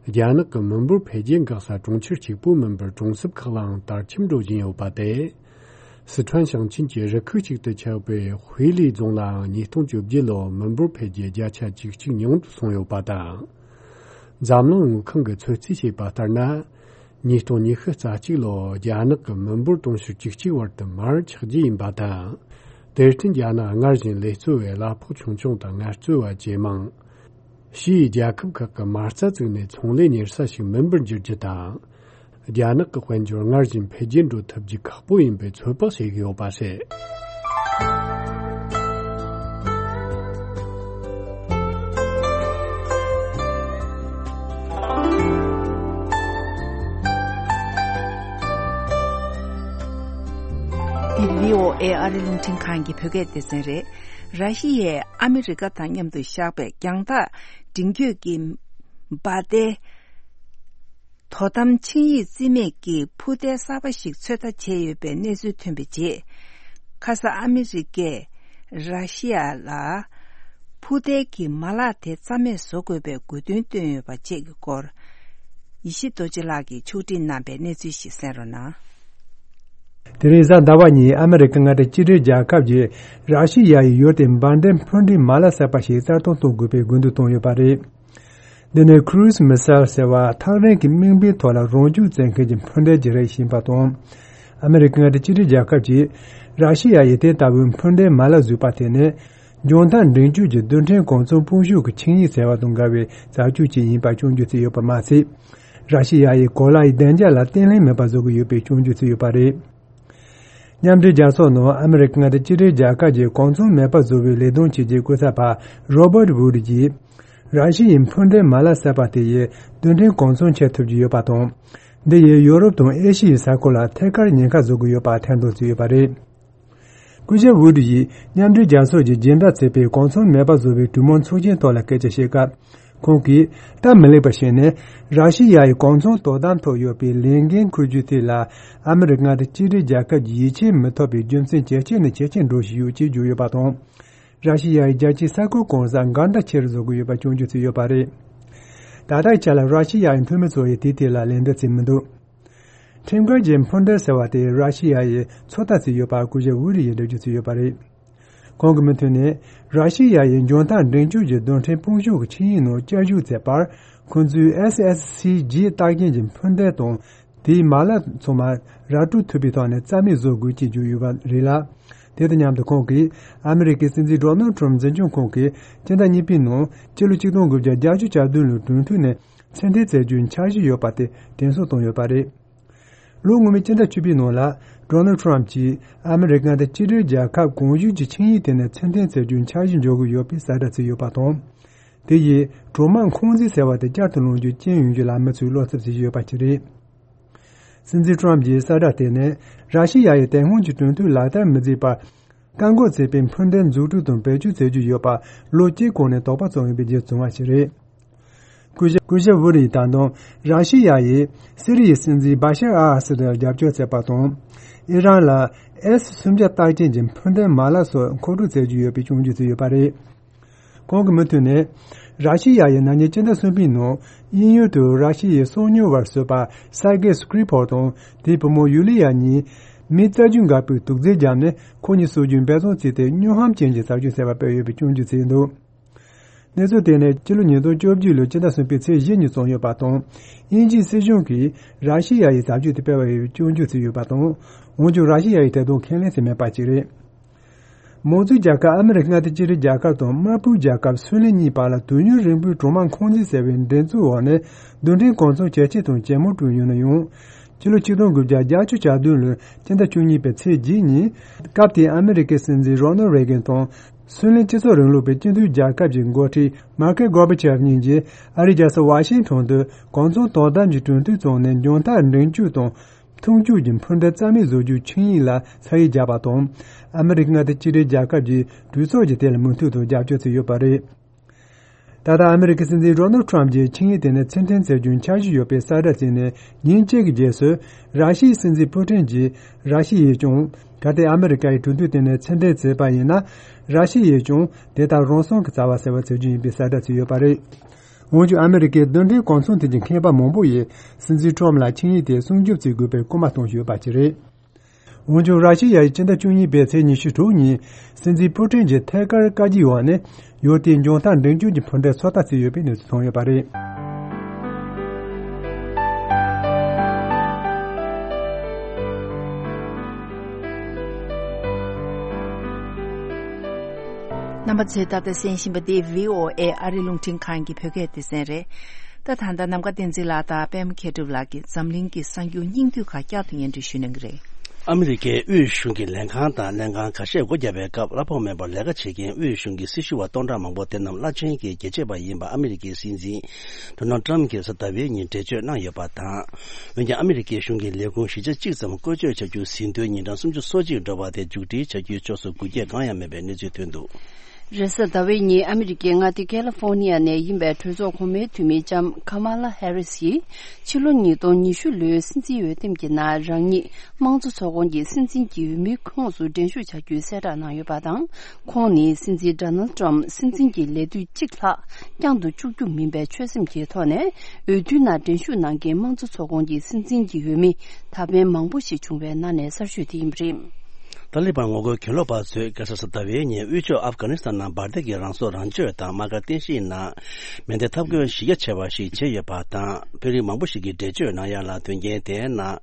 རྒྱ་ནག་གི་མི་འབོར་འཕེལ་རྒྱས་འགག་ས་གྲོང་ཁྱེར་གཅིག་པུ་མིན་པར་གྲོང་གསེབ་ཁག་ལའང་དར་ཁྱབ་འགྲོ་བཞིན་ཡོད་པ་དེ། སི་ཁྲོན་ཞིང་ཆེན་གྱི་རུ་ཁག་ཅིག་ཏུ་ཆགས་པའི་ཧུའེ་ལི་རྫོང་ལའང་ཉིས་སྟོང་བཅོ་བརྒྱད་ལོར་མི་འབོར་འཕེལ་རྒྱས་བརྒྱ་ཆ་བཅུ་གཅིག་ཉུང་དུ་སོང་ཡོད་པ་དང་། འཛམ་གླིང་དངུལ་ཁང་གིས་ཚོད་རྩིས་བྱས་པ་ལྟར་ན། ཉིས་སྟོང་ཉི་ཤུ་རྩ་གཅིག་ལོར་རྒྱ་ནག་གི་མི་འབོར་དུང་ཕྱུར་བཅུ་གཅིག་བར་དུ་མར་ཆག་རྒྱུ་ཡིན་པ་དང་། དེར་བརྟེན་རྒྱ་ནག་སྔར་བཞིན་ལས་རྩོལ་བའི་གླ་ཕོགས་ཆུང་ཆུང་དང་ངལ་རྩོལ་བ་ཇེ་མང་། ཕྱིའི་རྒྱལ་ཁབ་ཁག་གི་མ་རྩ་བཙུགས་ནས་ཚོང་ལས་གཉེར་ས་ཞིག་མིན་པར་འགྱུར་རྒྱུ་དང་། རྒྱ་ནག་གི་དཔལ་འབྱོར་སྔར་བཞིན་འཕེལ་རྒྱས་འགྲོ་ཐུབ་རྒྱུ་ཁག་པོ་ཡིན་པའི་ཚོད་དཔག་བྱེད་ཀྱི་ཡོད་པ་རེད། འདི་བྷི་ཨོ་ཨེ་ཨ་རི་རླུང་འཕྲིན་ཁང་གི་བོད་སྐད་སྡེ་ཚན་རེད། ར་ཤི་ཡས་ཨ་མི་རི་ཀ་དང་མཉམ་དུ་བཞག་པའི་རྒྱང་ཐག་འབྲིང་རྒྱུད་ཀྱི་འབའ་ཏའི་དོ་དམ་ཆིངས་ཡིག་རྩིས་མེད་ཀྱི་འཕུར་མདེལ་གསར་པ་ཞིག་ཚོད་ལྟ་བྱས་ཡོད་པའི་གནས་ཚུལ་ཐོན་པའི་རྗེས། ཁ་ས་ཨ་མི་རི་ཀས་ར་ཤི་ཡ་ལ་འཕུར་མདེལ་གྱི་མ་ལག་དེ་རྩ་མེད་བཟོ་དགོས་པའི་དགོས་འདུན་བཏོན་ཡོད་པ་བཅས་ཀྱི་སྐོར། ཡེ་ཤེས་རྡོ་རྗེ་ལགས་ཀྱིས་ཕྱོགས་སྒྲིག་གནང་པའི་གནས་ཚུལ་ཞིག་གསན་རོགས་གནང་། དེ་རིང་གཟའ་ཟླ་བ་ཉིན་ཨ་མི་རི་ཀ་མངའ་སྡེ་གཅིག་སྒྲིལ་རྒྱལ་ཁབ་ཀྱིས་ར་ཤི་ཡ་ཡི་ཡུལ་དེ་འབར་མདེལ་འཕུར་མདེལ་མ་ལག་གསར་པ་ཞིག་གསར་གཏོད་གཏོང་དགོས་པའི་དགོས་འདུན་བཏོན་ཡོད་པ་རེད། འདི་ནི་Cruise Missile ཟེར་བ་ཐག་རིང་གི་དམིགས་འབེན་ཐོག་ལ་རང་འཇུག་བཙན་མཁན་གྱི་འཕུར་མདེལ་གྱི་རིགས་ཡིན་པ་དང་། ཨ་མི་རི་ཀ་མངའ་སྡེ་གཅིག་སྒྲིལ་རྒྱལ་ཁབ་ཀྱིས་ར་ཤི་ཡ་ཡིས་དེ་ལྟ་བུའི་འཕུར་མདེལ་མ་ལག་བཟོས་པ་དེ་ནི། འཇོན་ཐང་འབྲིང་ཆུང་གི་རྡུལ་ཕྲན་གོང་ཚོང་དཔུང་ཤུགས་ཀྱི་ཆིངས་ཡིག་ཟེར་བ་དང་འགལ་བའི་བྱ་སྤྱོད་ཅིག་ཡིན་པར་སྐྱོན་བརྗོད་བྱས་ཡོད་པ་མ་ཟད། ར་ཤི་ཡ་ཡིས་གོ་ལ་ཡི་བདེ་འཇགས་ལ་བརྟན་ལྷིང་མེད་པ་བཟོ་གི་ཡོད་པའི་སྐྱོན་བརྗོད་བྱས་ཡོད་པ་རེད། མཉམ་འབྲེལ་རྒྱལ་ཚོགས་ནང་ཨ་མི་རི་ཀ་མངའ་སྡེ་གཅིག་སྒྲིལ་རྒྱལ་ཁབ་ཀྱི་གོང་ཚོང་མེད་པ་བཟོ་བའི་ལས་དོན་ཆེད་ཀྱི་སྐུ་ཚབ་པ་Robert Wood ཡིས། ར་ཤི་ཡའི་འཕུར་མདེལ་མ་ལག་གསར་པ་དེ་ཡིས་རྡུལ་ཕྲན་གོང་ཚོང་བྱེད་ཐུབ་ཀྱི་ཡོད་པ་དང་། འདི་ཡིས་ཡོ་རོབ་དང་ཨེ་ཤི་ཡའི་ས་ཁུལ་ལ་ཐད་ཀར་ཉེན་ཁ་བཟོ་གི་ཡོད་པ་ཐེར་འདོན་བྱས་ཡོད་པ་རེད། སྐུ་ཞབས་ཝུ་ཌི་ཡིས་མཉམ་འབྲེལ་རྒྱལ་ཚོགས་ཀྱིས་སྦྱིན་བདག་བྱས་པའི་གོང་ཚོང་མེད་པ་བཟོ་བའི་གྲོས་མོལ་ཚོགས་ཆེན་ཐོག་ལ་སྐད་ཆ་བཤད་སྐབས། ཁོང་གིས་སྟབས་མི་ལེགས་པ་ཞིག་ནི། ར་ཤི་ཡ་ཡི་གོང་ཚོང་དོ་དམ་ཐོག་ཡོད་པའི་ལས་འགན་འཁུར་རྒྱུ་དེ་ལ་ཨ་མི་རི་ཀ་མངའ་སྡེ་གཅིག་སྒྲིལ་རྒྱལ་ཁབ་ཀྱི་ཡིད་ཆེས་མི་ཐོབ་པའི་རྒྱུ་མཚན་ཇེ་ཆེ་ནས་ཇེ་ཆེར་འགྲོ་བཞིན་ཡོད་ཅེས་བརྗོད་ཡོད་པ་དང་། ར་ཤི་ཡ་ཡིས་རྒྱལ་སྤྱིའི་ས་ཁུལ་གང་སར་འགལ་ཟླ་ཆེ་རུ་བཟོ་གི་ཡོད་པ་སྐྱོན་བརྗོད་བྱས་ཡོད་པ་རེད། ད་ལྟའི་ཆ་ལ་ར་ཤི་ཡ་ཡི་འཐུས་མི་ཚོ་ཡིས་དེའི་ཐད་ལ་ལན་འདེབས་བྱས་མི་འདུག་ཁྲིམས་འགལ་གྱི་འཕུར་མདེལ་ཟེར་བ་དེ་ར་ཤི་ཡ་ཡིས་ཚོད་ལྟ་བྱས་ཡོད་པ་སྐུ་ཞབས་ཝུ་ཌི་ཡིས་འགྲེལ་བརྗོད་བྱས་ཡོད་པ་རེད། ཁོང་གི་མུ་མཐུད་ནས། ར་ཤི་ཡ་ཡིས་འཇོན་ཐང་འབྲིང་ཆུང་གི་རྡུལ་ཕྲན་དཔུང་ཤུགས་ཀྱི་ཆིངས་ཡིག་ནང་བསྐྱར་ཞུགས་མཛད་པར། ཁོང་ཚོས་ཨེས་ཨེས་སི་ཇི་རྟགས་ཅན་གྱི་འཕུར་མདེལ་དང་། དེའི་མ་ལག་ཚང་མ་ར་སྤྲོད་ཐུབ་པའི་ཐོག་ནས་རྩ་མེད་བཟོ་དགོས་ཅེས་བརྗོད་ཡོད་པ་རེད་ལ། དེ་དང་མཉམ་དུ་ཁོང་གིས། ཨ་མི་རི་ཀའི་སྲིད་འཛིན་ཌོ་ནལ་ཊམ་འཛིན་སྐྱོང་ཁང་གིས་སྤྱི་ཟླ་གཉིས་པའི་ནང་། སྤྱི་ལོ་ཆིག་སྟོང་དགུ་བརྒྱ་བརྒྱད་ཅུ་གྱ་བདུན་ལོའི་གྲོས་མཐུན་ནས་མཚན་འཐེན་མཛད་རྒྱུའི་འཆར་གཞི་ཡོད་པ་དེ་དྲན་གསོ་བཏང་ཡོད་པ་རེད། ལོ་སྔོན་མའི་སྤྱི་ཟླ་བཅུ་པའི་ནང་ལ། ཌོ་ནལ་ཊམ་གྱིས་ཨ་མི་རི་ཀ་མངའ་སྡེ་གཅིག་སྒྲིལ་རྒྱལ་ཁབ་གོང་ཞུས་ཀྱི་ཆིངས་ཡིག་དེ་ནས་མཚན་འཐེན་མཛད་རྒྱུའི་འཆར་གཞི་འཇོག་གི་ཡོད་པའི་གསལ་བསྒྲགས་བྱས་ཡོད་པ་དང་། དེ་ཡིས་གྲོག་མ་འཁོན་འཛིན་ཟེར་བ་དེ་བསྐྱར་དུ་ལངས་རྒྱུ་རྐྱེན་ཡོང་རྒྱུ་ལ་མི་ཚོས་བློ་འཚབ་བྱེད་ཀྱི་ཡོད་པ་ཞིག་རེད། སྲིད་འཛིན་ཊམ་གྱི་གསལ་བསྒྲགས་དེ་ནི་ར་ཤི་ཡ་ཡི་དེ་སྔོན་གྱི་གྲོས་མཐུན་ལག་བསྟར་མི་མཛད་པར་བཀག་འགོག་བྱེད་པའི་འཕུར་མདེལ་འཛུགས་སྐྲུན་དང་བེད་སྤྱོད་བྱེད་རྒྱུ་ཡོད་པ་ལོ་གཅིག་གོང་ནས་དོགས་པ་བྱུང་ཡོད་པའི་རྗེས་བྱུང་བ་ཞིག་རེད། སྐུ་ཞབས་སྐུ་ཞབས་ཝུ་རིས་ད་དུང་ར་ཤི་ཡ་ཡིས་སི་རི་ཡའི་སྲིད་འཛིན་བྷ་ཤར་ཨལ་ཨ་སད་ལ་རྒྱབ་སྐྱོར་བྱས་པ་དང་། ཨི་རན་ལ་ཨེས་སུམ་བརྒྱ་རྟགས་ཅན་གྱི་འཕུར་མདེལ་མ་ལག་སོགས་མཁོ་སྤྲོད་བྱེད་རྒྱུ་ཡོད་པའི་སྐྱོན་བརྗོད་བྱས་ཡོད་པ་རེད། ཁོང་གི་མུ་མཐུད་ནས། ར་ཤི་ཡ་ཡིས་ན་ནིང་སྤྱི་ཟླ་གསུམ་པའི་ནང་དབྱིན་ཡུལ་དུ་ར་ཤི་ཡའི་སོ་ཉུལ་བར་བཟོས་པ་སར་གེ་སྐྲི་ཕོལ་དང་དེའི་བུ་མོ་ཡུ་ལི་ཡ་གཉིས་མི་རྩ་རྒྱུན་འགག་པའི་དུག་རྫས་བརྒྱབ་ནས་ཁོ་གཉིས་སྲོག་སྐྱོན་འབད་བརྩོན་བྱས་ཏེ་སྨྱོ་ཧམ་ཅན་གྱི་བྱ་སྤྱོད་བྱས་པ་སྤེལ་ཡོད་པའི་སྐྱོན་བརྗོད་བྱས་འདུག་གནས་ཚུལ་དེ་ནི་ཕྱི་ལོ་ཉིས་སྟོང་བཅོ་བརྒྱད་ལོའི་སྤྱི་ཟླ་གསུམ་པའི་ཚེས་བཞི་ཉིན་བྱུང་ཡོད་པ་དང་། དབྱིན་ཇིའི་སྲིད་གཞུང་གིས་ར་ཤི་ཡ་ཡི་བྱ་སྤྱོད་དེ་སྤེལ་བ་ཡིན་པའི་སྐྱོན་བརྗོད་བྱས་ཡོད་པ་དང་། འོན་ཀྱང་ར་ཤི་ཡ་ཡིས་དེ་དག་ཁས་ལེན་བྱས་མེད་པ་ཞིག་རེད། མང་གཙོའི་རྒྱལ་ཁབ་ཨ་མི་རི་ཀ་མངའ་སྡེ་གཅིག་སྒྲིལ་རྒྱལ་ཁབ་དང་དམར་པོའི་རྒྱལ་ཁབ་སུའུ་ལེན་གཉིས་བར་ལ་དུས་ཡུན་རིང་པོའི་གྲོག་མ་འཁོན་འཛིན་ཟེར་བའི་འགྲན་རྩོད་འོག་ནས་རྡུལ་ཕྲན་གོ་མཚོན་ཇེ་ཆེ་དང་ཇེ་མང་བསྐྲུན་ཡོད་ན་ཡང་། ཕྱི་ལོ་ཆིག་སྟོང་དགུ་བརྒྱ་བརྒྱད་ཅུ་གྱ་བདུན་ལོའི་སྤྱི་ཟླ་བཅུ་གཉིས་པའི་ཚེས་བརྒྱད་ཉིན། སྐབས་དེའི་ཨ་མི་རི་ཀའི་སྲིད་འཛིན་རོ་ནལ་རེ་གན་དང་། སུའུ་ལེན་སྤྱི་ཚོགས་རིང་ལུགས་པའི་སྤྱི་མཐུན་རྒྱལ་ཁབ་ཀྱི་འགོ་ཁྲིད་མར་ཁེལ་གོར་བྷ་ཆེབ་གཉིས་ཀྱིས་ཨ་རིའི་རྒྱལ་ས་ཝ་ཤིང་ཊོན་དུ་གོ་མཚོན་དོ་དམ་གྱི་གྲོས་མཐུན་བཙུགས་ནས་མཇུག་མཐར་འགྲན་རྒྱུ་དང་། མཐུན་འགྱུར་གྱི་འཕུར་མདེལ་རྩ་མེད་བཟོ་རྒྱུའི་ཆིངས་ཡིག་ལ་ས་ཡིག་བརྒྱབ་པ་དང་། ཨ་མི་རི་ཀ་མངའ་སྡེ་གཅིག་སྒྲིལ་རྒྱལ་ཁབ་ཀྱི་གྲོས་ཚོགས་ཀྱིས་དེ་ལ་མོས་མཐུན་དང་རྒྱབ་སྐྱོར་བྱས་ཡོད་པ་རེད། ད་ལྟ་ཨ་མི་རི་ཀའི་སྲིད་འཛིན་རོ་ནལ་ཊམ་གྱིས་ཆིངས་ཡིག་དེ་ནི་ཕྱིར་འཐེན་བྱེད་རྒྱུའི་འཆར་གཞི་ཡོད་པའི་གསལ་བསྒྲགས་བྱས་ནས་ཉིན་གཅིག་གི་རྗེས་སུ། ར་ཤི་ཡའི་སྲིད་འཛིན་པུ་ཏིན་གྱིས་ར་ཤི་ཡས་ཀྱང་། གལ་ཏེ་ཨ་མི་རི་ཀ་ཡིས་གྲོས་མཐུན་དེ་ནི་ཕྱིར་འཐེན་བྱས་པ་ཡིན་ན། ར་ཤི་ཡས་ཀྱང་དེ་ལྟར་རང་སྲུང་གི་བྱ་བ་གསར་པ་བྱེད་རྒྱུ་ཡིན་པའི་གསལ་བསྒྲགས་བྱས་ཡོད་པ་རེད། འོན་ཀྱང་ཨ་མི་རི་ཀའི་རྡུལ་ཕྲན་གོ་མཚོན་ཐད་ཀྱི་མཁས་པ་མང་པོ་ཡིས་སྲིད་འཛིན་ཊམ་ལ་ཆིངས་ཡིག་དེ་སྲུང་སྐྱོབ་བྱེད་དགོས་པའི་སྐུལ་མ་གཏོང་བཞིན་ཡོད་པ་ཞིག་རེད། འོན་ཀྱང་ར་ཤི་ཡ་ཡིས་སྤྱི་ཟླ་བཅུ་གཉིས་པའི་ཚེས་ཉི་ཤུ་དྲུག་ཉིན་སྲིད་འཛིན་པུ་ཏིན་གྱི་ཐད་ཀར་བཀའ་བཀྱོན་འོག་ནས་ཡོད་དེ་མཇུག་མཐར་འགྲན་རྒྱུ་གྱི་འཕུར་མདེལ་ཚོད་ལྟ་བྱས་ཡོད་པའི་གནས་ཚུལ་ཐོན་ཡོད་པ་རེད། རྣམ་པ་ཚོས་ད་ལྟ་གསན་བཞིན་པ་འདི་བྷི་ཨོ་ཨེ་ཨ་རི་རླུང་འཕྲིན་ཁང་གི་བོད་སྐད་སྡེ་ཚན་རེད། ད་ད་ལྟ་ནམ་མཁའ་བསྟན་འཛིན་ལགས་དང་པད་མ་མཁས་གྲུབ་ལགས་ཀྱིས་འཛམ་གླིང་གི་གསར་འགྱུར་སྙིང་བསྡུས་ཁག་བསྐྱར་དུ་སྙན་སྒྲོན་ཞུ་གནང་གི་རེད། ཨ་མི་རི་ཀའི་དབུས་གཞུང་གི་ལས་ཁང་དང་ལྷན་ཁང་ཁ་ཤས་སྒོ་བརྒྱབ་པའི་སྐབས་གླ་ཕོགས་མེད་པར་ལས་ཀ་བྱེད་མཁན་དབུས་གཞུང་གི་སྲི་ཞུ་བ་སྟོང་ཕྲག་མང་པོ་དེ་རྣམས་བླ་ཆེན་གྱི་རྒྱལ་གཅེས་པ་ཡིན་པ་ཨ་མི་རི་ཀའི་སྲིད་འཛིན་ཌོ་ནལ་ཊམ་གྱིས་གཟའ་ཟླ་བའི་ཉིན་འགྲེལ་བརྗོད་གནང་ཡོད་པ་དང་། འོན་ཀྱང་ཨ་མི་རི་ཀའི་གཞུང་གི་ལས་ཁུངས་བཞི་ཆ་གཅིག་ཙམ་བཀོལ་སྤྱོད་བྱ་རྒྱུ་ཟིན་ཐོའི་ཉིན་གྲངས་སུམ་ཅུ་སོ་གཅིག་འགྲོ་བ་དེ་མཇུག་སྒྲིལ་བྱ་རྒྱུའི་ཕྱོགས་སུ་འགུལ་སྐྱོད་གང་ཡང་མེད་པའི་གནས་ཚུལ་ཐོན་འདུག། རེས་གཟའ་ཟླ་བའི་ཉིན་ཨ་མི་རི་ཀའི་མངའ་སྡེ་ཀ་ལི་ཧྥོ་ནི་ཡ་ནས་ཡིན་པའི་གྲོས་ཚོགས་གོང་མའི་འཐུས་མི་ལྕམ་ཁ་མ་ལ་ཧེ་རི་སི་ཡིས་ཕྱི་ལོ་ཉིས་སྟོང་ཉི་ཤུ་ལོའི་སྲིད་འཛིན་འོས་འདེམས་ཀྱི་ནང་རང་ཉིད་དམངས་གཙོ་ཚོགས་ཁོངས་ཀྱི་སྲིད་འཛིན་གྱི་འོས་མིའི་ཁོངས་སུ་འགྲན་ཞུགས་བྱ་རྒྱུའི་གསལ་བསྒྲགས་གནང་ཡོད་པ་དང་། ཁོང་ནི་སྲིད་འཛིན་ཌོ་ནལ་ཊམ་སྲིད་འཛིན་གྱི་ལས་དུས་གཅིག་ལྷག་བསྐྱང་དུ་བཅུག་རྒྱུ་མིན་པའི་ཆོད་སེམས་ཀྱི་ཐོག་ནས་འོས་བསྡུའི་ནང་འགྲན་ཞུགས་གནང་མཁན་དམངས་གཙོ་ཚོགས་ཁོངས་ཀྱི་སྲིད་འཛིན་གྱི་འོས་མི་ད་ཕན་མང་པོ་ཞིག་བྱུང་བའི་ནང་ནས་གསར་ཤོས་དེ་ཡིན་པ་རེད། ཏཱ་ལི་བན་ངོ་རྒོལ་གྱེན་ལོག་པ་ཚོས་རྒྱལ་ས་གཟའ་ཟླ་བའི་ཉིན་དབུས་ཕྱོགས་ཨབ་གྷ་ནི་སི་ཐན་ནང་འབར་མདེལ་གྱི་རང་སྲོག་རང་གཅོད་དང་དམག་སྒར་རྟེན་གཞིའི་ནང་མེ་མདའི་འཐབ་རྒོལ་གཞི་རྒྱ་ཆེ་བ་ཞིག་བྱས་ཡོད་པ་དང་། དཔོན་རིགས་མང་པོ་ཞིག་གིས་འགྲེལ་བརྗོད་གནང་ཡ་ལ་དོན་རྐྱེན་དེའི་ནང་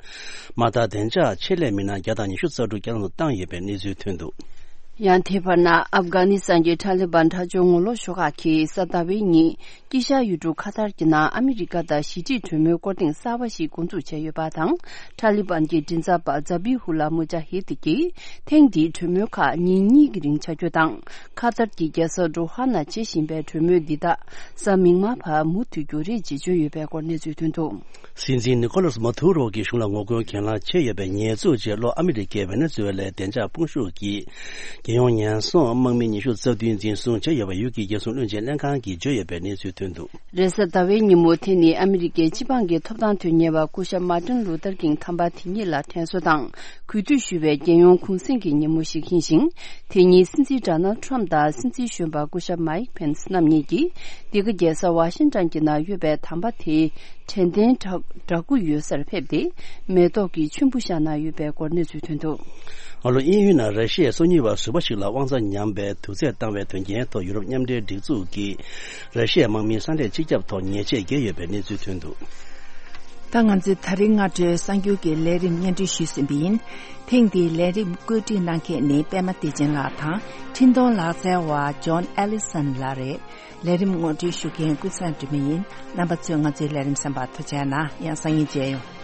དམག་དར་བདེ་འཇགས་ཆེད་ལས་མི་སྣ་བརྒྱ་དང་ཉི་ཤུ་རྩ་དྲུག་བསྐྱར་དུ་བཏང་ཡོད་པའི་གནས་ཚུལ་ཐོན་འདུག། ཡང་དེ་བར་ན་ཨབ་གྷ་ནི་སི་ཐན་གྱི་ཏཱ་ལི་བན་དྲག་སྤྱོད་ངོ་ལོག་ཤོག་ཁག་གིས་གཟའ་ཟླ་བའི་ཉིན་དཀྱིལ་ཤར་ཡུལ་གྲུ་ཁ་ཐར་གྱི་ནང་ཨ་མི་རི་ཀ་དང་ཞི་འགྲིག་གྲོས་མོལ་སྐོར་ཐེངས་གསར་པ་ཞིག་འགོ་འཛུགས་བྱས་ཡོད་པ་དང་། ཏཱ་ལི་བན་གྱི་མགྲིན་ཚབ་པ་ཛ་བྷི་ཧུ་ལ་མུ་ཇཱ་ཧིད་ཀྱིས་ཐེངས་འདིའི་གྲོས་མོལ་ཁག་ཉིན་གཉིས་ཀྱི་རིང་བྱ་རྒྱུ་དང་། ཁ་ཐར་གྱི་རྒྱལ་ས་ཌོ་ཧ་ནང་བྱེད་བཞིན་པའི་གྲོས་མོལ་འདི་དག་གཟའ་མིག་དམར་བར་མུ་མཐུད་རྒྱུ་རེད་ཅེས་བརྗོད་ཡོད་པའི་སྐོར་གནས་ཚུལ་ཐོན་འདུག། སྲིད་འཛིན་ནི་ཀོ་ལཱས་མ་དུ་རོ་གྱི་གཞུང་ལ་ངོ་རྒོལ་གྱེན་ལངས་བྱས་ཡོད་པའི་ཉེས་འཛུགས་རྗེས་ལྷོ་ཨ་མི་རི་ཀའི་ཝེ་ནེ་ཛུ་ཝེ་ལའི་བདེ་འཇགས་དཔུང་ཤུགས་ཀྱིས་རྒྱལ་ཡོངས་ཉེན་སྲུང་དམག་མི་ཉི་ཤུ་རྩ་བདུན་འཛིན་བཟུང་བྱས་ཡོད་པ་ཡུལ་གྱི་རྒྱལ་སྲུང་བློན་ཆེན་ལྷན་ཁང་གིས་བརྗོད་ཡོད་པའི་གནས་ཚུལ་ཐོན་འདུག། རེས་གཟའ་ཟླ་བའི་ཉིན་མོ་དེ་ནི་ཨ་མི་རི་ཀའི་སྤྱི་འབངས་ཀྱི་ཐོབ་ཐང་དོན་གཉེར་བ་སྐུ་ཞབས་མཱ་ཏིན་ལུ་ཐར་ཀིང་ཐམ་པ་དེ་ཉིད་ལ་དྲན་གསོ་དང་གུས་འདུད་ཞུ་བའི་རྒྱལ་ཡོངས་གུང་གསེང་གི་ཉིན་མོ་ཞིག་ཡིན་ཞིང་། དེ་ཉིན་སྲིད་འཛིན་ཌོ་ནལ་ཊམ་དང་སྲིད་འཛིན་གཞོན་པ་སྐུ་ཞབས་མཱིག་ཕེན་སི་རྣམ་གཉིས་ཀྱིས་འདི་ག་རྒྱལ་ས་ཝ་ཤིང་ཊོན་གྱི་ནང་ཡོད་པའི་དམ་པ་དེའི་དྲན་རྟེན་བྲག་བྲག་སྐུ་ཡོད་སར་ཕེབས་ཏེ་མེ་ཏོག་གི་མཆོད་འབུལ་བཞག་གནང་ཡོད་པའི་སྐོར་གནས་ཚུལ་ཐོན་འདུག། སྔ་ལོ་དབྱིན་ཡུལ་ནང་ར་ཤི་ཡའི་སོ་ཉུལ་བ་ཟུར་པ་ཞིག་ལ་དབང་ཆ་ཉམས་པའི་དུག་རྫས་བཏང་བའི་དོན་རྐྱེན་ཐོག་ཡུ་རོབ་མཉམ་འབྲེལ་སྒྲིག་འཛུགས་ཀྱིས་ར་ཤི་ཡའི་དམག་མིའི་ས་གནས་སྤྱི་ཁྱབ་ཐོག་ཉེས་ཆད་བཀལ་ཡོད་པའི་གནས་ཚུལ་ཐོན་འདུག། ད་ང་ཚོས་ད་རིང་སྔ་དྲོའི་གསར་འགྱུར་གྱི་ལས་རིམ་སྙན་སྒྲོན་ཞུས་ཟིན་པ་ཡིན། ཐེངས་འདིའི་ལས་རིམ་བཀོད་སྒྲིག་གནང་མཁན་ནི་པད་མ་བདེ་ཆེན་ལགས་དང་འཕྲིན་གཏོང་ལག་རྩལ་བ་ཇོན་ཨེ་ལི་སན་ལགས་རེད། ལས་རིམ་ངོ་སྤྲོད་ཞུ་མཁན་ཀུན་བཟང་སྒྲོལ་མ་ཡིན། རྣམ་པ་ཚོས་ང་ཚོའི་ལས་རིམ་གསན་པར་ཐུགས་རྗེ་གནང་། ཡང་སང་ཉིན་མཇལ་ཡོང་།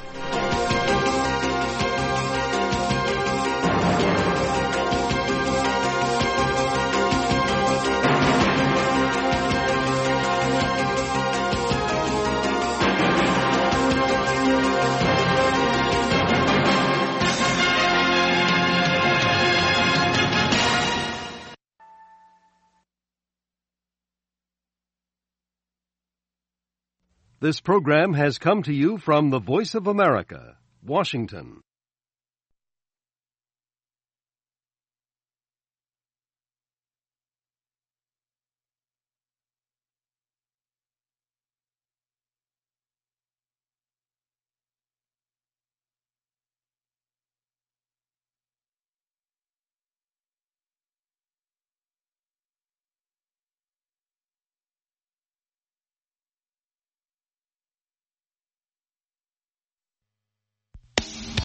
This program has come to you from the Voice of America, Washington.